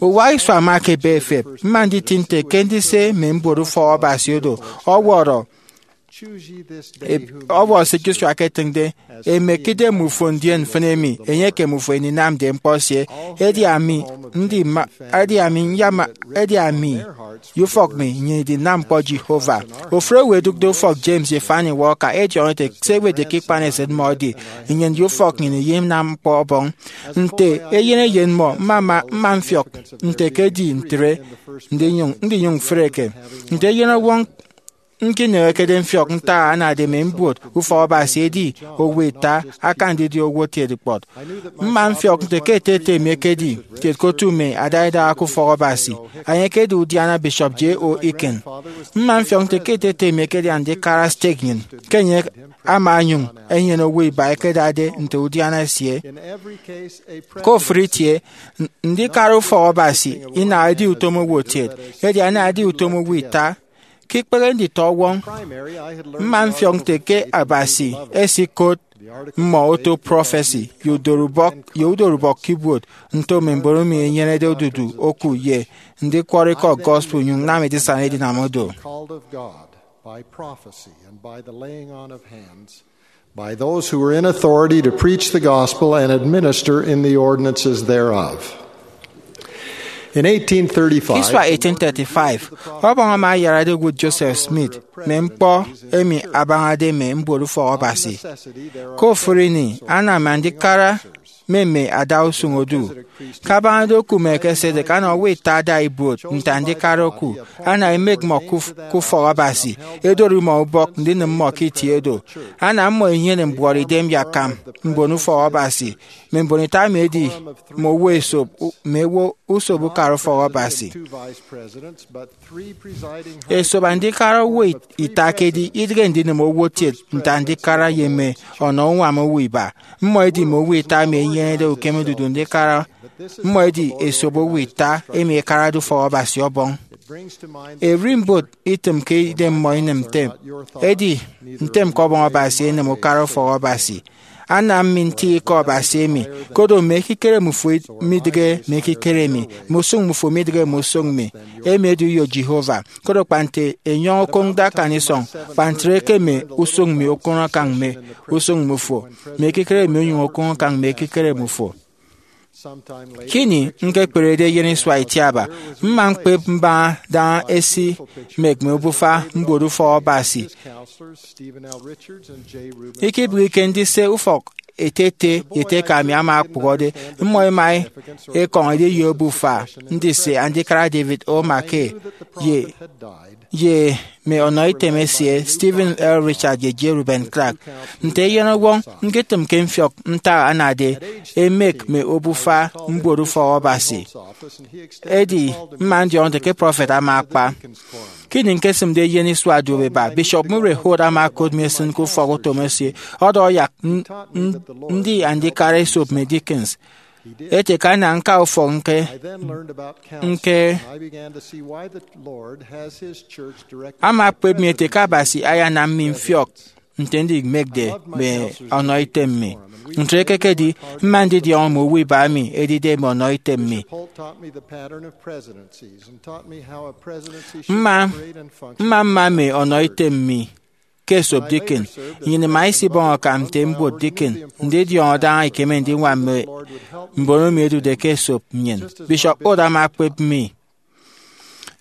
Uwa isua ama ekebe efep. Mma nditi nte ke ndise mme mbuot ufọk Abasi odu ọwọrọ e- ọwọrọ se Joshua eketịñde, emek idem ufo ndien mfịn emi enye ekem ufo eninamde ñkpọ esie. Edi ami ndima edi ami nyama edi ami ye ufọk mi nnyịn idinam ñkpọ Jehovah. Ofụri owo ẹdụkde ufọk James ye Fanny Walker ẹdiọñọ ete se ẹwetde ke ikpanesịt mmọ edi nnyịn ye ufọk nnyịn iyinam ñkpọ Ọbọñ. Nte eyen eyen mmọ, mma mma mfiọk nte ke edi ntre ndinyụñ ndinyụñ mfreke. Nte eyen ọwọñ, ñkineñekede mfiọk ntak anade mme mbuot ufọk Abasi edi owo ita akan ndidi owo kiet kpọt. Mma mfiọk nte ke ete ete mi ekedi kiet ke otu mme adaidaha ke ufọk Abasi. Enye ekedi udiana Bishop J. O. Aiken. Mma mfiọk nte ke ete ete mi ekedi andikara stake nnyịn, ke enye ama onyụñ enyene owo iba ẹkedade nte udiana esie. Ke ofụri itie, n- ndikara ufọk Abasi inaha edi utom owo kiet, edi anaha edi utom owo ita. Ke ikpehe nditọ ọwọñ, mma mfiọk nte ke Abasi esikot mme oto prọfesi ye udorubọk ye udorubọk ke ibuot nto mme mbon emi ẹnyenede odudu oku ye ndikwọrọ ikọ gospel nyụñ nnam edisana edinam do. Called of God by prophecy and by the laying on of hands, by those who were in authority to preach the gospel and administer in the ordinances thereof. In eighteen thirty-five, Ke isua eighteen thirty-five, Ọbọñ ama ayarade owụt Joseph Smith mme ñkpọ emi abañade mme mbuot ufọk Abasi. Ke ofụri ini, anam andikara mme mme adausụñ odu. Kabañade oku Melchizedek, ana owo ita ada ibuot nte andikara oku. Ana emek mmọ ke uf- ke ufọk Abasi, edori mmọ ubọk ndinịm mmọ ke itie do. Ana mmọ enyene mbuọtidem ye akam mbon ufọk Abasi. Mme mbon ita emi edi mme owo esop u- mme owo usop ukara ufọk Abasi. Esop andikara owo it- ita kedi idịghe ndinịm owo kiet nte andikara ye mme ọnọ uñwam owo iba. Mmọ edi mme owo ita emi ẹnyenede ukeme odudu ndikara. Mmọ edi esop owo ita emi ẹkarade ufọk Abasi Ọbọñ. Ererimbot itịmke idem mmọ inịm ntem. Edi ntem ke Ọbọñ Abasi enịm ukara ufọk Abasi. Anam mi nti ikọ Abasi emi, koro mme ekikere mmufo midịghe mme ekikere mi, mme usụñ mmufo midịghe mme usụñ mi. Emi edi uyo Jehovah. Koro kpa nte enyọñ okoñde akan isọñ, kpa ntre ke mme usụñ mi okụñ akan mme usụñ mmufo, mme ekikere mi onyụñ okụñ akan mme ekikere mmufo. Ke ini ñkekperede eyen isua itiaba, mma ñkpep mbaña daña esi mek mme obufa mbuot ufọk Abasi. Ikibịghike ndise ufọk ete ete ye ete eka mi ama okpụhọde. Mmọ ẹma ẹkọñ ediye obufa ndise andikara David O. McKay ye ye mme ọnọitem esie, Stephen L. Richard ye J. Reuben Clark, nte eyenọwọñ nditịm ke mfiọk ntak anade emek mme obufa mbuot ufọk Abasi. Edi mma ndiọñọde ke prọfet ama akpa. Ke ini ñkesịmde eyen isua duop iba, Bishop Murray Holt ama okot mi esịn ke ufọk utom esie, ọdọhọ yak n- n- ndi andikara esop mme deacons. Ete ke ana ñka ufọk ñke ñke ama okpep mi ete ke Abasi ayanam mi mfiọk nte ndimekde mme ọnọitem mi. Ntre ekekedi, mma ndidiọñọ mme owo iba emi edide mme ọnọitem mi. Mma mma mma mme ọnọitem mi ke esop deacon. Nnyịn ima isibọñ akam nte mbuot deacon ndidiọñọ daña ikeme ndiñwam mme mbon emi ẹdude ke esop nnyịn. Bishop Holt ama okpep mi.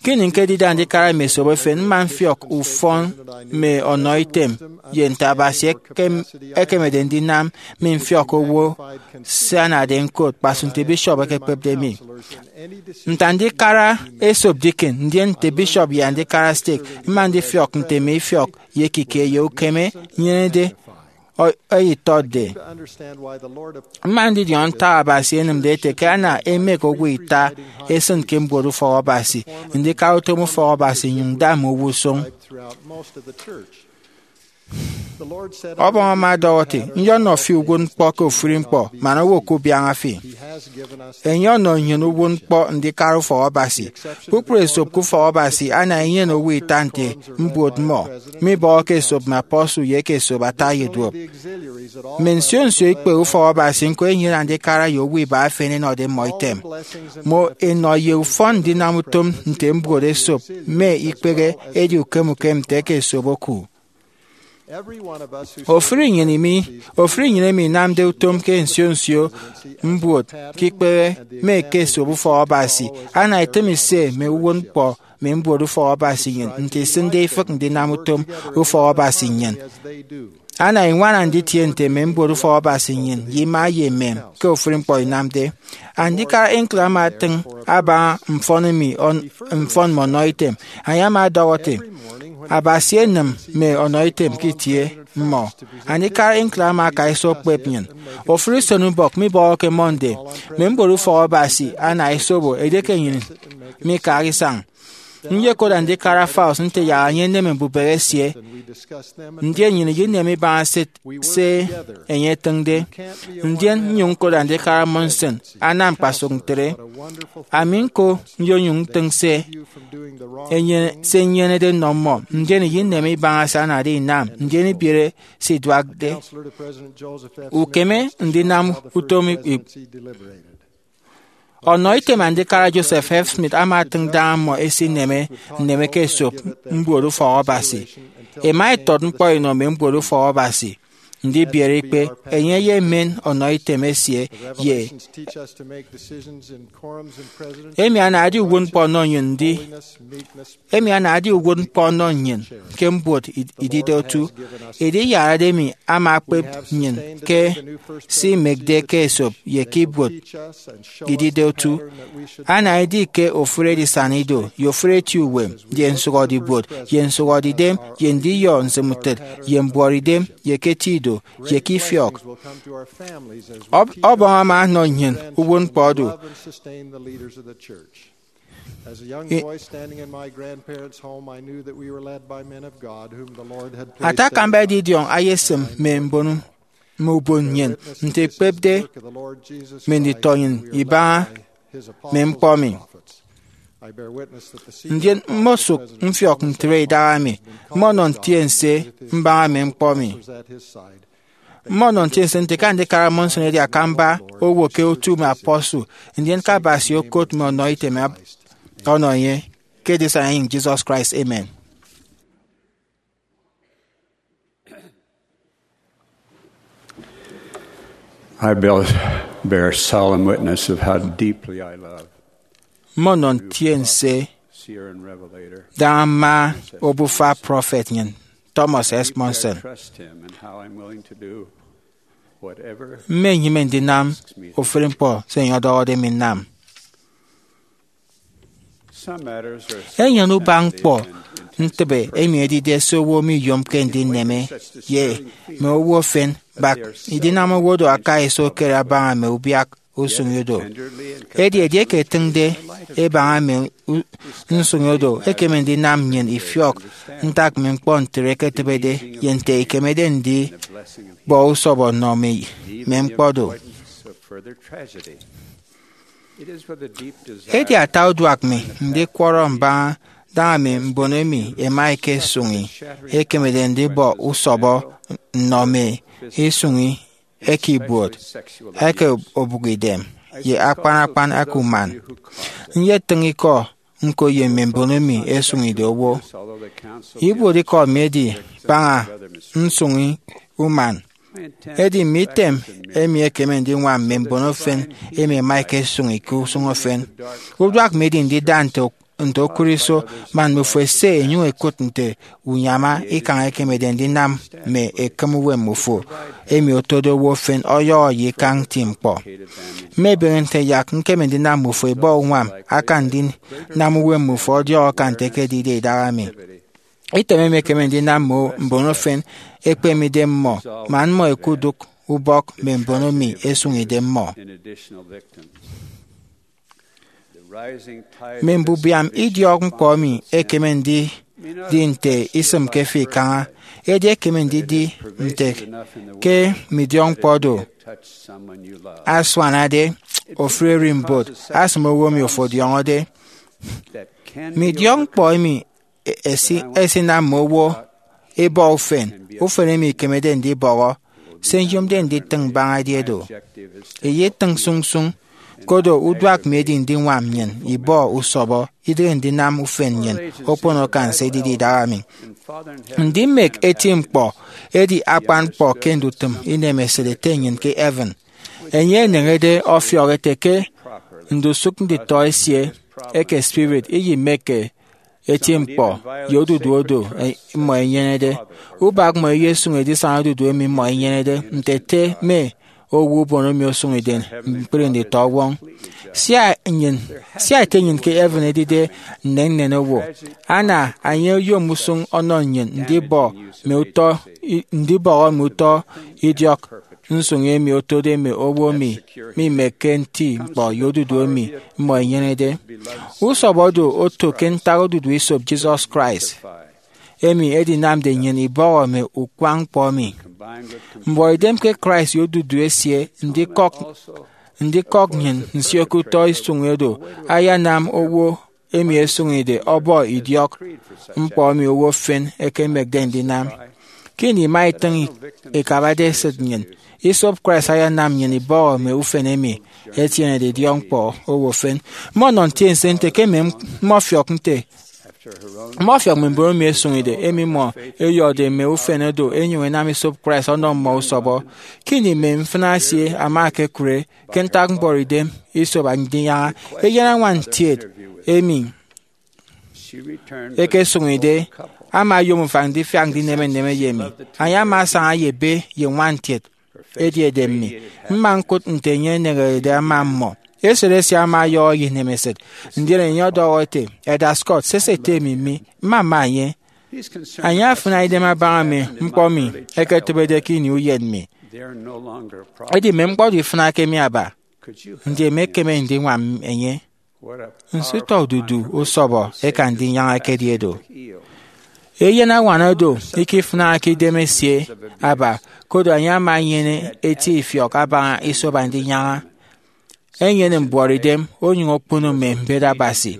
Ke ini ñkedide andikara mme esop efen, mma mfiọk ufọn mme ọnọitem ye nte Abasi ekem- ekemede ndinam mi mfiọk owo. Se anade ñkot, kpasụk nte bishop ekekpepde mi. Nte andikara esop deacon, ndien nte bishop ye andikara stake, mma ndifiọk nte mme ifiọk ye ekike ye ukeme nyenede ọ- ẹyetọtde. Mma ndidiọñọ ntak Abasi enịmde ete ke ana emek owo ita esịn ke mbuot ufọk Abasi, ndikara utom ufọk Abasi, nnyụñ nda mme owo usụñ. Ọbọñ ama ọdọhọ ete, Nyọnọ fi uwụtñkpọ ke ofụri ñkpọ, man owo ke ubiaña fi. Enye ọnọ nnyịn uwụtñkpọ ndikara ufọk Abasi. Kpukpru esop ke ufọk Abasi ana enyene owo ita nte mbuot mmọ, mibọhọke esop mme apostle ye eke esop ata ye duop. Mme nsio nsio ikpehe ufọk Abasi ñko enyene andikara ye owo iba efen ẹnọde mmọ item. Mmọ ẹnọ ye ufọn ndinam utom nte mbuot esop mme ikpehe edi ukem ukem nte eke esop oku. Ofụri nnyịn emi, ofụri nnyịn emi inamde utom ke nsio nsio mbuot ke ikpehe mme eke esop ufọk Abasi, ana itịm ise mme uwụtñkpọ mme mbuot ufọk Abasi nnyịn nte isịnde ifịk ndinam utom ufọk Abasi nnyịn. Ana iñwana nditie nte mme mbuot ufọk Abasi nnyịn ye ima ye emem ke ofụri ñkpọ inamde. Andikara Hinckley ama atịñ abaña mfọn emi ọn- mfọn mme ọnọitem. Enye ama ọdọhọ ete, Abasi enịm mme ọnọitem ke itie mmọ. Andikara Hinckley ama aka iso okpep nnyịn. Ofụri usenubọk mibọhọke Monday, mme mbuot ufọk Abasi ana isobo edieke nnyịn mikak isañ. Nyekot andikara Faust nte yak enye eneme mbubehe esie, ndien nnyịn iyinem ibaña se, se enye etịñde. Ndien nnyụñ ñkot andikara Monson anam kpasụk ntre. Ami ñko nyonyụñ ntịñ se enye, se nyenede nnọ mmọ, ndien iyinem ibaña se anade inam, ndien ibiere se iduakde. Ukeme ndinam utom i- Ọnọ item andikara Joseph F. Smith ama atịñ daña mmọ ẹsineme nneme ke esop mbuot ufọk Abasi. Ẹma ẹtọt ñkpọ ẹnọ mme mbuot ufọk Abasi, ndibiere ikpe enye ye emen ọnọ item esie ye emi anade uwụtñkpọ ọnọ nnyịn ndi emi anade uwụtñkpọ ọnọ nnyịn ke mbuot id- idide otu. Edi iyarade emi ama ekpep nnyịn ke se imekde ke esop ye ke ibuot idide otu. Ana edi ke ofụri edisana ido ye ofụri eti uwem ye nsụhọde ibuot ye nsụhọde idem ye ndiyọ nsịmutịt ye mbuọtidem ye ke eti ido ye ke ifiọk. Ọb- ọbọñ ama ọnọ nnyịn uwụtñkpọ odu. As a young boy standing in my grandparents' home, I knew that we were led by men of God whom the Lord had placed. Ata akamba edidiọñ ayesịm mme mbon mme ubon nnyịn nte ekpepde mme nditọ nnyịn ibaña mme ñkpọ mi. Ndien mmosụk mfiọk ntre idaha mi, mmọnọ ntiense mbaña mme ñkpọ mi. Mmọnọ ntiense nte ke andikara Monson edi akamba owo ke otu mme apostle, ndien ke Abasi okot mme ọnọ item ab- ọnọ enye. Ke edisana enyịñ Jesus Christ, amen. I bear, bear solemn witness of how deeply I love Mmọnọ ntiense Seer and Revelator. Daña mma obufa prọfet nnyịn, Thomas S. Monson. Trust him and how I'm willing to do whatever. Mmenyịme ndinam ofụri ñkpọ se enye ọdọhọde mi nnam. Enyene ubak ñkpọ ntịbe emi edide se owo miyomke ndineme ye mme owo efen, bak idinam owo do aka iso okere abaña mme ubiak usụñ odo. Edi edieke etịñde ebaña mme u- nsụñ odo, ekeme ndinam nnyịn ifiọk ntak mme ñkpọ ntre ẹketịbede ye nte ikemede ndibọ usọbọ nnọ mme ñkpọ do. Edi ata uduak mi ndikwọrọ mbaña daña mme mbon emi ẹma ẹkesụñi ẹkemede ndibọ usọbọ nnọ mme isụñi eke ibuot, eke obụkidem, ye akpan akpan eke uman. Nyetịñ ikọ ñko ye mme mbon emi ẹsụñide owo. Ibuotikọ mi edi baña nsụñi uman. Edi mme item emi ekeme ndiñwam mme mbon efen emi ẹma ẹkesụñi ke usụñ efen. Uduak mi edi ndida nte nte okụre iso man mmifo ẹse ẹnyụñ ẹkụt nte unyama ikañ ekemede ndinam mme ekịm uwem mmifo emi otode owo efen ọyọhọ ye ikañ nti ñkpọ. Mmebeñe nte yak ñkeme ndinam mmifo ẹbọ uñwam akan ndinam uwem mmifo ọdiọk akan nte ekedide idaha mi. Item emi ekeme ndinam mme mbon efen ẹkpeme idem mmọ man mmọ ẹkudụk ubọk mme mbon emi ẹsụñide mmọ. Mme mbubiam idiọk ñkpọ emi ekeme ndidi nte isịmke fi ikaña, edi ekeme ndidi nte ke mme idiọk ñkpọ do asuanade ofụri ererimbot asịm owo emi ofo ọdiọñọde. Mme idiọk ñkpọ emi esi- esinam mme owo ẹbọ ufen, ufen emi ikemede ndibọhọ. Se nyomde nditịñ mbaña edi edo. Iyetịñ sụñsụñ, koro uduak mi edi ndiñwam nnyịn ibọ usọbọ, idịghe ndinam ufen nnyịn okpono akan se edide idaha mi. Ndimek eti ñkpọ edi akpan ñkpọ ke ndutịm inemesịt Ete nnyịn ke heaven. Enye eneñede ọfiọk ete ke ndusụk nditọ esie eke spirit iyimekke eti ñkpọ ye odudu oro mmọ ẹnyenede. Ubak mmọ eyesụñ edisana odudu emi mmọ ẹnyenede nte ete mme owo ubon emi osụñide ñkpri nditọwọñ. Sia nnyịn, sia Ete nnyịn ke heaven edide nnennen owo, ana enye oyom usụñ ọnọ nnyịn ndibọ mme utọ i- ndibọhọ mme utọ idiọk nsụñ emi otode mme owo emi mimekke eti ñkpọ ye odudu emi mmọ ẹnyenede. Usọbọ do oto ke ntak odudu esop Jesus Christ, emi edinamde nnyịn ibọhọ mme ukwañ ñkpọ emi. Mbuọtidem ke Christ ye odudu esie ndikọk ndikọk nnyịn nsio ke utọ isụñi oro ayanam owo emi esụñide ọbọ idiọk ñkpọ emi owo efen ẹkemekde ndinam. Ke ini ima itịñ ikabade esịt nnyịn, esop Christ ayanam nnyịn ibọhọ mme ufen emi ẹtienede idiọkñkpọ owo efen. Mmọnọ ntiense nte ke mme mmọfiọk nte mmọfiọk mme mbon emi ẹsụñide, emi mmọ ẹyọde mme ufen oro ẹnyụñ ẹnam esop Christ ọnọ mmọ usọbọ. Ke ini mme mfịna esie ama ekekụre ke ntak mbuọtidem esop Andinyaña, eyen añwan ntiet emi ẹkesụñide ama oyom ufañ ndifiak ndineme nneme ye emi. Enye ama asaña ye ebe ye ñwan ntiet edi edem mi. Mma ñkụt nte enye eneñerede ama mmọ. Esịt esie ama ọyọhọ ye inemesịt, ndien enye ọdọhọ ete, Elder Scott, sese ete emi mi, mmama enye. Enye afịna idem abaña mme ñkpọ mi ẹketịbede ke ini uyen mi. Edi mme ñkpọ do ifịnake mi aba. Ndi emekeme ndiñwam enye? Nso utọ odudu usọbọ eke Andinyaña ekedi do! Eyen añwan oro ikifịnake idem esie aba, koro enye ama enyene eti ifiọk abaña esop Andinyaña, enyene mbuọtidem, onyụñ okpono mme mbet Abasi.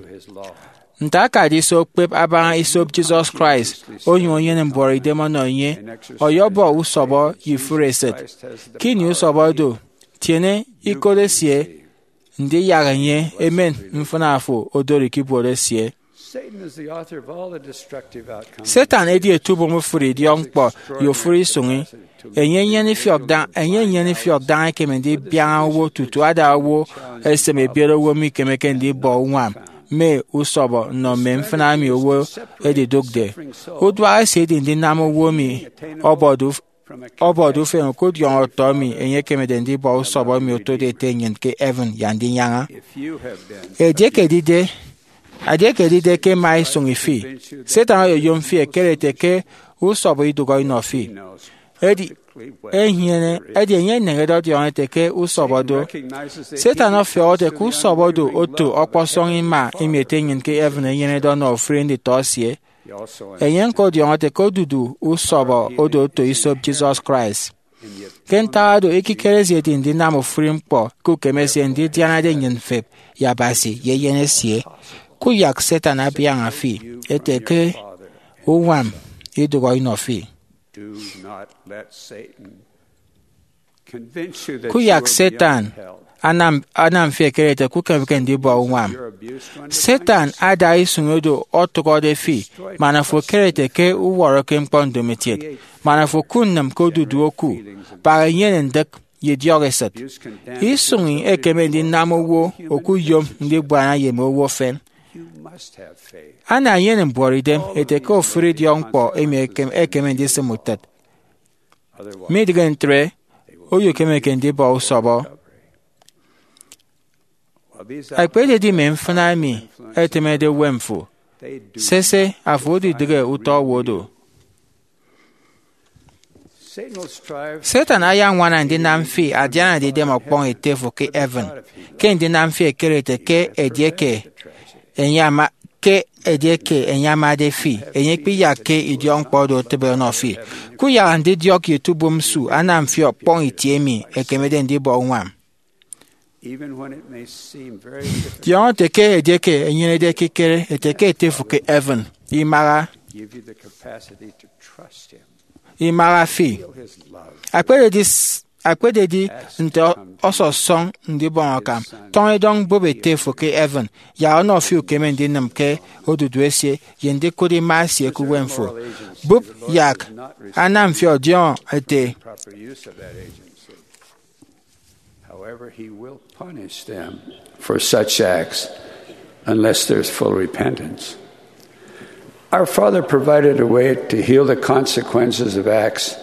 Nte akade iso okpep abaña esop Jesus Christ, onyụñ enyene mbuọtidem ọnọ enye, ọyọbọ usọbọ ye ifụre esịt. Ke ini usọbọ do, tiene ikot esie, ndiyak enye emen mfịna fo odori ke ibuot esie. Satan edi etubom ofụri idiọkñkpọ ye ofụri isụñi. Enye enyene ifiọk da- enye enyene ifiọk daña ekeme ndibiaña owo tutu ada owo esem ebiet owo mikemeke ndibọ uñwam mme usọbọ nnọ mme mfịna emi owo edidụkde. Uduak esie edi ndinam owo emi ọbọde uf- ọbọde ufen okudiọñ ọtọ emi enye ekemede ndibọ usọbọ emi otode Ete nnyịn ke heaven ye Andinyaña. Edieke edide Edieke edide ke ema isụñi fi, Satan oyoyom fi ekere ete ke usọbọ idụhọ inọ fi. Edi enyene, edi enye eneñede ọdiọñọ ete ke usọbọ do. Satan ọfiọk ete ke usọbọ do oto ọkpọsọñ ima emi Ete nnyịn ke heaven enyenede ọnọ ofụri nditọ esie. Enye ñko ọdiọñọ ete ke odudu usọbọ odo oto isop Jesus Christ. Ke ntak oro, ekikere esie edi ndinam ofụri ñkpọ ke ukeme esie ndidianade nnyịn mfep ye Abasi ye Eyen esie. Kuyak Satan abiaña fi ete ke uñwam idụhọ inọ fi. Kuyak Satan anam, anam fi ekere ete ke ukemeke ndibọ uñwam. Satan ada isụñi oro ọtụhọde fi, man afo ekere ete ke uwọrọke ñkpọ ndomokiet, man afo kunnịm ke odudu oku, baña inyene ndịk, ye idiọk esịt. Isụñi ekeme ndinam owo okuyom ndibuana ye mme owo efen. Ana enyene mbuọtidem ete ke ofụri idiọkñkpọ emi ekem-, ekeme ndisịm utịt. Midịghe ntre, oyokemeke ndibọ usọbọ. Ekpededi mme mfịna emi ẹtịmede uwem fo, sese, afo odidịghe utọ owo do. Satan ayañwana ndinam fi adianade idem ọkpọñ ete fo ke heaven, ke ndinam fi ekere ete ke edieke enye ama, ke edieke enye amade fi, enye ikpiyakke idiọkñkpọ oro otịbe ọnọ fi. Kuyak ndidiọk ye etubom nsu anam fi ọkpọñ itie emi ekemede ndibọ uñwam. Diọñọ ete ke edieke enyenede ekikere ete ke ete fo ke heaven, imaha, imaha fi. Akpededi s-, akpededi nte ọ-, ọsọsọñ ndibọñ akam, tọñ edọñ bụp ete fo ke heaven, yak ọnọ fi ukeme ndinịm ke odudu esie ye ndikụt ima esie ke uwem fo. Bụp yak anam fi ọdiọñọ ete, However, he will punish them for such acts unless there's full repentance. Our Father provided a way to heal the consequences of acts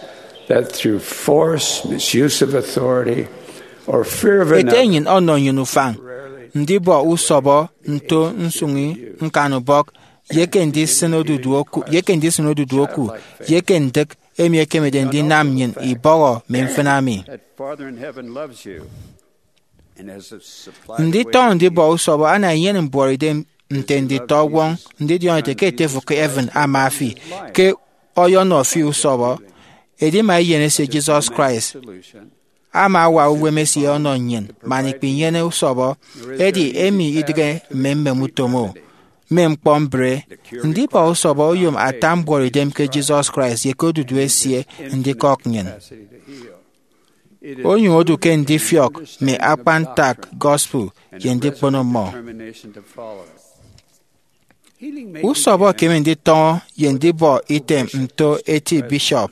that through force, misuse of authority, or fear of Ete another nnyịn ọnọ nnyịn ufañ ndibọ usọbọ nto nsụñi ñkanubọk, ye ke ndisịn odudu oku, ye ke ndisịn odudu oku, ye ke ndịk emi ekemede ndinam nnyịn ibọhọ mme mfịna mi. Nditọñọ ndibọ usọbọ ana enyene mbuọtidem nte nditọwọñ ndidiọñọ ete ke ete fo ke heaven ama fi, ke ọyọnọ fi usọbọ. Edima Eyen esie Jesus Christ ama awa uwem esie ọnọ nnyịn man ikpinyene usọbọ, edi emi idịghe mme mmem utom o, mme ñkpọ mbre. Ndibọ usọbọ oyom ata mbuọtidem ke Jesus Christ ye ke odudu esie ndikọk nnyịn. Onyụñ odu ke ndifiọk mme akpan ntak gospel ye ndikpono mmọ. Usọbọ ekeme nditọñọ ye ndibọ item nto eti bishop.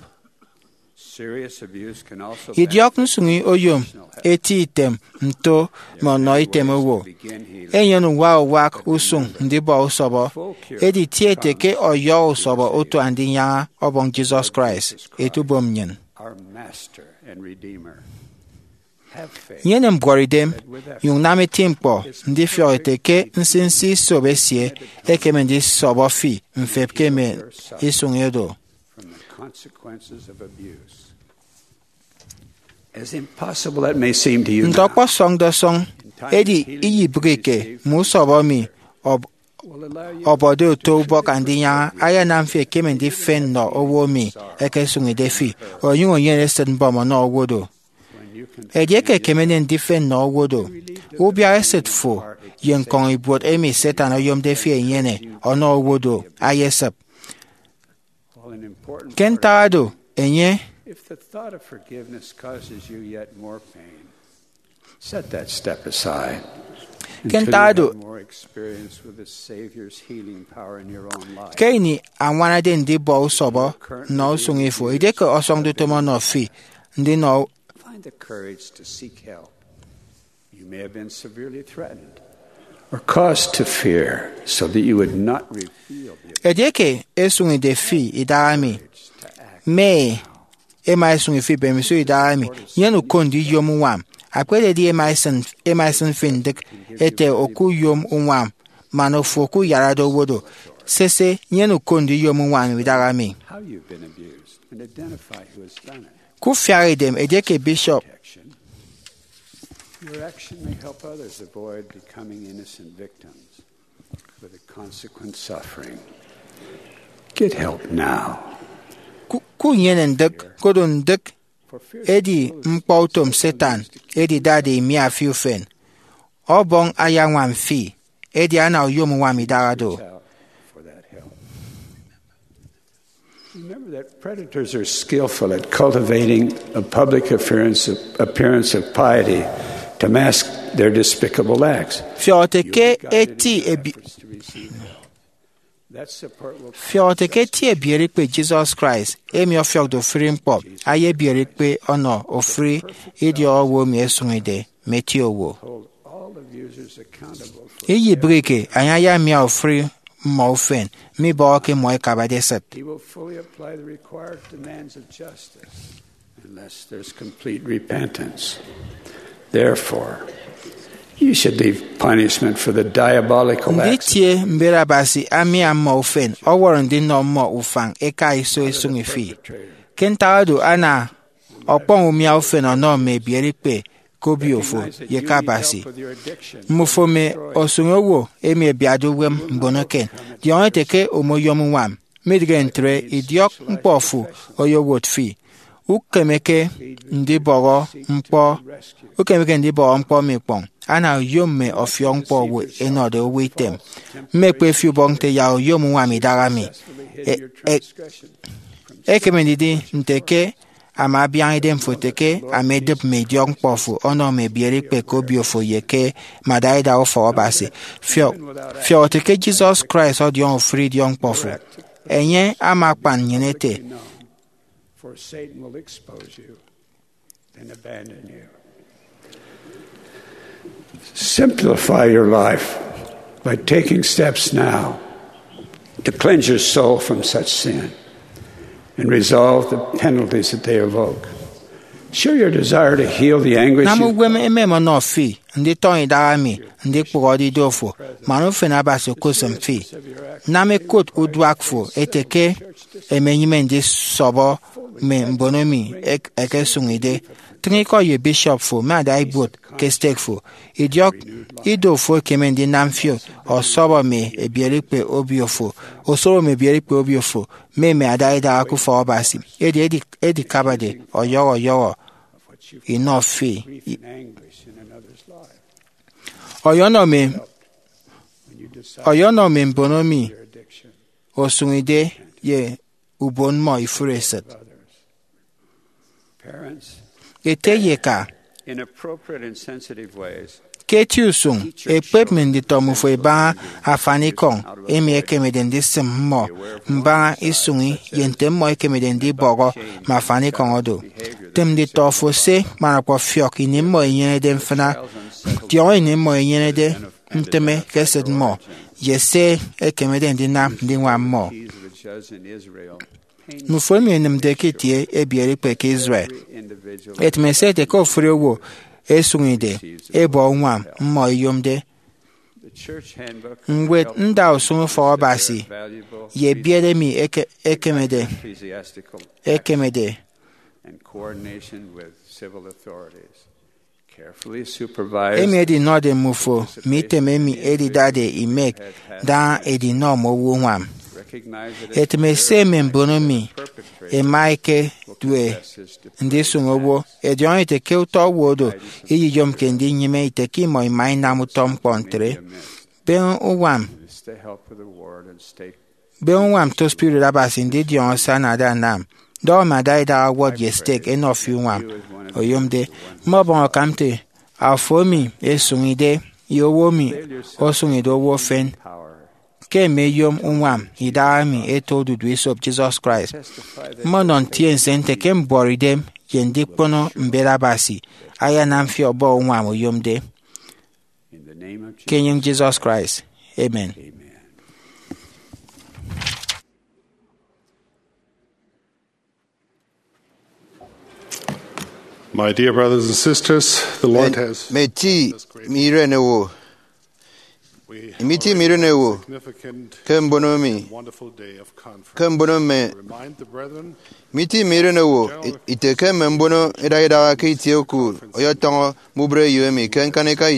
Idiọk nsụñi oyom eti item nto mme ọnọ item owo. Enyene uwa uwak usụñ ndibọ usọbọ, edi ti ete ke ọyọhọ usọbọ otu Andinyaña Ọbọñ Jesus Christ, etubom nnyịn. Nyene mbuọtidem, nyụñ nam eti ñkpọ ndifiọk ete ke nsinsi isop esie ekeme ndisọbọ fi mfep ke mme isụñi oro. Nte ọkpọsọñde ọsọñ, edi iyibịghike mme usọbọ emi ọb-, ọbọde oto ubọk Andinyaña ayanam fi ekeme ndifen nnọ owo emi ekesụñide fi, onyụñ enyene esịt mbọm ọnọ owo do. Edieke ekemede ndifen nnọ owo do, ubiak esịt fo ye ñkọñ ibuot emi Satan oyomde fi enyene ọnọ owo do ayesịp. Ke ntak oro, enye If the thought of forgiveness causes you yet more pain, set that step aside Ke until ntak you oro, have more experience with the Savior's healing power in your own life. Ke ini añwanade ndibọ usọbọ nnọ usụñ ifo, edieke ọsọñde utom ọnọ fi ndinọ Find the courage to seek help. You may have been severely threatened or caused to fear so that you would not reveal the Edieke esụñide fi idahaemi, mme ema esụñi fi mbemiso idahaemi, nyene uko ndiyom uñwam. Akpededi ema esịn, ema esịn fi ndịk ete okuyom uñwam, man ofo ke uyarade owo do. Sese, nyene uko ndiyom uñwam idaha mi. How you've been abused and identify who has done it. Kufiak idem edieke bishop Protection. Your action may help others avoid becoming innocent victims with a consequent suffering. Get help now. Ku- kunyene ndịk, kodo ndịk edi ñkpọ utom Satan edidade imia fi ufen. Ọbọñ ayañwam fi, edi ana uyom uñwam idaha do. Out for that help. Remember that predators are skillful at cultivating a public appearance of, appearance of piety to mask their despicable acts. Fiọk ete ke eti ebi- That support will fiọk ete ke eti ebiere ikpe Jesus Christ, emi ọfiọkde ofụri ñkpọ, ayebiere ikpe ọnọ ofụri idiọk owo emi ẹsụñide mme eti owo. Hold all abusers accountable for Iyibịghike, enye ayamia ofụri mmọ ufen, mibọhọke mmọ ẹkabade esịt. He will fully apply the required demands of justice unless there's complete repentance. Therefore, you should leave punishment for the diabolical acts. Nditie mbet Abasi amia mmọ ufen ọwọrọ ndinọ mmọ ufañ eka iso isụñi fi. Ke ntak oro, ana ọkpọñ umia ufen ọnọ mme ebiere ikpe ke obio fo ye ke Abasi. Mmufo mme osụñi owo emi ẹbiatde uwem mbon eken, diọñọ ete ke omoyom uñwam. Midịghe ntre, idiọk ñkpọ fo oyowot fi. Ukemeke ndibọhọ ñkpọ, ukemeke ndibọhọ ñkpọ emi ikpọñ. Ana uyom mme ọfiọk ñkpọ owo ẹnọde owo item. Mmekpe fi ubọk nte yak uyom uñwam idaha mi. E- e- ekeme ndidi nte ke ama abiaña idemfo ete ke ama edịp mme idiọk ñkpọ fo ọnọ mme ebiere ikpe ke obio fo ye ke mme adaidaha ufọk Abasi. Fiọk, fiọk ete ke Jesus Christ ọdiọñọ ofụri idiọk ñkpọ fo. Enye ama akpan nnyịn ete, For Satan will expose you and abandon you. Simplify your life by taking steps now to cleanse your soul from such sin and resolve the penalties that they evoke. Show your desire to heal the anguish. Nam uwem emem ọnọ fi nditọñọ idaha mi ndikpụhọde ido fo, man ufen Abasi okosịm fi. Nam ẹkot uduak fo ete ke ẹmenyịme ndisọbọ mme mbono emi ẹk- ẹkesụñide. Tịñ ikọ ye bishop fo mme adaibuot ke stake fo. Idiọk ido fo ekeme ndinam fi ọsọbọ mme ebiere ikpe obio fo, osọbọ mme ebiere ikpe obio fo, mme mme adaidaha ke ufọk Abasi. Edi edi- edikabade ọyọhọ ọyọhọ inọ fi. Ọyọnọ mme, ọyọnọ mme mbono emi osụñide ye ubon mmọ ifụre esịt. Ete ye eka, ke eti usụñ, ekpep mme nditọ mmufo ẹbaña afanikọñ emi ẹkemede ndisịm mmọ mbaña isụñi ye nte mmọ ẹkemede ndibọhọ mme afanikọñ oro. Tịm nditọ fo se man ọkpọfiọk ini mmọ ẹnyenede mfịna. Diọñọ ini mmọ ẹnyenede ntịme ke esịt mmọ ye se ẹkemede ndinam ndiñwam mmọ. Mmufo emi ẹnịmde ke itie ebiere ikpe ke Israel, ẹtịm ẹse ẹte ke ofụri owo ẹsụñide ẹbọ uñwam mmọ ẹyomde. Ñwed ndausụñ ufọk Abasi ye ebiet emi eke- ekemede ekemede emi edinọde mmufo mme item emi edidade imek da edinọ mme owo uñwam. Etịm ese mme mbono emi ẹma ẹkedue ndisụñ owo, ẹdiọñọ ete ke utọ owo oro iyiyomke ndinyịme ite ke imọ ima inam utọ ñkpọ ntre. Beñe uñwam, beñe uñwam to spirit Abasi ndidiọñọ se anade anam. Dọhọ mme adaidaha ward ye stake ẹnọ fi uñwam oyomde. Mmọbọñ akam nte afo emi esụñide ye owo emi osụñide owo efen ke emeyom uñwam idaha emi eto odudu esop Jesus Christ. Mmọnọ ntiense nte ke mbuọtidem ye ndikpono mbet Abasi ayanam fi ọbọ uñwam oyomde. Ke enyịñ Jesus Christ, amen. My dear brothers and sisters, the Lord has mme eti mme iren owo, Imiti mme iren owo ke mbono mi ke mbono mme imiti mme iren owo ite ke mme mbono idaha idaha ke itie oku ọyọtọñọ mme ubreyo emi ke ñkanika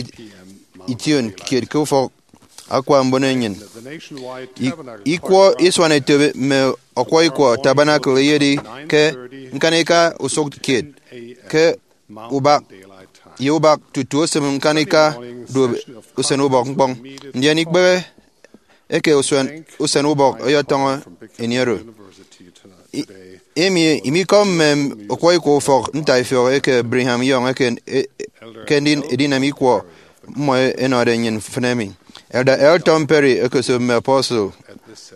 ition kiet ke ufọk akwa mbono enyịn. Ikwọ isuan eto mme ọkwọikwọ Tabernacle eyedi ke ñkanika usụk kiet ke ubak ye ubak tutu osịm ñkanika duop usen ubọk ñkpọñ. Ndien ikpehe eke usen ubọk ọyọtọñọ ini oro. Emi imikọ mme ọkwọikwọ ufọk ntaifiọk eke Brigham Young eke ndin edinam ikwọ mmọ ẹnọde nnyịn mfịn emi. Elder L. Tom Perry, okoso mme apostle,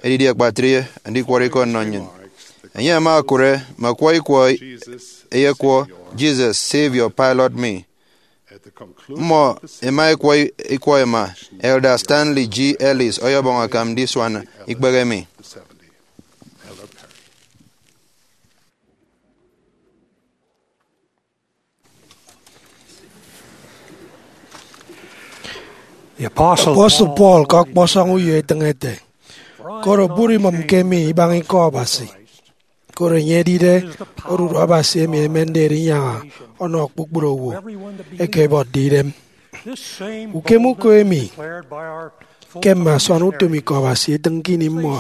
edidi akpatre andikwọrọ ikọ nnọ nnyịn. Enye ama okụre mme ọkwọikwọ eyekwọ Jesus, Savior, Pilot Me. Mmọ ẹma ẹkwọ ikwọ ẹma. Elder Stanley G. Ellis ọyọbọñ akam ndisuan ikpehe emi. Apostle Paul ke ọkpọsọñ uyo etịñ ete, koro bụri imọmke mi ibaña ikọ Abasi, koro enye edide oruru Abasi emi emende erinyaña ọnọ kpukpru owo eke ẹbuọtde idem. Ukem uko emi ke mme asuan utom ikọ Abasi etịñ ke ini mmọ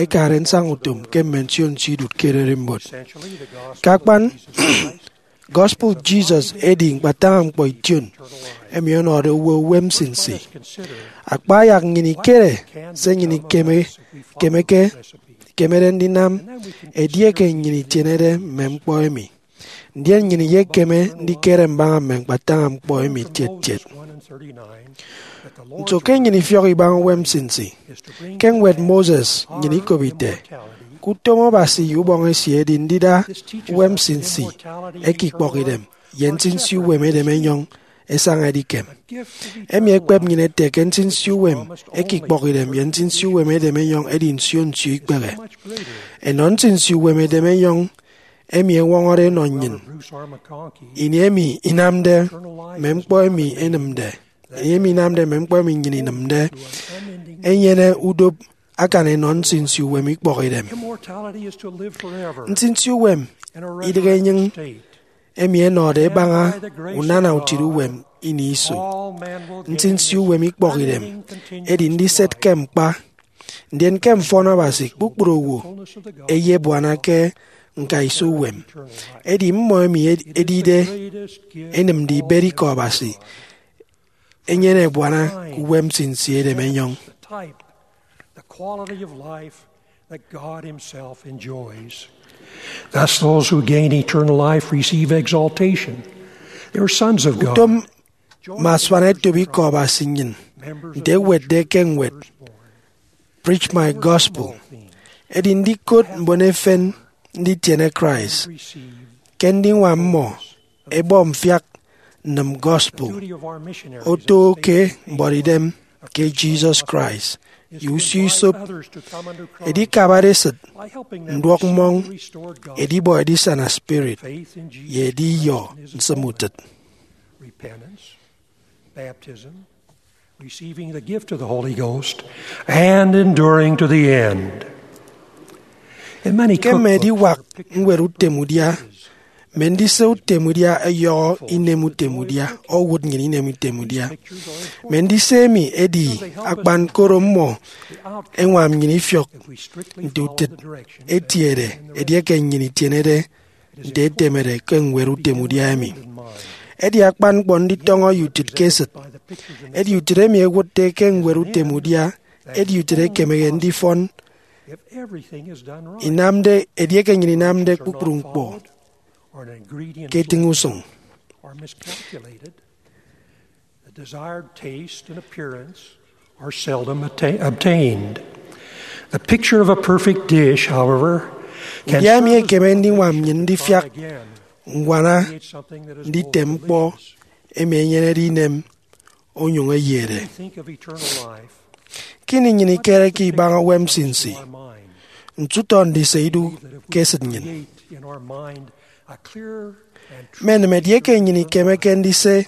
ẹkade nsaña utom ke mme nsio nsio idụt ke ererimbot. Ke akpan, gospel Jesus edi ñkpataña ñkpọ ition emi ọnọde owo uwem nsinsi. Akpa ayak nnyịn ikere se nnyịn ikeme ikemeke ikemede ndinam edieke nnyịn itienede mme ñkpọ emi. Ndien nnyịn iyekeme ndikere mbaña mme ñkpataña ñkpọ emi tiet tiet. Nso ke nnyịn ifiọk ibaña uwem nsinsi? Ke ñwed Moses nnyịn ikop ite, ke utom Abasi ye ubọñ esie edi ndida uwem nsinsi eke ikpọkidem ye nsinsi uwem edem enyọñ ẹsaña edikem. Emi ekpep nnyịn ete ke nsinsi uwem eke ikpọkidem ye nsinsi uwem edem enyọñ edi nsio nsio ikpehe. Enọ nsinsi uwem edem enyọñ emi ẹñwọñọde ẹnọ nnyịn. Ini emi inamde mme ñkpọ emi enịmde, ini emi inamde mme ñkpọ emi nnyịn inịmde, enyene udop akan enọ nsinsi uwem ikpọkidem. Nsinsi uwem idịghe enyịñ emi ẹnọde ẹbaña unana utịt uwem ini iso. Nsinsi uwem ikpọkidem edi ndiset ke ñkpa, ndien ke mfọn Abasi kpukpru owo ẹyebuana ke ñkaiso uwem. Edi mmọ emi edide enịmde ibet ikọ Abasi enyene ebuana ke uwem nsinsi edem enyọñ. That God Himself enjoys. Thus, those who gain eternal life receive exaltation. They are sons of God. Utom mme asuan etop ikọ Abasi nnyịn, nte ewetde ke ñwed Preach My Gospel, edi ndikot mbon efen nditiene Christ ke ndiñwam mmọ ẹbọ mfiak nnịm gospel oto ke mbuọtidem ke Jesus Christ ye usio isop, edikabade esịt, nduọk mmọñ, edibọ edisana spirit, ye ediyọ nsịm utịt. Repentance, baptism, receiving the gift of the Holy Ghost, and enduring to the end. Ke mme ediwak ñwed utem udia, mme ndise utem udia ẹyọhọ inem utem udia, owụt nnyịn inem utem udia. Mme ndise emi edi akpan koro mmọ ẹñwam nnyịn ifiọk nte utịt etiede edieke nnyịn itienede nte etemede ke ñwed utem udia emi. Edi akpan ñkpọ nditọñọ ye utịt ke esịt. Edi utịt emi ẹwụtde ke ñwed utem udia edi utịt ekemede ndifọn inamde edieke nnyịn inamde kpukpru ñkpọ ke etịñ usụñ. The desired taste and appearance are seldom atta- obtained. The picture of a perfect dish, however, can udia emi serve as ekeme ndiñwam nnyịn ndifiak again, ññwana create something that is nditem more than ñkpọ this. Emi enyenede inem onyụñ eyede. Think of eternal life. Ke ini nnyịn ikereke ibaña uwem nsinsi, ntutọ ndise idu ke esịt nnyịn. Menịm edieke nnyịn ikemeke ndise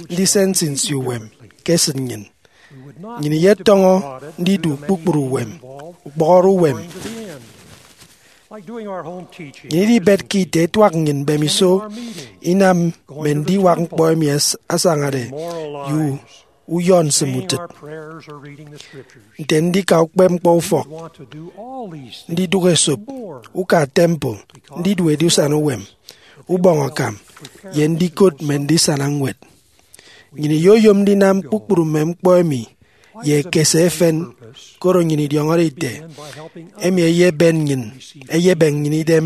ndise nsinsi uwem ke esịt nnyịn. Nnyịn iyetọñọ ndidu kpukpru uwem, ukpọhọre uwem. Nnyịn idibetke ite etuak nnyịn mbemiso inam mme ndiwak ñkpọ emi as- asañade ye uyọ nsịm utịt, nte ndika ukpepñkpọ ufọk, ndidụk esop, uka temple, ndidu edisana uwem, ubọñ akam, ye ndikot mme ndisana ñwed. Nnyịn iyoyom ndinam kpukpru mme ñkpọ emi ye ekese efen, koro nnyịn idiọñọde ite emi eyeben nnyịn, eyebem nnyịn idem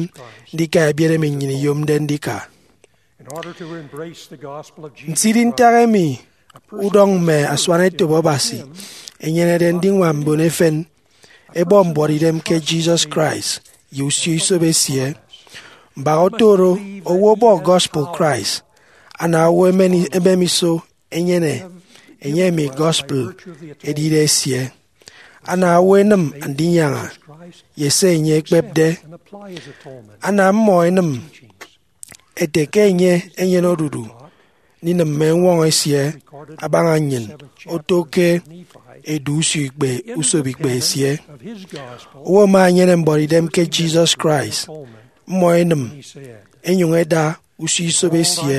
ndika ebiet emi nnyịn iyomde ndika. Nsidi ntak emi udọñ mme asuanetop Abasi enyenede ndiñwam mbon efen ẹbọ mbuọtidem ke Jesus Christ ye usio isop esie. Mbak oto oro, owo ọbọ gospel Christ, ana owo emen- emem iso enyene enye emi gospel edide esie. Ana owo enịm Andinyaña ye se enye ekpepde. Ana mmọ enịm ete ke enye enyene odudu ndinịm mme eñwọñọ esie abaña nnyịn oto ke edu usio ikpe usop ikpe esie. Owo ama enyene mbuọtidem ke Jesus Christ, mmọ enịm, enyụñ eda usio isop esie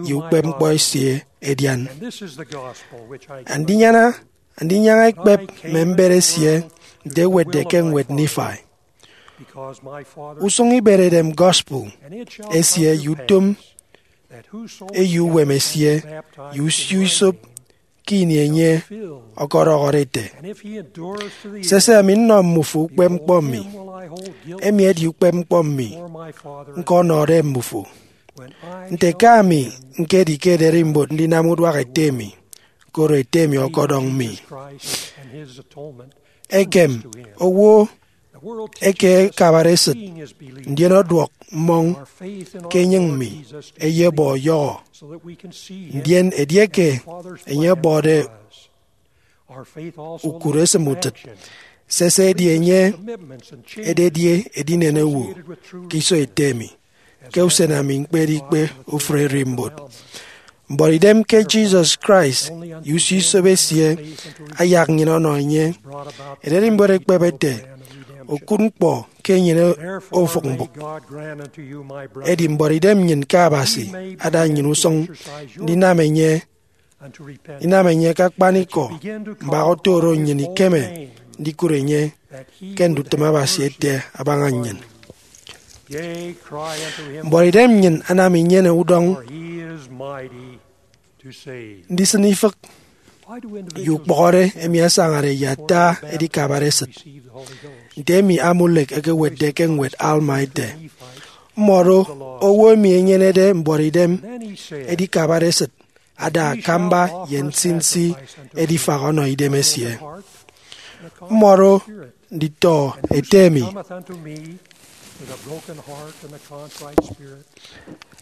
ye ukpepñkpọ esie edian. Andinyaña, Andinyaña ekpep mme mbet esie nte ewetde ke ñwed Nifai. Usụñ iberedem gospel esie ye utom eyo uwem esie ye usio isop ke ini enye ọkọdọhọde ete, sese, ami nnọ mmufo ukpepñkpọ mi, emi edi ukpepñkpọ mi ñkọnọde mmufo, nte ke ami ñkedi ke ererimbot ndinam uduak ete mi, koro ete mi ọkọdọñ mi. Ekem owo eke akabade esịt, ndien ọduọk mmọñ ke enyịñ mi, eyebọ ọyọhọ. Ndien edieke enye ọbọde ukụre esịm utịt, sese edi enye ededi edinen owo ke iso ete mi, ke usen ami ñkpede ikpe ofụri ererimbot. Mbuọtidem ke Jesus Christ ye usio isop esie ayak nnyịn ọnọ enye. Ererimbot ekpep ete, okụt ñkpọ ke enyene ofụk mbụk. Edi mbuọtidem nnyịn ke Abasi ada nnyịn usụñ ndinam enye inam enye ke akpanikọ. Mbak oto oro, nnyịn ikeme ndikụt enye ke ndutịm Abasi ete abaña nnyịn. Mbuọtidem nnyịn anam inyene udọñ ndisịn ifịk ye ukpọhọre emi asañade ye ata edikabare esịt, nte emi Amulek ekewetde ke ñwed Alma ete, mmọdo owo emi enyenede mbuọtidem edikabare esịt ada akamba ye nsinsi edifak ọnọ idem esie. Mmọdo nditọ ete emi.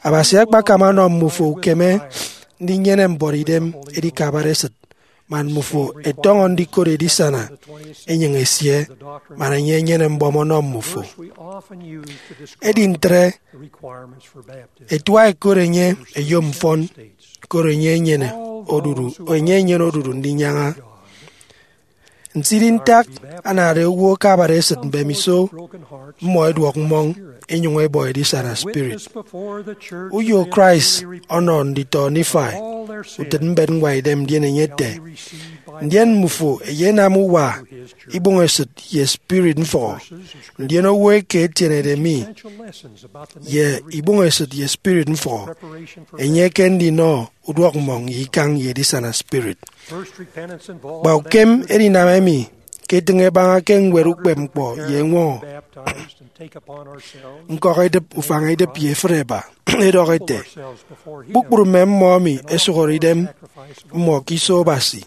Abasi akpakam ọnọ mmufo ukeme ndinyene mbuọtidem edikabare esịt, man mmufo ẹtọñọ ndikot edisana enyịñ esie, man enye enyene mbọm ọnọ mmufo. Edi ntre, etua ẹkot enye ẹyom mfọn, koro enye enyene odudu, enye enyene odudu ndinyaña. Nsidi ntak anade owo akabade esịt mbemiso mmọ ẹduọk mmọñ, enyụñ ẹbọ edisana spirit. Uyo Christ ọnọ nditọ Nifai utịt mbet ñwaidem, ndien enye ete, ndien mmufo ẹyenam uwa, ibụñesịt, ye spirit mfọhọ. Ndien owo eke etienede mi ye ibụñesịt ye spirit mfọhọ, enye ke ndinọ uduọk mmọñ ye ikañ ye edisana spirit. Kpa ukem edinam emi ke etịñ ebaña ke ñwed ukpepñkpọ ye eñwọñọ. Ñkọk edịp, ufañ edịp, ye efịt eba edọk ete, kpukpru mme mmọ emi ẹsụhọre idem mmọ ke iso Abasi,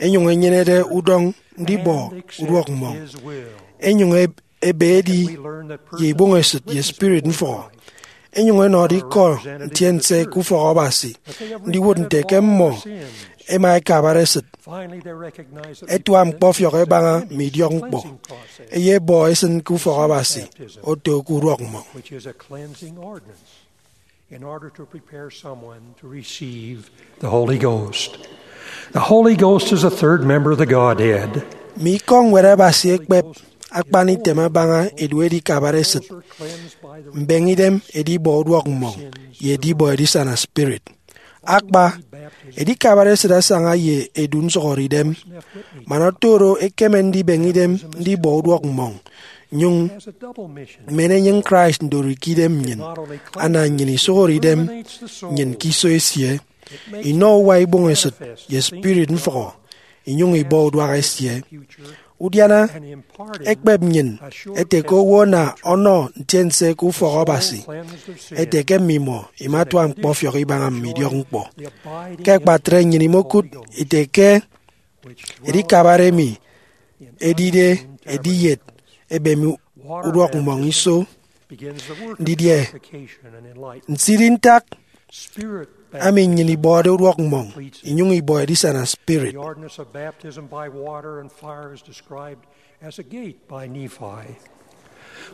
enyụñ enyenede udọñ ndibọ uduọk mmọñ, enyụñ ebe edi ye ibụñesịt ye spirit mfọhọ, enyụñ ẹnọde ikọ ntiense ke ufọk Abasi, ndiwụt nte ke mmọ ẹma ẹkabare esịt, ẹtua ñkpọfiọk ẹbaña mme idiọkñkpọ, ẹyebọ ẹsịn ke ufọk Abasi, oto ke uduọk mmọñ. In order to prepare someone to receive the Holy Ghost. The Holy Ghost is a third member of the Godhead. Mme ikọ ñwed Abasi ekpep akpan item abaña edu edikabare esịt, mbeñe idem, edibọ uduọk mmọñ, ye edibọ edisana spirit. Akpa, edikabare esịt asaña ye edu nsụhọre idem, man oto oro ekeme ndibeñe idem ndibọ uduọk mmọñ, nyụñ men enyịñ Christ ndori ke idem nnyịn, ana nnyịn isụhọre idem nnyịn ke iso esie, inọ uwa ibọñ esịt ye spirit mfụhọ, inyụñ ibọ uduak esie. Udiana ekpep nnyịn ete ke owo ana ọnọ ntiense ke ufọk Abasi, ete ke mmimọ imatua ñkpọfiọk ibaña mme idiọkñkpọ. Ke akpatre nnyịn imokụt ite ke edikabare emi edide ediyet ebem uduọk mmọñ iso. Didie? Nsidi ntak emi nnyịn ibọde uduọk mmọñ inyụñ ibọ edisana spirit. The ordinance of baptism by water and fire is described as a gate by Nephi.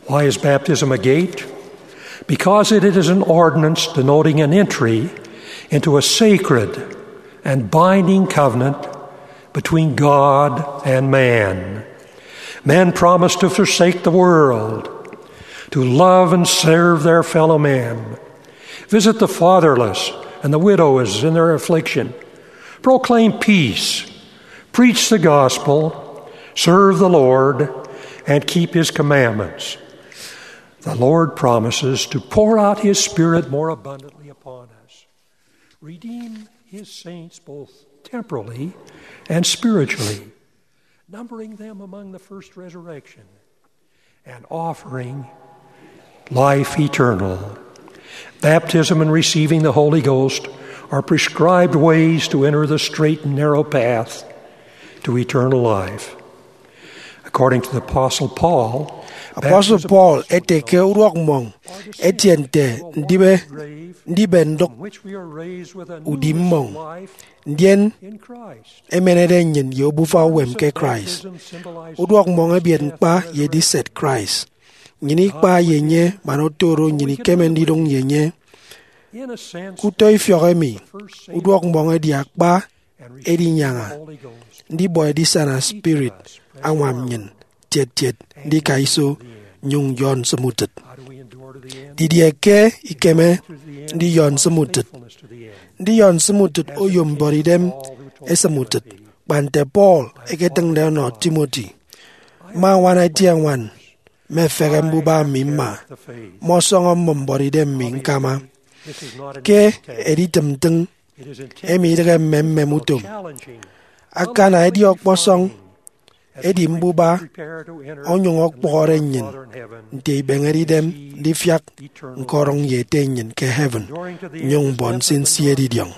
Why is baptism a gate? Because it is an ordinance denoting an entry into a sacred and binding covenant between God and man. Men promise to forsake the world, to love and serve their fellow men, visit the fatherless and the widows in their affliction, proclaim peace, preach the gospel, serve the Lord, and keep his commandments. The Lord promises to pour out his Spirit more abundantly upon us, redeem his saints both temporally and spiritually, numbering them among the first resurrection, and offering life eternal. Baptism and receiving the Holy Ghost are prescribed ways to enter the straight and narrow path to eternal life. According to the Apostle Paul, Apostle Paul ete ke uduọk mmọñ etie nte ndibe, ndibe ndụk udi mmọñ, ndien emenede nnyịn ye obufa uwem ke Christ. Uduọk mmọñ ebiet ñkpa ye ediset Christ. Nnyịn ikpa ye enye, man oto oro nnyịn ikeme ndidụñ ye enye. Ke utọ ifiọk emi, uduọk mmọñ edi akpa edinyaña ndibọ edisana spirit añwam nnyịn tiet tiet ndika iso nnyụñ nyọ nsịm utịt. Didie ke ikeme ndiyọ nsịm utịt? Ndiyọ nsịm utịt oyom mbuọtidem esịm utịt, kpa nte Paul eketịñde ọnọ Timothy. Mma añwana eti añwan, mmefehe mbuba mi mma, mmọsọñọ mmụm mbuọtidem mi ñkama. Ke editịm ntịñ, emi idịghe mmemmem utom. Akana edi ọkpọsọñ, edi mbuba onyụñ ọkpọhọre nnyịn nte ibeñede idem ndifiak ñkọdụñ ye Ete nnyịn ke heaven, nnyụñ mbọ nsinsi edidiọñ.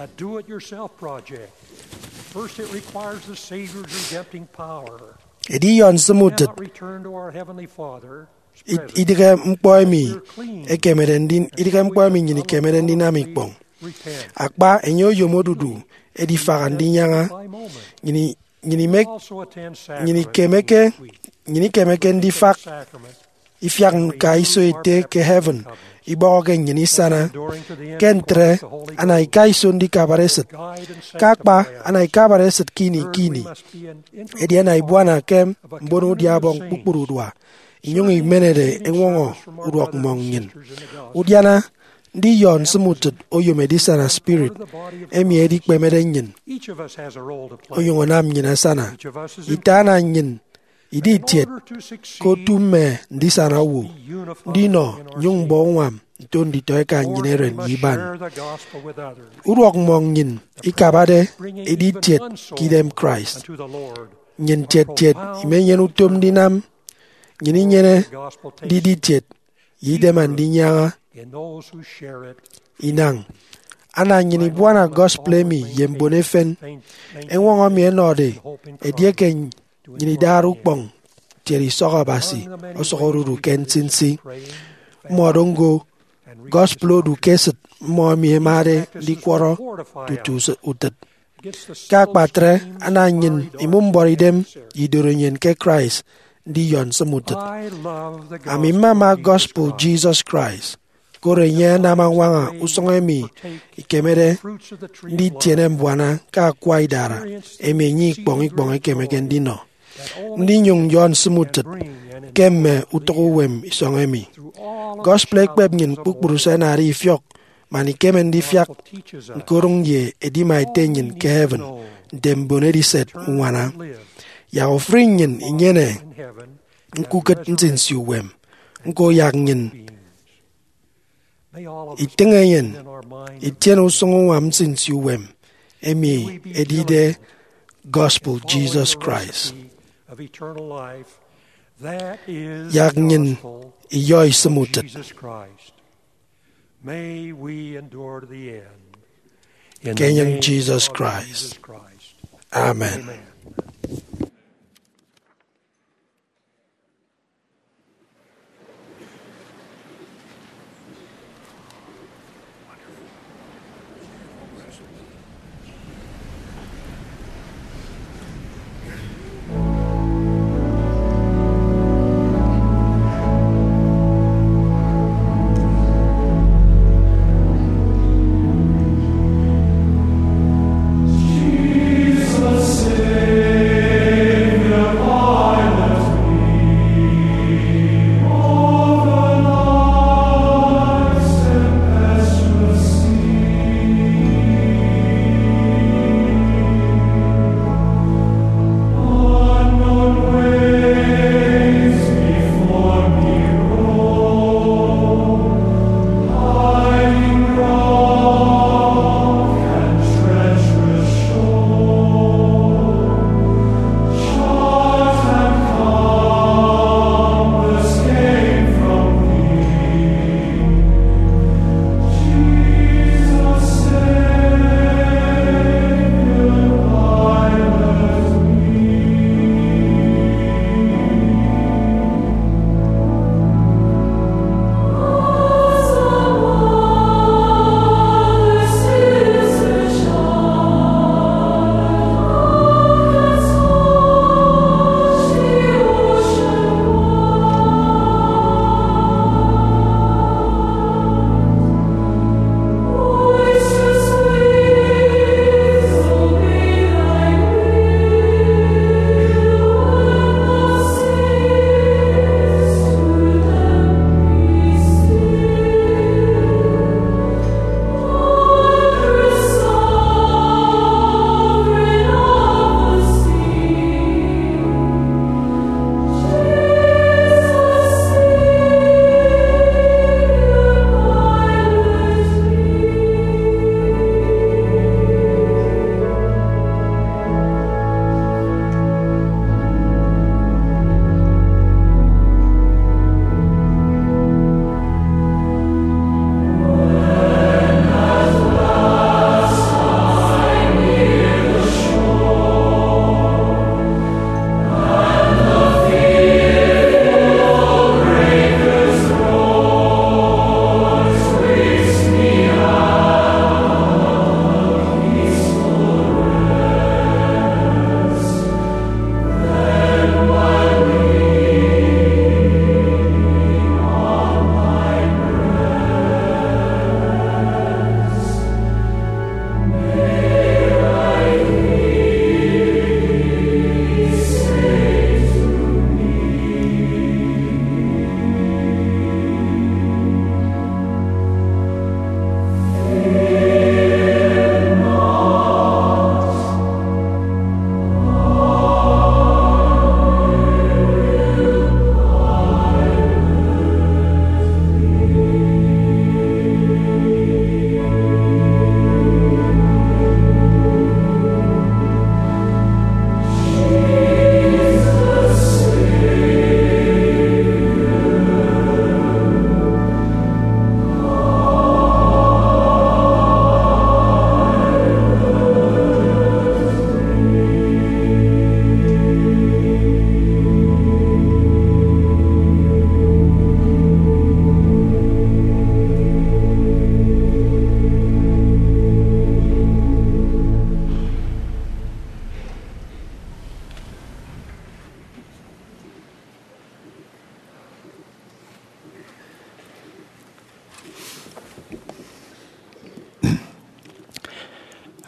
First, it requires the Savior's redempting power. Ediyọ nsịm utịt id-, idịghe ñkpọ emi ekemede ndi-, idịghe ñkpọ emi nnyịn ikemede ndinam ikpọñ. Akpa, enye oyom odudu edifaha ndinyaña. Nnyịn i-, nnyịn imek-, nnyịn ikemeke, nnyịn ikemeke ndifak ifiak ñka iso Ete ke heaven ibọhọke nnyịn isana. Ke ntre, ana ika iso ndikabare esịt. Ke akpa, ana ikabare esịt ke ini ke ini. Edi ana ibuana ke mbono udia Ọbọñ kpukpru udua, inyụñ imenede eñwọñọ uduọk mmọñ nnyịn. Udiana, ndiyọ nsịm utịt oyom edisana spirit emi edikpemede nnyịn onyụñ anam nnyịn asana. Ite ana nnyịn idi itiet ke otu mme ndisana owo, ndinọ nnyụñ mbọ uñwam nto nditọeka nnyịn eren ye iban. Uduọk mmọñ nnyịn ikabade edi itiet ke idem Christ. Nnyịn tiet tiet imenyene utom ndinam. Nnyịn inyene ndidi itiet ye idem andinyaña inañ. Ana nnyịn ibuana gospel emi ye mbon efen. Eñwọñọ emi ẹnọde edieke nnyịn idade ukpọñ tiet isọk Abasi osụk odudu ke nsinsi. Mmọdo ñko gospel odu ke esịt mmọ emi ẹmade ndikwọrọ tutu utịt. Ke akpatre, ana nnyịn imụm mbuọtidem ye idorenyin ke Christ ndiyọ nsịm utịt. Ami mmama gospel Jesus Christ. Koro enye anam añwaña usụñ emi ikemede nditiene mbuana ke akwa idara emi enye ikpọñ ikpọñ ekemeke ndinọ. Ndinyụñ nyọ nsịm utịt ke mme utụk uwem isọñ emi. Gospel ekpep nnyịn kpukpru se ẹnade ifiọk man ikeme ndifiak ñkodụñ ye edima ete nnyịn ke heaven nte mbon ediset uñwana. Yak ofụri nnyịn inyene ñkukịt nsinsi uwem. Ñko, yak nnyịn itịñ enyịn itiene usụñ uñwam nsinsi uwem emi edide gospel Jesus Christ. Yak nnyịn iyọ isịm utịt ke enyịñ Jesus Christ. Amen.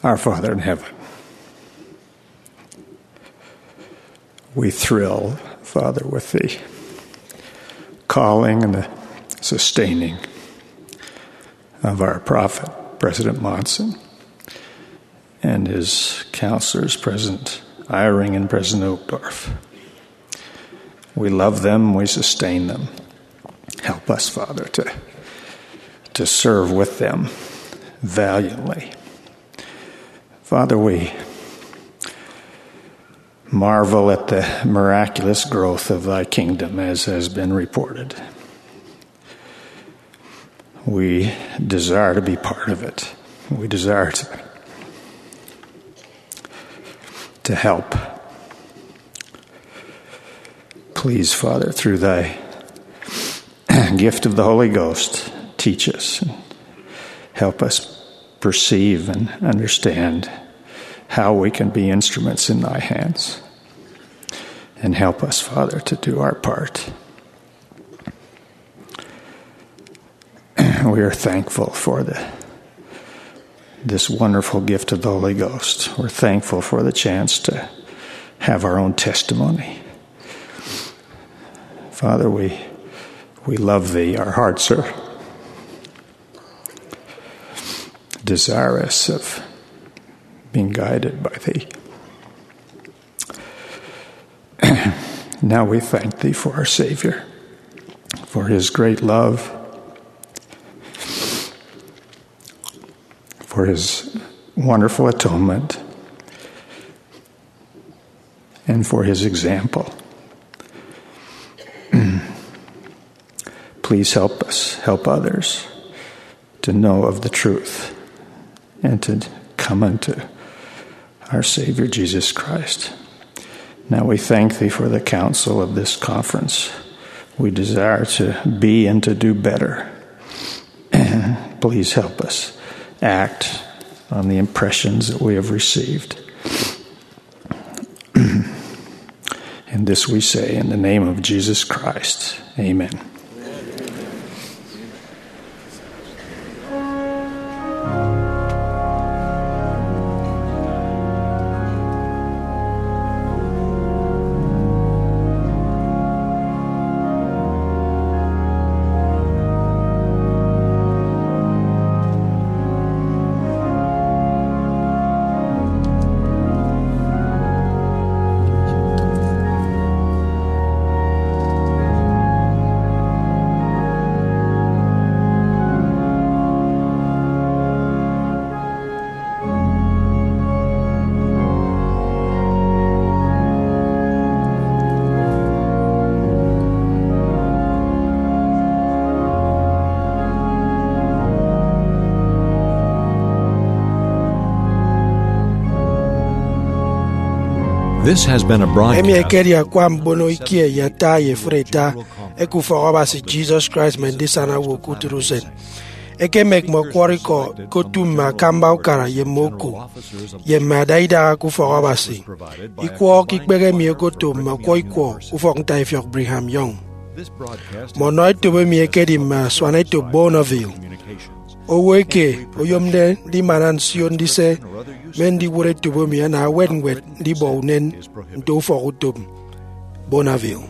Our Father in heaven, we thrill, Father, with the calling and the sustaining of our prophet, President Monson, and his counselors, President Eyring and President Uchtdorf. We love them, we sustain them. Help us, Father, to, to serve with them valiantly. Father, we marvel at the miraculous growth of thy kingdom as has been reported. We desire to be part of it. We desire to, to help. Please, Father, through thy gift of the Holy Ghost, teach us and help us perceive and understand how we can be instruments in thy hands. And help us, Father, to do our part. We are thankful for the, this wonderful gift of the Holy Ghost. We're thankful for the chance to have our own testimony. Father, we, we love thee. Our hearts are desirous of being guided by thee. Now we thank thee for our Savior, for his great love, for his wonderful atonement, and for his example. Please help us, help others to know of the truth and to come unto our Savior Jesus Christ. Now we thank thee for the counsel of this conference. We desire to be and to do better. Please help us act on the impressions that we have received. And this we say in the name of Jesus Christ. Amen. This has been a broadcast. Emi ekedi akwa mbono ikie ye ata ye efuri ata eke Ufọk Abasi Jesus Christ mme Ndisana Owo ke Utịt Usen. Ekemek mme ọkwọrọ ikọ ke otu mme akamba ukara ye mme oku, ye mme adaidaha ke Ufọk Abasi. Ikwọ ke ikpehe emi okoto mme ọkwọ ikwọ ufọk ntaifiọk Brigham Young. Mme ọnọ etop emi ekedi mme asuanetop Bonneville. Owo eke oyomde ndimana nsio ndise mme ndiwụt etop emi ana ewet ñwed ndibọ unen nto ufọk utom Bonneville.